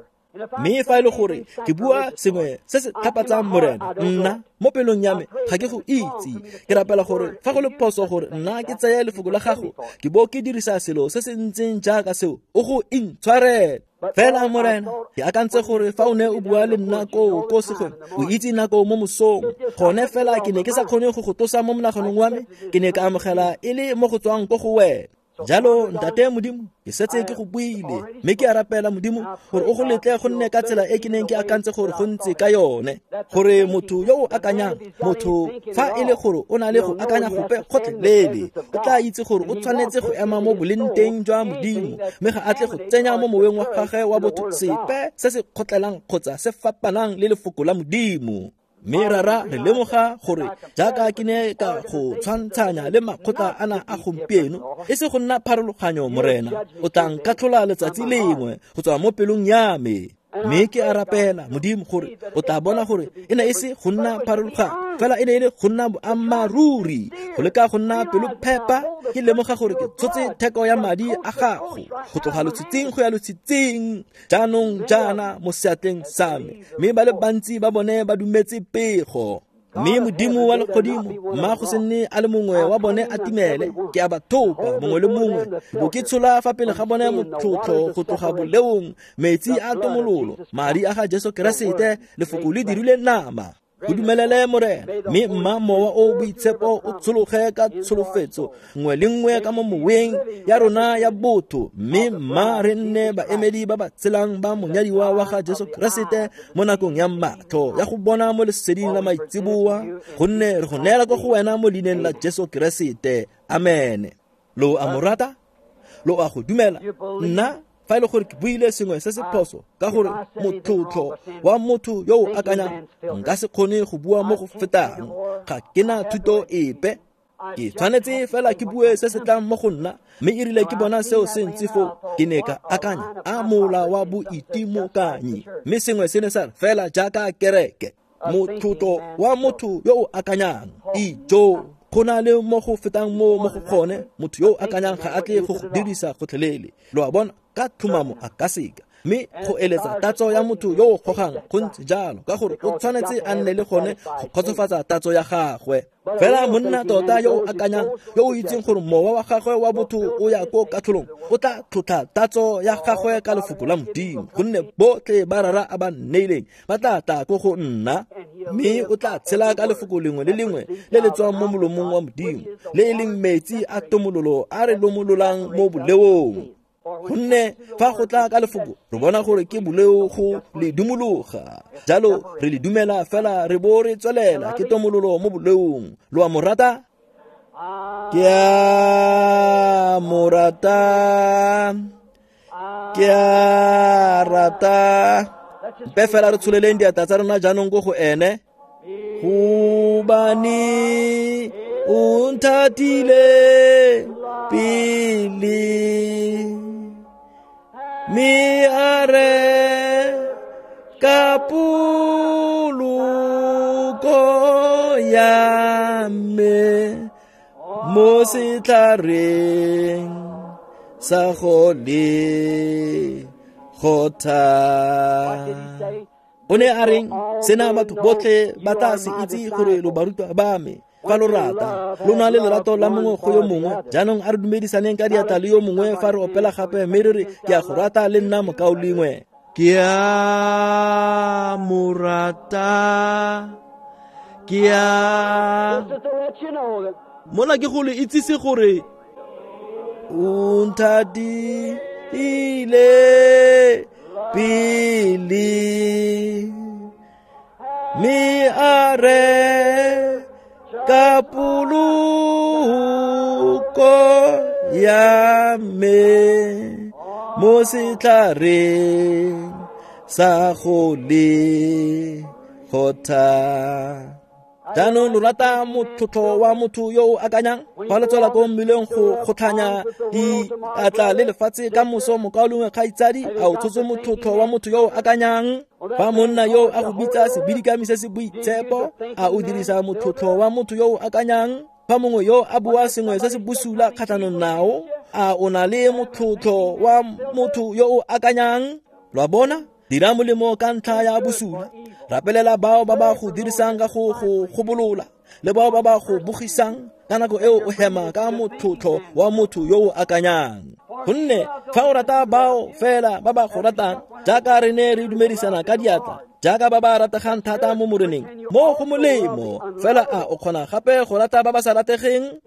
Mme fa e le gore ke bua sengwe se se tlhapatsang Morena, nna mo pelong ya me ga ke go itse. Ke rapela gore fa go le phoso gore nna ke tseye lefoko la gago, ke bo ke dirisa selo se se ntseng jaaka seo, o go intshwarele. Fela Morena, ke akantse gore fa o ne o bua le nna koo ko segweng, o itse nako mo mosong, gone fela ke ne ke sa kgone go go tlosa mo monaganong wa me, ke ne ka amogela e le mo go tswang ko go wena. Jalo Ntate Modimo, ke setse ke go buile, mme ke a rapela Modimo gore o go letle go nne ka tsela e ke neng ke akantse gore go ntse ka yone, gore motho yo o akanyang, motho fa e le gore o na le go akanya gope gotlhelele, o tla itse gore o tshwanetse go ema mo boleng jwa Modimo, mme ga a tle go tsenya mo moweng wa gagwe wa botho sepe se se kgotlelang kgotsa se fapanang le lefoko la Modimo. Mme rara re lemoga gore jaaka ke ne ka go tshwantshanya le makgotla ana a gompieno, e se go nna pharologanyo Morena, o tla nkatlhola letsatsi lengwe go tswa mo pelong ya me. Mme ke a rapela Modimo gore o tla bona gore e ne e se go nna pharologanyo, fela e ne e le go nna boammaaruri, go leka go nna pelophepa. Ke lemoga gore ke tshotse theko ya madi a gago go tloga lotshitsing go ya lotshitsing jaanong jaana mo seatleng sa me, mme ba le bantsi ba bone ba dumetse pego. Mme Modimo wa legodimo, mma go se nne a le mongwe wa bone a timele, ke a ba thopa mongwe le mongwe, bo ke tshola fa pele ga bone motlotlo go tloga boleong, metsi a tomololo, madi a ga Jesu Keresete, lefoko le dirile nama. Go dumelele Morena, mme mma mowa o boitshepo o tshologe ka tsholofetso nngwe le nngwe ka mo moweng ya rona ya botho, mme mma re nne baemedi ba ba tshelang ba monyadiwa wa ga Jesu Keresete mo nakong ya matlho ya go bona mo leseding la maitseboa, gonne re go neela ko go wena mo leineng la Jesu Keresete. Amen. Lo a mo rata? Lo a go dumela? Nna fa e le gore ke buile sengwe se se phoso, ka gore motlotlo wa motho yo o akanyang, nka se kgone go bua mo go fetang, ga ke na thuto epe. Ke tshwanetse fela ke bue se se tlang mo go nna, mme e rile ke bona seo se ntse foo, ke ne ka akanya a mola wa boitimokanyi, mme sengwe se ne sa re fela jaaka kereke, motlotlo wa motho yo o akanyang. Ijo, go na le mo go fetang mo mo go gone, motho yo o akanyang ga a tle go go dirisa gotlhelele. Lo a bona, ka tlhomamo a ka seka. Mme go eletsa tatso ya motho yo o gogang go ntse jalo, ka gore o tshwanetse a nne le gone go kgotsofatsa tatso ya gagwe. Fela monna tota yo o akanyang, yo o itseng gore mowa wa gagwe wa botho o ya ko katlholong, o tla tlotla tatso ya gagwe ka lefoko la Modimo, gonne botlhe ba Rara a ba nneileng ba tla tla ko go nna, mme o tla tshela ka lefoko lengwe le lengwe le le tswang mo molomong wa Modimo, le e leng metsi a tomololo a re lomololang mo boleong. Gonne fa go tla ka lefoko, re bona gore ke boleo go le dumologa, jalo re le dumela fela re bo re tswelela ke tomololo mo boleong. Lo a mo rata? Ke a mo rata, ke a rata. Mpe fela re tsholeleng diatla tsa rona jaanong ko go ene. Gobane o nthatile pele, mme a re ka poloko ya me mo setlhareng sa go le gotha. O ne a reng? Sena batho botlhe ba tla se itse gore lo barutwa ba me fa lo rata, lo na le lerato la mongwe go yo mongwe. Jaanong a re dumedisaneng ka diatla le yo mongwe fa re opela gape, mme re re ke a go rata le nna mokaulengwe. Ke a mo rata, ke a mona ke go le itsise gore o nthatile pele, mme a re ka poloko ya me mo setlhareng sa go le gotha. Jaanong lo rata motlotlo wa motho yo o akanyang? Fa le tswela ko mmileng go kgotlhanya diatla le lefatshe ka moso, mokaulengwe kgaitsadi, a o tshotse motlotlo wa motho yo o akanyang? Fa monna yo a go bitsa sebidikami se se boitshepo, a o dirisa motlotlo wa motho yo o akanyang? Fa mongwe yo a bua sengwe se se bosula kgatlhanong nao, a o na le motlotlo wa motho yo o akanyang? Lo a bona? Dira molemo ka ntlha ya bosula, rapelela bao ba ba go dirisang ka go go gobolola, le bao ba ba go bogisang. Ka nako eo o hema ka motlotlo wa motho yo o akanyang. Gonne fa o rata bao fela ba ba go ratang, jaaka re ne re dumedisana ka diatla, jaaka ba ba rategang thata mo moreneng, mo go molemo fela a o kgona gape go rata ba ba sa rategeng?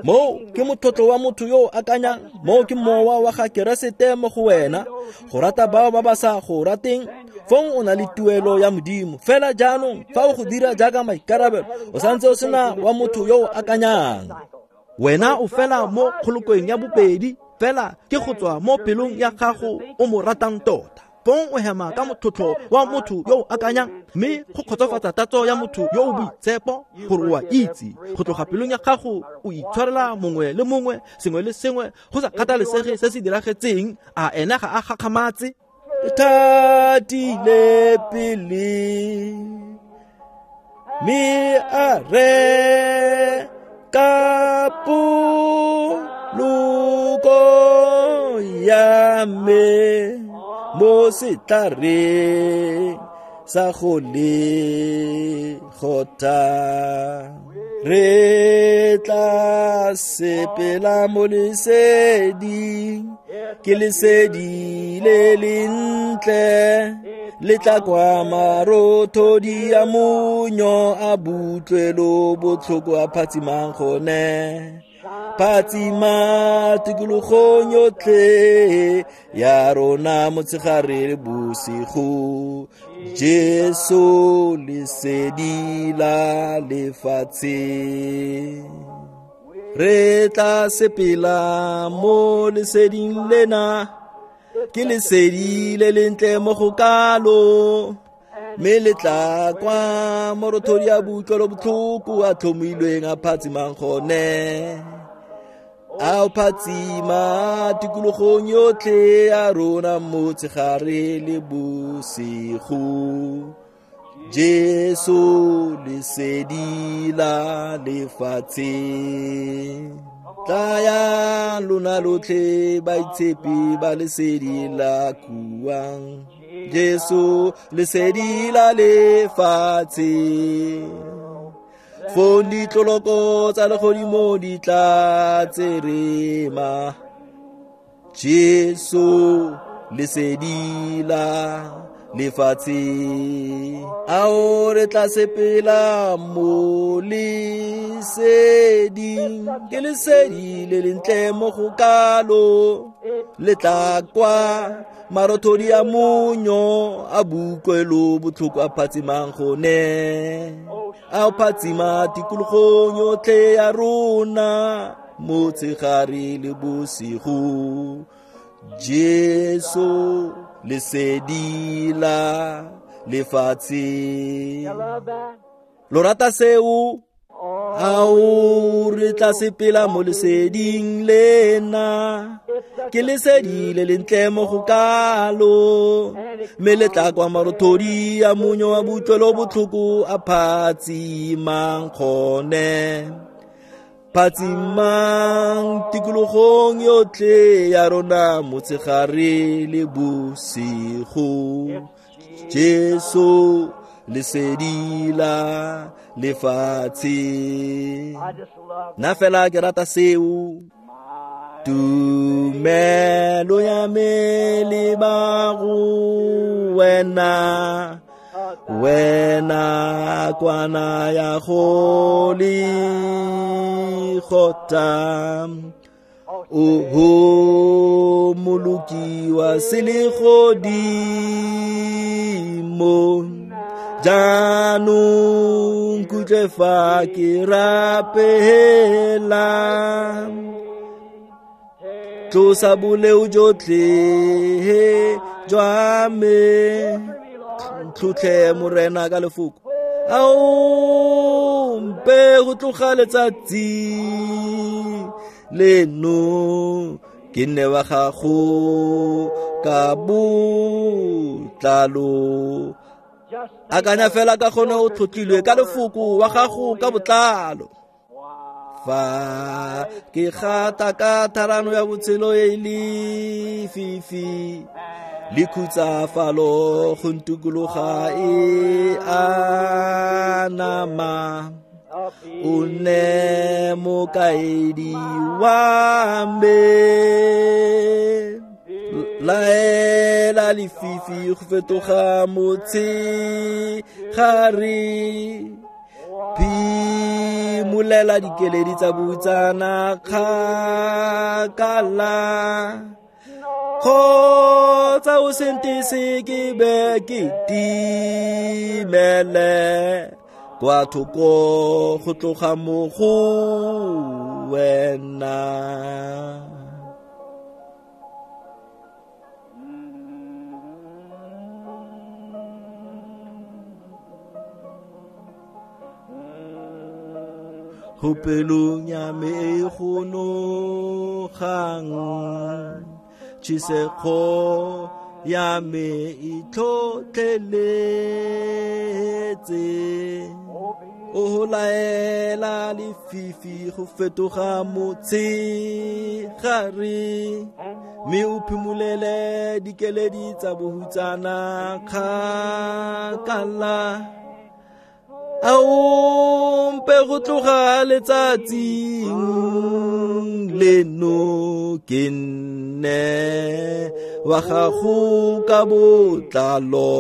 Moo ke motlotlo wa motho yo o akanyang, moo ke mowa wa ga Keresete mo go wena, go rata bao ba ba sa go rateng. Fong o na le tuelo ya Modimo. Fela jaanong fa o go dira jaaka maikarabelo, o santse o sena wa motho yo o akanyang. Wena o fela mo kgolokong ya bobedi, fela ke go tswa mo pelong ya gago o mo ratang tota. Fong o hema ka motlotlo wa motho yo o akanyang, mme go kgotsofatsa tatso ya motho yo o boitshepo, gore o a itse go tloga pelong ya gago o itshwarela mongwe le mongwe sengwe le sengwe, go sa kgathalesege se se diragetseng. A ena ga a gakgamatse? Thatile pele, mme a re ka poloko ya me mo setlhareng sa go le gotha. Re tla sepela mo leseding, ke lesedi le lentle, le tla kwa marothodi a monyo a butlwelo botlhoko a phatsimang gone. Phatsima tikologong yotlhe ya rona motshegare le bosigo, Jesu lesedi la lefatshe. Re tla sepela mo leseding lena, ke lesedi le lentle mo go kalo, Mme le tla kwa morothodi a boutlwelo botlhoko a tlhomilweng a phatsimang gone. A phatsima tikologong yotlhe ya rona motshegare le bosigo. Jesu lesedi la lefatshe. Tlaya lona lotlhe baitshepi ba lesedi la kuang. Jesu lesedi la lefatshe. Fong ditloloko tsa legodimo di tla tserema. Jesu lesedi la lefatshe. Ao re tla sepela mo leseding, ke lesedi le lentle mo go kalo. Le tla kwa marothodi a monyo a boutlwelo botlhoko a phatsimang gone. A phatsima tikologong yotlhe ya rona motshegare le bosigo. Jesu lesedi la lefatshe. Lo rata seo? Ao re tla sepela mo leseding lena. Ke lesedi le lentle mo go kalo. Mme le tla kwa marothodi a monyo wa boutlwelo botlhoko a phatsimang gone. Phatsimang tikologong yotlhe ya rona motshegare le bosigo. Jesu lesedi la lefatshe. Nna fela ke rata seo. Tumelo ya me le ba go wena, wena kwana ya go legota. Oho moloki wa selegodimo, jaanong nkutlwe fa ke rapela. Tlosa boleo jotlhe jwa me, tlhotlhe Morena ka lefoko. Ao mpe go tloga letsatsi leno ke nne wa gago ka botlalo. Akanya fela ka gone o tlhotlhilwe ka lefoko wa gago ka botlalo. Fa ke gata ka tharano ya botshelo e lefifi, le khutsafalo go ntukologa e a nama. O nne mokaedi wa me, laela lefifi go fetoga motshegare. Phimolela dikeledi tsa bohutsana kgakala, kgotsa o se ntese ke be ke timele kwa thoko go tloga mo go wena. Go pelong ya me e go nogang, tšhisego ya me e tlhotlheletse. O laela lefifi go fetoga motshegare, mme o phimolele dikeledi tsa bohutsana kgakala. Ao mpe go tloga letsatsing leno ke nne wa gago ka botlalo.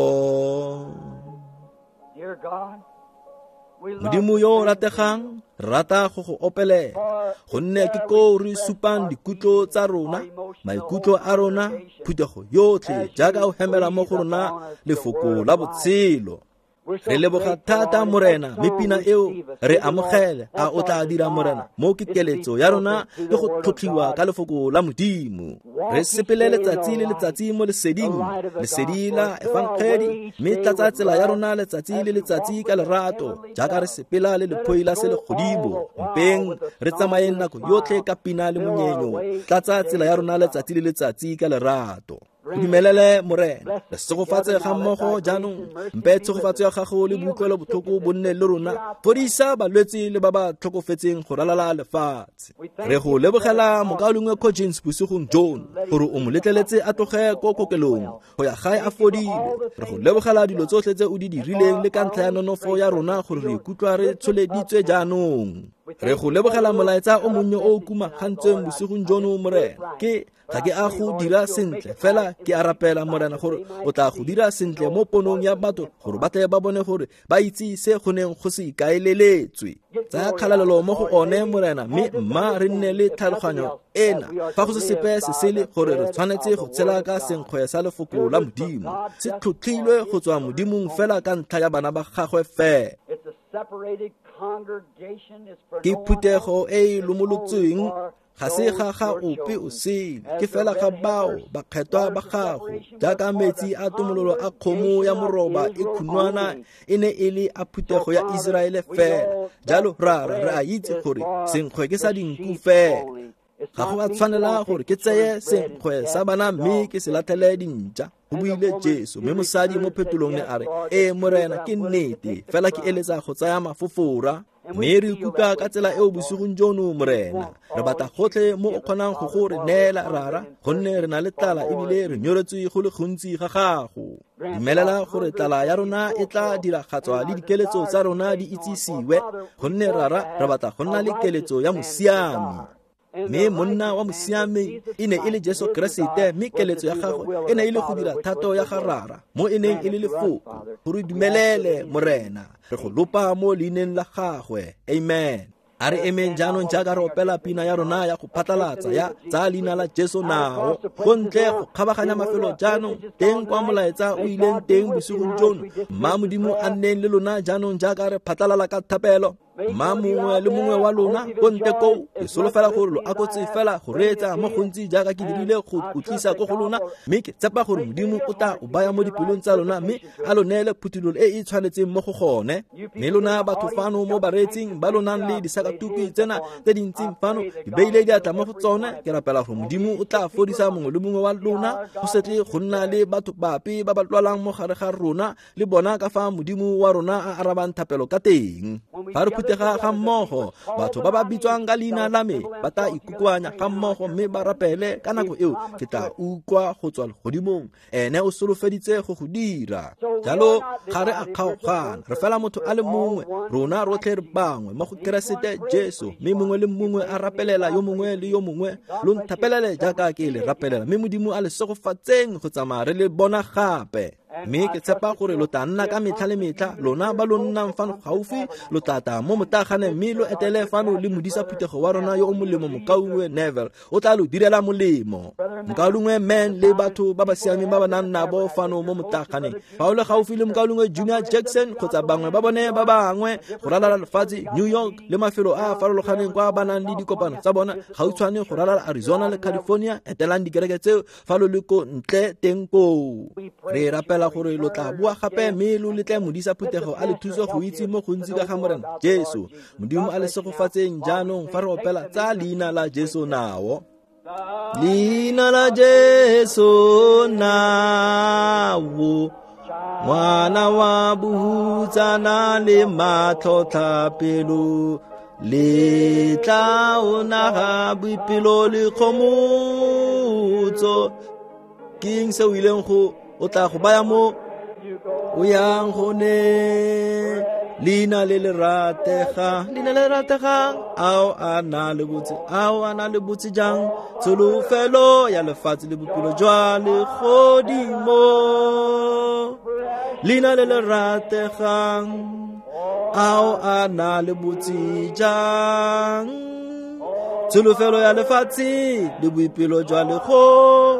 Modimo yo o rategang, rata go go opelela, gonne ke koo re supang dikutlo tsa rona, maikutlo a rona, phuthego yotlhe jaaka o hemela mo go rona lefoko la botshelo. Re leboga thata Morena, mme pina eo re amogele a o tla dira Morena. Mo ke keletso ya rona ke go tlhotlhiwa ka lefoko la Modimo. Re sepele letsatsi le letsatsi mo leseding, lesedi la efangedi, mme tlatsa tsela ya rona letsatsi le letsatsi ka lerato, jaaka re sepela le lephoi la selegodimo. Mpeng re tsamayeng nako yotlhe ka pina le monyenyo, tlatsa tsela ya rona letsatsi le letsatsi ka lerato. Dumelele Morena, re segofatse ga mmogo jaanong, mpe tshegofatso ya gago le boutlwelo botlhoko bo nne le rona, fodisa balwetse le ba ba tlhokofetseng go ralala lefatshe. Re go lebogela mokaulengwe Coggins bosigong jono gore o mo letleletse a tloge ko kokelong go ya gae a fodile. Re go lebogela dilo tsotlhe tse o di dirileng le ka ntlha ya nonofo ya rona gore re ikutlwa re tsholeditswe jaanong. Re go lebogela molaetsa o monnye o o kumagantsweng bosigong jono Morena. Ke ga ke a go dira sentle, fela ke a rapela Morena gore o tla go dira sentle mo ponong ya batho gore ba tle ba bone gore ba itse se go neng go se ikaeleletswe. Tsaya kgalalelo mo go one Morena, mme mma re nne le tlhaloganyo ena fa go se sepe se sele gore re tshwanetse go tshela ka senkgwe sa lefoko la Modimo, se tlhotlhilwe go tswa Modimong fela ka ntlha ya bana ba gagwe fela. Ke phuthego e e lomolotsweng, ga se ga ga ope o sele, ke fela ga bao bakgethwa ba gago, jaaka metsi a tomololo a kgomo ya moroba e khunwana e ne e le a phuthego ya Iseraele fela. Jalo rara re a itse gore senkgwe ke sa dinku fela. Ga go a tshwanela gore ke tseye senkgwe sa bana mme ke se latlhele dintša, go buile Jesu. Mme mosadi mo phetolong ne a re, ee Morena, ke nnete, fela ke eletsa go tsaya mafofora. Mme re ikutlwa ka tsela eo bosigong jono Morena. Re batla gotlhe mo o kgonang go go re neela rara, gonne re na le tlala ebile re nyoretswe go le gontsi ga gago. Dumelela gore tlala ya rona e tla diragatswa le dikeletso tsa rona di itsisiwe, gonne rara re batla go nna le keletso ya mosiami. Mme monna wa mosiami e ne e le Jesu Keresete, mme keletso ya gagwe e ne e le go dira thato ya ga rara mo e neng e le lefoko. Gore dumelele Morena, re go lopa mo leineng la gagwe. Amen. A re emeng jaanong jaaka re opela pina ya rona ya go phatlalatsa ya tsa leina la Jesu nao, go ntle go kgabaganya mafelo jaanong teng kwa molaetsa o ileng teng bosigong jono. Mma Modimo a nneng le lona jaanong jaaka re phatlalala ka thapelo. Mma mongwe le mongwe wa lona ko ntle koo, ke solofela gore lo akotse fela go reetsa mo gontsi jaaka ke dirile go o tlisa ko go lona, mme ke tshepa gore Modimo o tla o baya mo dipelong tsa lona mme a lo neele phuthololo e e tshwanetseng mo go gone. Mme lona batho fano mo bareetsing ba lo nang le disakatuku tsena tse dintsing fano, di beile diatla mo go tsone, ke rapela gore Modimo o tla fodisa mongwe le mongwe wa lona, go se tle go nna le batho bape ba ba lwalang mo gare ga rona le bona ka fa Modimo wa rona a arabang thapelo ka teng. Fa re phuthega ga mmogo, batho ba ba bitswang ka leina la me ba tla ikokoanya ga mmogo mme ba rapele ka nako eo ke tla utlwa go tswa legodimong. Ene o solofeditse go go dira. Jalo ga re a kgaogana, re fela motho a le mongwe, rona rotlhe re bangwe mo go Keresete Jesu, mme mongwe le mongwe a rapelela yo mongwe le yo mongwe. Lo nthapelele jaaka ke le rapelela, mme Modimo a le segofatseng go tsamaya re le bona gape. Mme ke tshepa gore lo tla nna ka metlha le metlha, lona ba lo nnang fano gaufi, lo tla tla mo motaganeng mme lo etele fano le modisa phuthego wa rona yo o molemo mokaulengwe Neville, o tla lo direla molemo. Mokaulengwe Man le batho ba ba siameng ba ba nang nabo fano mo motaganeng. Fa o le gaufi le mokaulengwe Junior Jackson kgotsa bangwe ba bone ba bangwe go ralala lefatshe, New York le mafelo a a farologaneng kwa ba nang le dikopano tsa bona gautshwane go ralala Arizona le California, etelang dikereke tseo fa lo le ko ntle teng koo. Re rapela gore lo tla boa gape mme lo letle modisa phuthego a le thuso go itse mo gontsi ka ga Morena Jesu. Modimo a le segofatseng jaanong fa re opela tsa leina la Jesu nao. Leina la Jesu nao, ngwana wa bohutsana le matlhotlhapelo, le tla o naga boipelo le kgomotso. Ke eng se o ileng go o tla go baya mo o yang go ne? Leina le le rategang, leina le rategang, ao a na le botse, ao a na le botse jang, tsholofelo ya lefatshe le bophelo jwa legodimo. Leina le le rategang, ao a na le botse jang, tsholofelo ya lefatshe le boipelo jwa legodimo.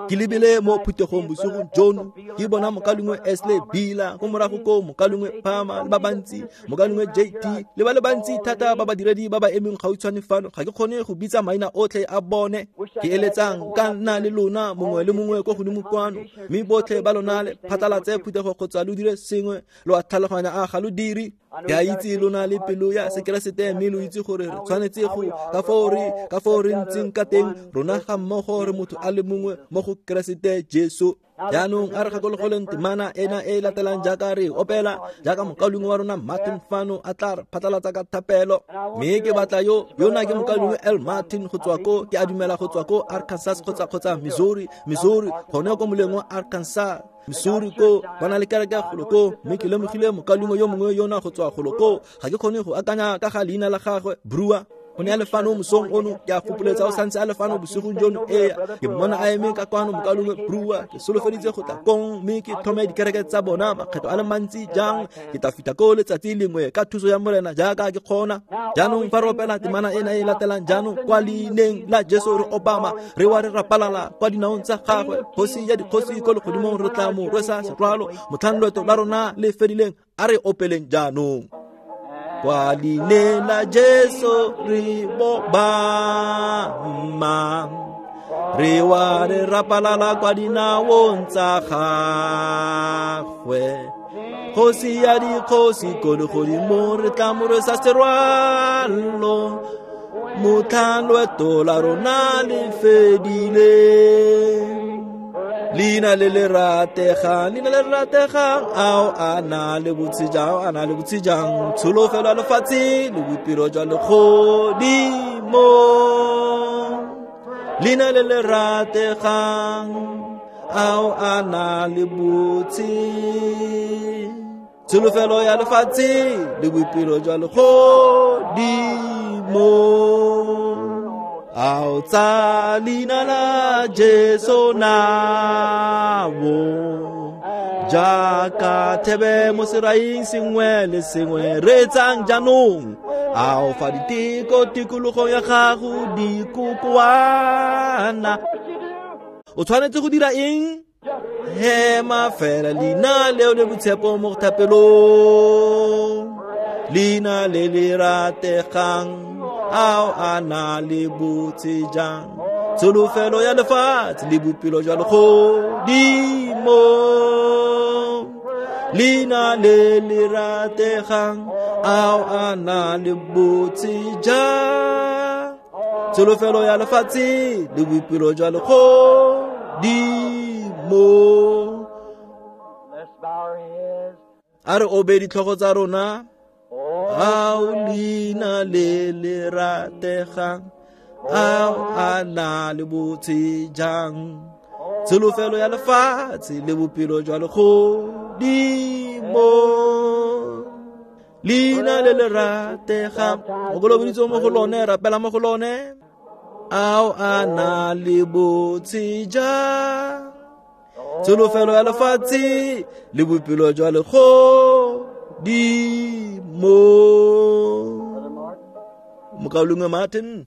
Ke lebile mo phuthegong bosigong jono, ke bona mokaulengwe Esley Bila ko morago ko, mokaulengwe Palmer le ba bantsi, mokaulengwe JT le ba le bantsi thata ba badiredi ba ba emeng gautshwane fano. Ga ke kgone go bitsa maina otlhe a bone. Ke eletsang ka nna le lona mongwe le mongwe ko godimo kwano, mme botlhe ba lona le phatlalatse phuthego kgotsa lo dire sengwe. Lo a tlhaloganya, a ga lo dire? Ke a itse lona le pelo ya sekeresete, mme lo itse gore re tshwanetse go ka foo re ntseng ka teng. Rona ga mmogo re motho a le mongwe mo go Keresete Jesu. Jaanong a re gakologoleng temana ena e latelang jaaka re opela, jaaka mokaulengwe wa rona Martin fano a tla re phatlalatsa ka thapelo. Mme ke batla yo yona ke mokaulengwe L Martin go tswa ko, ke a dumela go tswa ko Arkansas kgotsa Missouri, gone ko moleng wa Arkansas, Missouri ko ba na le kereke golo ko. Mme ke lemogile mokaulengwe yo mongwe yona go tswa golo ko, ga ke kgone go akanya ka ga leina la gagwe, Brewer. O ne a le fano mosong ono, ke a fopoletsa o santse a le fano bosigong jono. Ee, ke mmona a eme ka kwano, mokaulengwe Brewer. Ke solofeditse go tla kong mme ke thome dikereke tsa bona makgetho a le mantsi jang. Ke tla fitlha ko letsatsi lengwe ka thuso ya Morena jaaka ke kgona. Jaanong fa re opela temana ena e latelang jaanong, kwa leineng la Jesu re obama, re wa re rapalala kwa dinaong tsa gagwe, kgosi ya dikgosi ko legodimong re tla mo rwesa serwalo motlhang loeto la rona le fedileng. A re opeleng jaanong. Kwa leineng la Jesu re bobama, re wa re rapalala kwa dinaong tsa gagwe, kgosi ya dikgosi ko legodimong re tla mo rwesa serwalo motlhang loeto la rona le fedileng. Leina le le rategang, leina le le rategang, ao a na le botse jang, a na le botse jang, tsholofelo ya lefatshe le boipelo jwa legodimo. Leina le le rategang, ao a na le botse, tsholofelo ya lefatshe le boipelo jwa legodimo. Ao tsa leina la Jesu nao, jaaka thebe mo seraing sengwe le sengwe, reetsang jaanong. Ao fa diteko tikologong ya gago di kokoana, o tshwanetse go dira eng? Hema fela leina leo le boitshepo mo thapelong, leina le le rategang, ao a na le botse jang, tsholofelo ya lefatshe le bophelo jwa legodimo. Leina le le rategang, ao a na le botse jang, tsholofelo ya lefatshe le bophelo jwa legodimo. A re obe ditlhogo tsa rona. Ao leina le le rategang, ao a na le botse jang, tsholofelo ya lefatshe le bophelo jwa legodimo. Leina le le rategang, o kolobeditswe mo go lone, rapela mo go lone. Ao a na le botse jang, tsholofelo ya lefatshe le bophelo jwa legodimo. Mokaulengwe Martin.